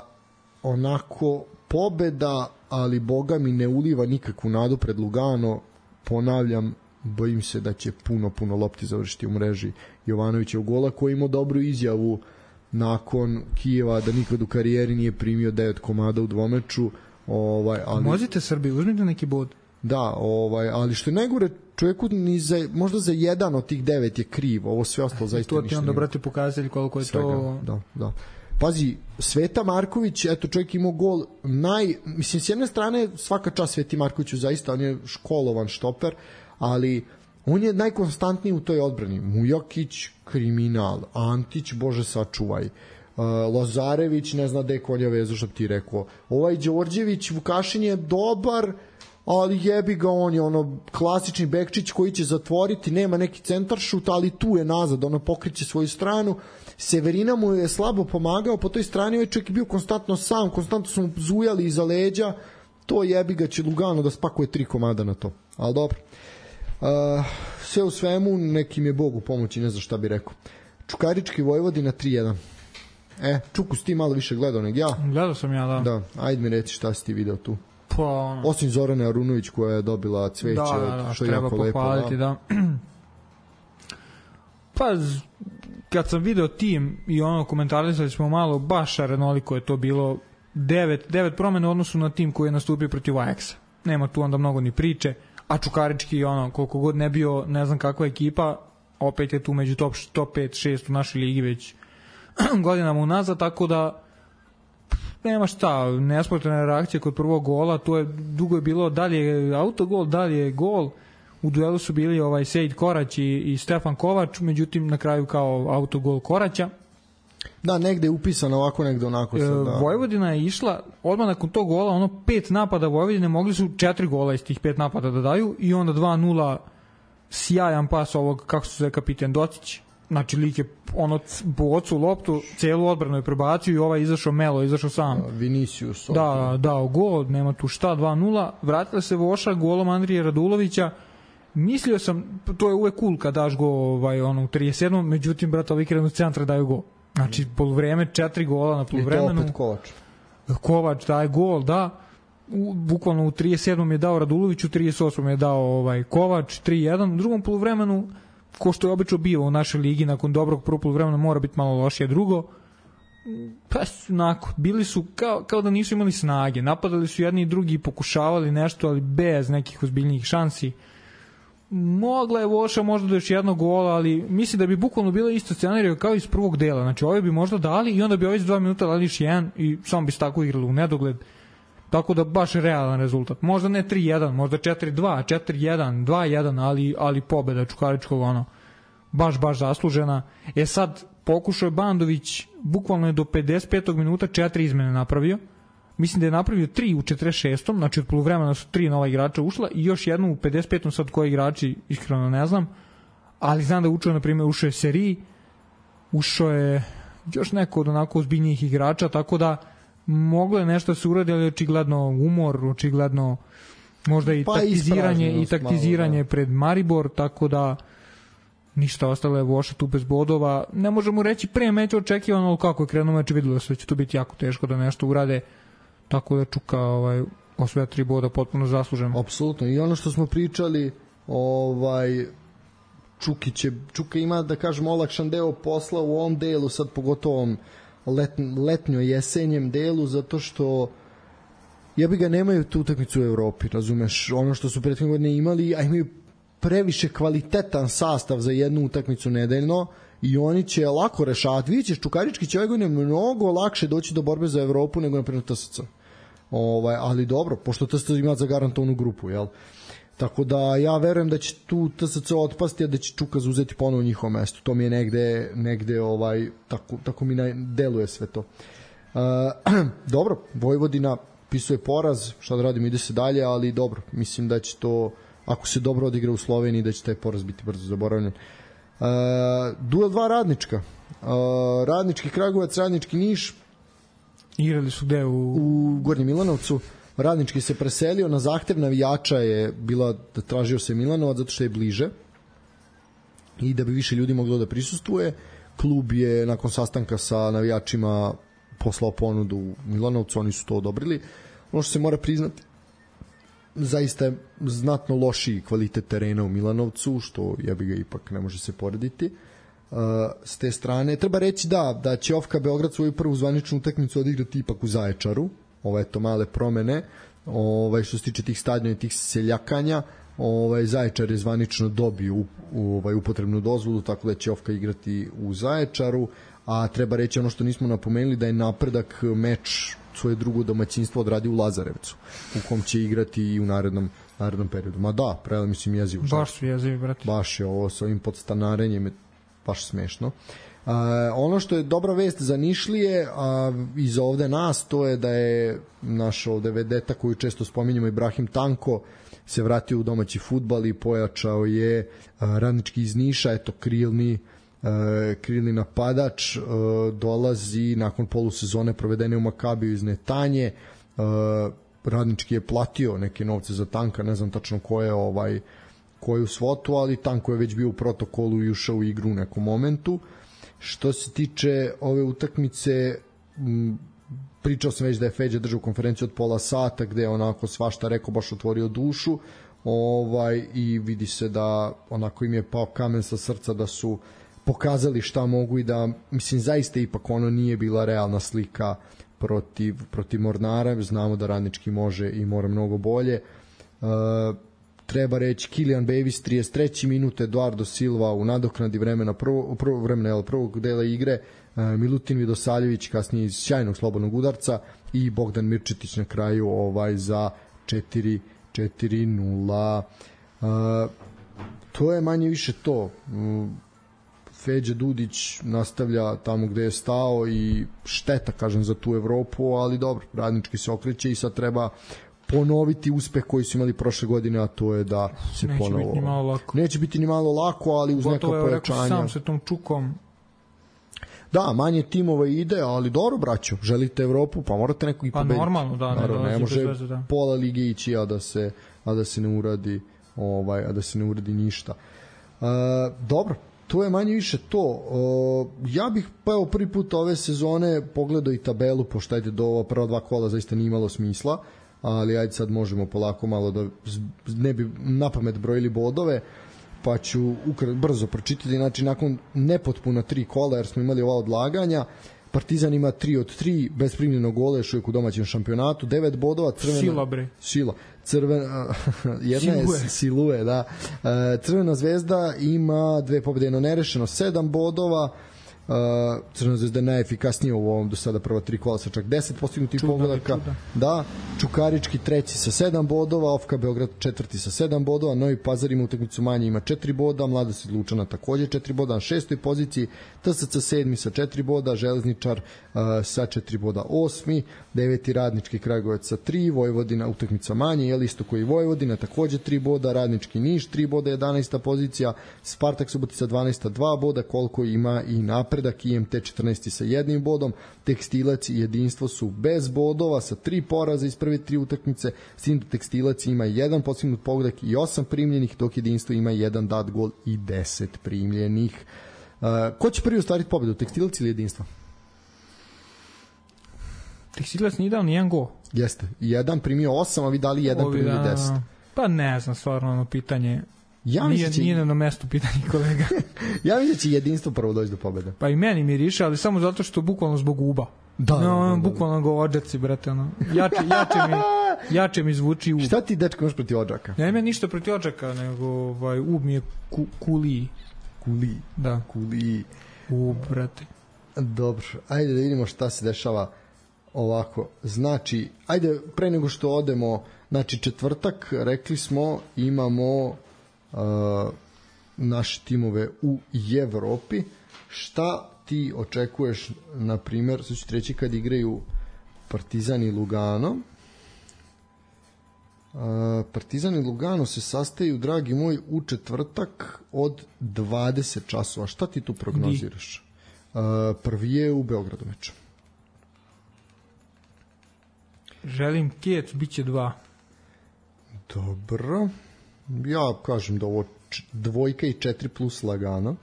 onako pobeda, ali boga mi ne uliva nikakvu nadu pred Lugano. Ponavljam, bojim se da će puno lopti završiti u mreži Jovanovića u gola, koji imao dobru izjavu nakon Kijeva da nikad u karijeri nije primio 9 komada u dvomeču. Ali možete Srbi, uzmite neki bod. Da, ali što je najgore, čovjeku možda za jedan od tih 9 je kriv, ovo sve ostalo zaista ništa. To ti onda, brate, pokazali koliko je to... Da. pazi, Sveta Marković, eto čovjek imao gol mislim s jedne strane svaka čast Sveti Markoviću, zaista on je školovan štoper, ali on je najkonstantniji u toj odbrani. Mujakić, kriminal, Antić, bože sačuvaj, Lazarević ne zna gde konja vezu, što bi ti rekao, Đorđević, Vukašin je dobar, ali jebi ga, on je klasični bekčić koji će zatvoriti, nema neki centaršut, ali tu je nazad, pokriće svoju stranu. Severina mu je slabo pomagao po toj strani, ovaj čovjek je bio konstantno sam, konstantno su mu zujali iza leđa, to jebi ga će Lugano da spakuje 3 komada na to, ali dobro. Sve u svemu, nekim je Bog u pomoći, ne znam šta bi rekao. Čukarički Vojvodina 3-1. Čuku si ti malo više gledao nego ja? Gledao sam ja, da. Da, ajde mi reci šta si ti video tu. Pa, osim Zorane Arunović koja je dobila cveće, što je jako lepo. Da. Pa, kad sam video tim i komentarisali smo malo, baš arenoliko je to bilo, 9 promene u odnosu na tim koji je nastupio protiv Ajaxa. Nema tu onda mnogo ni priče, a Čukarički koliko god ne bio ne znam kakva ekipa, opet je tu među top 5-6 u našoj ligi već godinama unazad, tako da nema šta, nesportna reakcija kod prvog gola, to je dugo je bilo, dalje autogol, dalje gol, u duelu su bili Sejid Korać i Stefan Kovač, međutim na kraju kao autogol Koraća. Da, negde je upisano ovako, negde onako sad, da. Vojvodina je išla, odmah nakon tog gola, 5 napada Vojvodine, mogli su 4 gola iz tih 5 napada da daju i onda 2-0 sjajan pas ovog, kako se zove, kapitan Docić. Znači, lik je bocu loptu, celu odbranu je prebacio i izašao Melo, izašao sam. Vinicius. Da, dao gol, nema tu šta, 2-0. Vratila se Voša golom Andrije Radulovića. Mislio sam, to je uvek cool kad daš go u 37. Međutim, brata, ovi krenu centra daju gol. Znači, poluvreme, 4 gola na poluvremenu. I to opet Kovač. Kovač daje gol, da. Bukvalno u 37. je dao Raduloviću, u 38. je dao Kovač, 3-1. U drugom poluvremenu, ko što je obično bio u našoj ligi, nakon dobrog prvog poluvremena mora biti malo lošije drugo. Pa onako, bili su kao da nisu imali snage. Napadali su jedni i drugi i pokušavali nešto, ali bez nekih ozbiljnijih šansi. Mogla je Voša možda do još jednog gola, ali mislim da bi bukvalno bilo isto scenariju kao iz prvog dela. Znači, ovi bi možda dali i onda bi ovi za 2 minuta dali još jedan i samo bi se tako igrali u nedogled. Tako da baš realan rezultat. Možda ne 3-1, možda 4-2, 4-1, 2-1, ali pobeda Čukaričkog baš zaslužena. Sad pokušao je Bandović, bukvalno je do 55. minuta 4 izmene napravio. Mislim da je napravio 3 u 46. Znači od poluvremena su 3 nova igrača ušla i još jednu u 55. sad koji igrači, iskreno ne znam. Ali znam da je ušao je Seri, ušao je još neko od onako ozbiljnijih igrača, tako da moglo je nešto se uradi, ali očigledno umor, očigledno možda i taktiziranje pred Maribor, tako da ništa, ostalo je Voša tu bez bodova. Ne možemo reći pre meča očekivano, ali kako je krenuo meč, videlo se da će to biti jako teško da nešto urade, tako da Čuka osvoja 3 boda potpuno zasluženo. Apsolutno, i ono što smo pričali, Čuka ima, da kažem, olakšan deo posla u ovom delu, sad pogotovo letnjo-jesenjem delu, zato što jebi ga, nemaju tu utakmicu u Evropi, razumeš, ono što su prethodne godine imali, a imaju previše kvalitetan sastav za jednu utakmicu nedeljno i oni će lako rešavati. Vidjet ćeš, Čukarički će ove godine mnogo lakše doći do borbe za Evropu nego naprimjer TSC. Ali dobro, pošto TSC ima zagarantovanu grupu, jel? Tako da ja verujem da će tu TSC otpasti, a da će Čuka zauzeti ponovo njihovo mesto. To mi je negde tako mi deluje sve to. Dobro, Vojvodina pisuje poraz, šta da radimo, ide se dalje, ali dobro, mislim da će to, ako se dobro odigra u Sloveniji, da će taj poraz biti brzo zaboravljen. Duel 2 Radnička. Radnički Kragujevac, Radnički Niš. Igrali su gde? U Gornjem Milanovcu. Radnički se preselio, na zahtev navijača je bila da tražio se Milanovac zato što je bliže i da bi više ljudi moglo da prisustvuje. Klub je nakon sastanka sa navijačima poslao ponudu u Milanovcu, oni su to odobrili. Ono što se mora priznati, zaista je znatno lošiji kvalitet terena u Milanovcu, što jebi ga ipak ne može se porediti. S te strane treba reći da će OFK Beograd svoju prvu zvaničnu utakmicu odigrati ipak u Zaječaru. Ove male promene, što se tiče tih stadiona i tih seljakanja, Zaječar je zvanično dobio upotrebnu dozvolu, tako da će Ofka igrati u Zaječaru, a treba reći ono što nismo napomenuli, da je Napredak meč svoje drugo domaćinstvo odradio u Lazarevcu, u kom će igrati i u narednom periodu. Ma da, pravila mislim jezivo. Baš su jezivi, brate. Baš je ovo sa ovim podstanarenjem baš smešno. Ono što je dobra vest za Nišlije, i za ovde nas, to je da je naš ovde vedeta koju često spominjamo, Ibrahim Tanko, se vratio u domaći fudbal i pojačao je Radnički iz Niša, eto krilni napadač, dolazi nakon polusezone provedene u Makabiju iz Netanje. Radnički je platio neke novce za Tanka, ne znam tačno koju svotu, ali Tanko je već bio u protokolu i ušao u igru u nekom momentu. Što se tiče ove utakmice, pričao sam već da je Feđa držao konferenciju od pola sata gde je onako svašta rekao, baš otvorio dušu, i vidi se da onako im je pao kamen sa srca, da su pokazali šta mogu i da, mislim, zaista ipak ono nije bila realna slika protiv Mornara. Znamo da Radnički može i mora mnogo bolje. Treba reći Kilian Bevis 33. minut, Eduardo Silva u nadoknadi prvog dela igre, Milutin Vidosaljević kasnije iz sjajnog slobodnog udarca i Bogdan Mirčetić na kraju za 4-0. To je manje više to. Feđa Dudić nastavlja tamo gde je stao i šteta, kažem, za tu Evropu, ali dobro, Radnički se okreće i sad treba ponoviti uspeh koji su imali prošle godine, a to je da se neće biti ni malo lako, ali uz neka pojačanja. Rekao sam sa tom Čukom. Da, manje timova ide, ali dobro, braćo, želite Evropu, pa morate neko i pobediti. Pa normalno, da, ne može pola lige ići, a da se ne uradi ništa. Dobro, to je manje više to. Ja bih prvi put ove sezone pogledao i tabelu, pošto ajde do ova prva 2 kola zaista nije imalo smisla, ali ajde sad možemo polako malo da ne bi napamet brojili bodove, pa ću brzo pročitati. Znači, nakon nepotpuna 3 kola, jer smo imali ova odlaganja, Partizan ima 3 od 3 bez primljenog gola, još uvijek u domaćem šampionatu, 9 bodova, Sila. Jedna je Silue, da. Crvena zvezda ima 2 pobjede, jedno nerešeno, 7 bodova. Crvena zvezda je najefikasnija u ovom do sada prva 3 kola sa čak 10 postignutih pogodaka. Da, Čukarički 3. sa 7 bodova, Ofka Beograd 4. sa 7 bodova, Novi Pazar ima utakmicu manje, ima 4 boda, Mladost Lučana takođe 4 boda na 6. poziciji, TSC 7. sa 4 boda, Železničar sa 4 boda 8. 9. Radnički Kragujevac sa 3, Vojvodina utakmica manje, isto koji Vojvodina takođe 3 boda, Radnički Niš 3 boda, 11. pozicija, Spartak Subotica 12. 2 boda, koliko ima i Napredak, IMT 14. sa 1 bodom, Tekstilac i Jedinstvo su bez bodova sa 3 poraza iz prve 3 utakmice, s tim da Tekstilac ima 1 postignut pogodak i 8 primljenih, dok Jedinstvo ima 1 dat gol i 10 primljenih. Ko će prvi ostvariti pobedu, Tekstilac ili Jedinstvo? Tekstilac nije dao nijedan gol. Jeste, jedan primio 8, a vi dali 1 primio 10. Pa ne znam, stvarno ono pitanje. Nije na mestu pitanje, kolega. Ja mislim da će Jedinstvo prvo doći do pobede. Pa i meni miriše, ali samo zato što bukvalno zbog uba. Da. Bukvalno go Odžaci, brate, ono. Jače mi zvuči ub. Šta ti, dečko, imaš protiv Odžaka? Ne imam ništa protiv Odžaka, nego ub mi je Kuliji. Kuliji? Da. Kuliji. Ub, brate. Dobro, ajde da vidimo šta se dešava ovako. Znači, ajde, pre nego što odemo, znači četvrtak, rekli smo, imamo naše timove u Evropi. Šta ti očekuješ, na primjer, sad ću treći kad igraju Partizan i Lugano. Partizan i Lugano se sastaju, dragi moj, u četvrtak od 20 časova. Šta ti tu prognoziraš? Prvi je u Beogradu meč. Želim Kijec, bit će 2. Dobro. Ja kažem da ovo 2 i 4 plus lagano.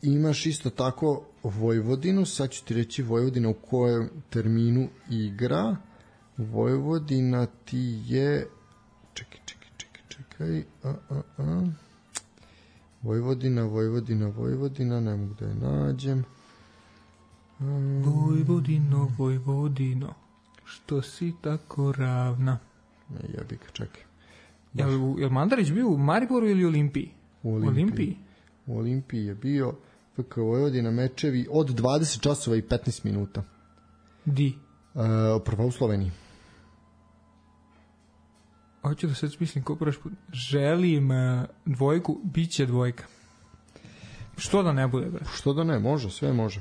Imaš isto tako Vojvodinu, sad ću ti reći Vojvodina u kojem terminu igra. Vojvodina ti je čekaj Vojvodina, ne mogu da je nađem. Vojvodino što si tako ravna. Jebi ga, čekaj. Jel Mandarić bio u Mariboru ili Olimpiji? U Olimpiji. U Olimpiji je bio FK Vojvodina mečevi od 20 časova i 15 minuta. Di? Prva u Sloveniji. Hoću da sad smislim ko prvi put. Želim dvojku, bit će dvojka. Što da ne bude, bre? Što da ne, može, sve može.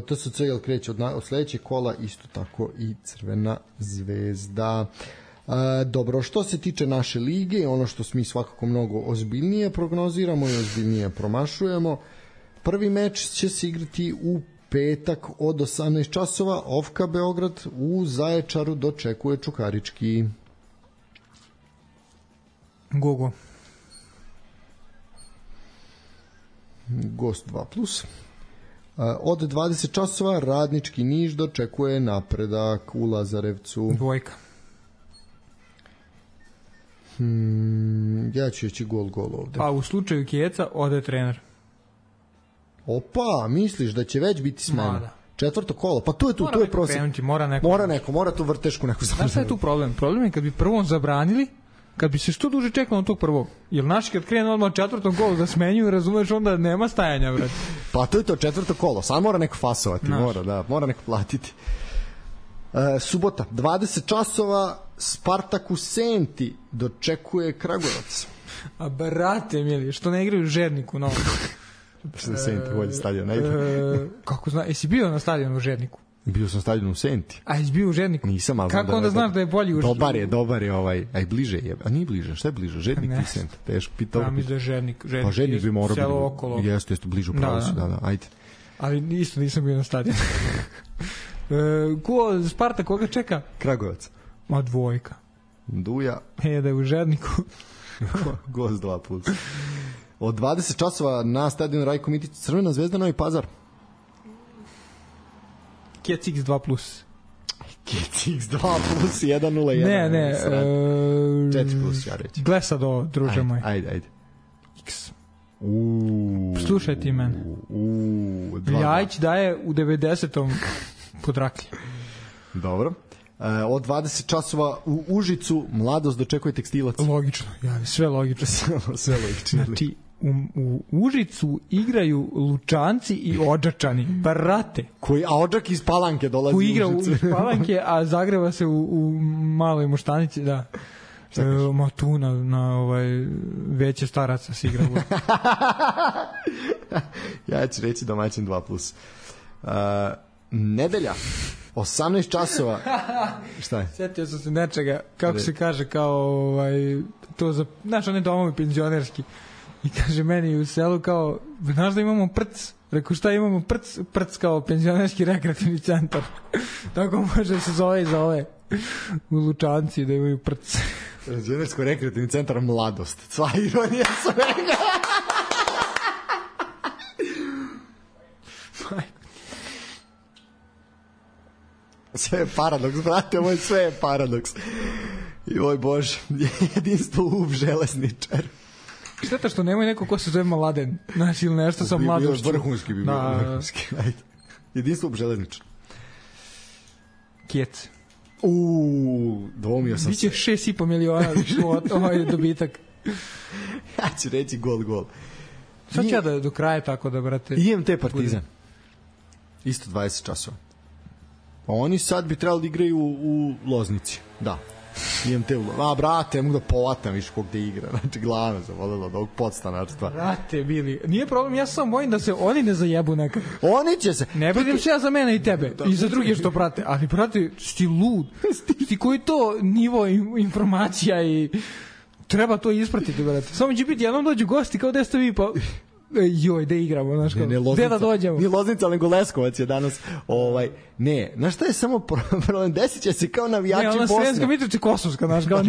TSC jel kreće od sledećeg kola, isto tako i Crvena zvezda. Dobro, što se tiče naše lige, ono što mi svakako mnogo ozbiljnije prognoziramo i ozbiljnije promašujemo, prvi meč će se igrati u petak od 18 časova, Ofka Beograd u Zaječaru dočekuje Čukarički. Gogo. Gost 2+. Od 20 časova Radnički Niš dočekuje Napredak u Lazarevcu. Dvojka. Ja ću reći gol ovde. A u slučaju Kijeca ode trener. Opa, misliš da će već biti smena? Četvrto kolo, pa to je prosjek. Mora tu vrtešku neku zabraniti. Znaš šta je tu problem? Problem je kad bi prvom zabranili, kad bi se što duže čekalo na tog prvog. Jer naši kad krenu odmah četvrtom kolu da smenjuju, razumeš, onda nema stajanja, brate. Pa to je to četvrto kolo, sad mora neko fasovati, mora neko platiti. Subota, 20 časova, Spartak u Senti dočekuje Kragujevac. A brate mili, što ne igraju u Žerniku novo? Što Senti bolji stadion, najde. Kako zna, jesi bio na stadionu u Žerniku? Bio sam stadion u Senti. A jesi bio u Žerniku? Nisam, ali kako onda znaš da je bolji u Žerniku? Dobar je ovaj, aj bliže je. A nije bliže, šta je bliže? Žernik i Sent. Teško pitao. Ja mislim da je Žernik. Pa Žernik bi morao biti okolo. Jeste bliže u pravu su, da, ajde. Ali isto nisam bio na stadionu. Spartak koga čeka? Kragujevac. Ma dvojka. Duja. Da je u Žerniku. Gost 2+. Od 20 časova na stadionu Rajko Mitić, Crvena zvezda, Novi Pazar. Kec X 2+. Kec X 2+, 1-0-1. Ne. 4+, ja reći. Gle sad ovo, druže moj. Ajde. X. Slušaj ti mene. Ljajić daje u 90. podraklje. Dobro. Od 20 časova u Užicu Mladost dočekuje Tekstilac. Logično, sve logično. Sve logično. Znači, u Užicu igraju Lučanci i Odžačani. Brate. A Odžak iz Palanke dolazi u Užicu. Koji igra iz Palanke, a zagreva se u maloj Moštanici, da. Ma tu na veće staraca se igra. Ja ću reći domaćin 2+. Nedelja 18 časova. Šta je? Sjetio sam se nečega, kako se kaže, kao to za, znaš, one domovi penzionerski. I kaže meni u selu kao, znaš da imamo prc? Rekao, šta imamo prc? Prc kao penzionerski rekreativni centar. Tako može se zove za ove u Lučanci da imaju prc. Penzionersko rekreativni centar Mladost. Sva ironija svega. Sve je paradoks, brate, ovo je sve je paradoks. I oj Bože, jedinstvo u železničar. Šteta što nemoj neko ko se zove Mladen, znaš, ili nešto sa mladošću. Vrhunski bi bio, vrhunski. Jedinstvo u železničar. Kjec. Dvomio sam se. Biće 6,5 miliona ovaj dobitak. Ja ću reći gol. Sad ću ja da do kraja tako da, brate. IMT Partizan. Isto 20 časova. Pa oni sad bi trebali da igraju u Loznici. Da. IMT u Loznici. Brate, mogu da povatam više kog da igra. Znači, glavno zavodilo od ovog podstanarstva. Brate, bili. Nije problem, ja sam bojim da se oni ne zajebu nekad. Oni će se. Ne brinim se ja za mene i tebe. I za druge što prate. Ali, brate, sti lud. Sti koji to nivo informacija i treba to ispratiti, brate. Samo će biti, jednom dođu gosti kao da ste vi, pa joj, da igramo, znaš kao, gde da dođemo? Nije Loznica, nego Leskovac je danas, ne, znaš šta je samo problem, desit će se kao navijači Bosne. Ne, ona Sremska Mitrovica Kosovska, znaš kao.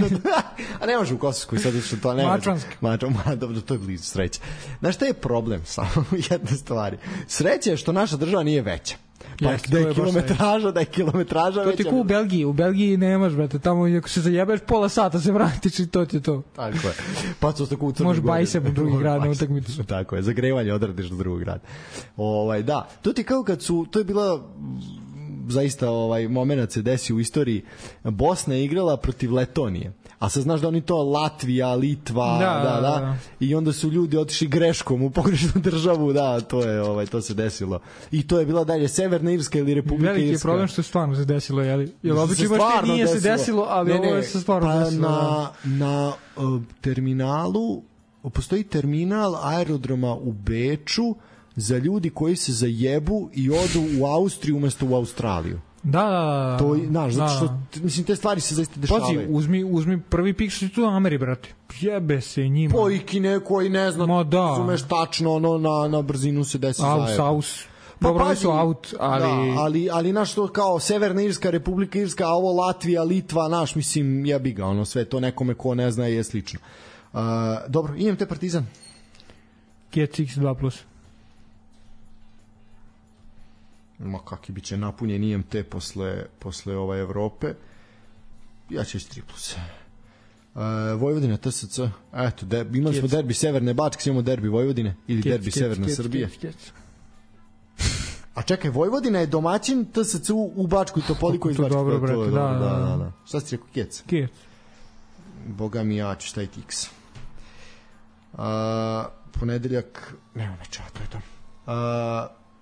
A ne može u Kosovskoj, sad što to ne može. Mačanska. Dobro, to je blizu, sreća. Znaš šta je problem, samo jedna stvari. Sreća je što naša država nije veća. Pa da je kilometraža veća. To ti ko u Belgiji nemaš, brate, tamo ako se zajebeš pola sata se vratiš i to ti je to. Tako je. Pa su tako u Crnoj Gori. Može bajsem u drugi grad na utakmicu. Tako je, zagrevanje odradiš do drugog grada. Da, to ti kao kad su, to je bila zaista moment se desi u istoriji. Bosna je igrala protiv Letonije. A sad znaš da oni to Latvija, Litva, da. I onda su ljudi otišli greškom u pogrešnu državu, to se desilo. I to je bila dalje Severna Irska ili Republika Irska. Veliki je problem što stvarno se desilo, jel obično baš nije se desilo, ali ovo se stvarno desilo. Na terminalu, postoji terminal aerodroma u Beču za ljudi koji se zajebu i odu u Austriju umesto u Australiju. Da. To, znaš, zato što, mislim, te stvari se zaista dešavaju. Pazi, uzmi prvi pik što je tu Ameri, brate. Jebe se njima. Pojki neko i ne znam, razumeš tačno, na brzinu se desi zajedno. Aus. Dobro, oni su out, ali... Da, ali naš to kao Severna Irska, Republika Irska, a ovo Latvija, Litva, naš, mislim, jebi ga, sve to nekome ko ne zna je slično. Dobro, imam te Partizan. GCX 2+. Ma kaki biće napunjen IMT posle ove Evrope. Ja ću 3+. Vojvodina, TSC. Eto, imali smo derbi Severne Bačke, imamo derbi Vojvodine ili derbi Severna Srbije. A čekaj, Vojvodina je domaćin TSC u Bačkoj Topoli koji izlači. Dobro, brate, da. Šta si rekao, Kec? Kec. Boga mi, ja ću staviti X. Ponedeljak, nema meča, to je to.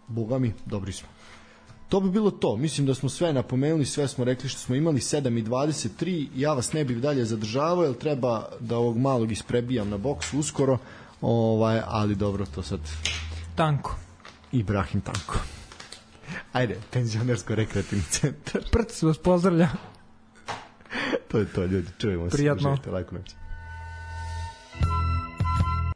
Boga mi, dobri smo. To bi bilo to. Mislim da smo sve napomenuli, sve smo rekli što smo imali. 7:23. Ja vas ne bih dalje zadržavao, jer treba da ovog malog isprebijam na boksu uskoro. Ali dobro, to sad... Tanko. Ibrahim Tanko. Ajde, penzionersko-rekreativni centar. Prc vas pozdravlja. To je to, ljudi. Čujemo se. Prijatno. Lajko noć.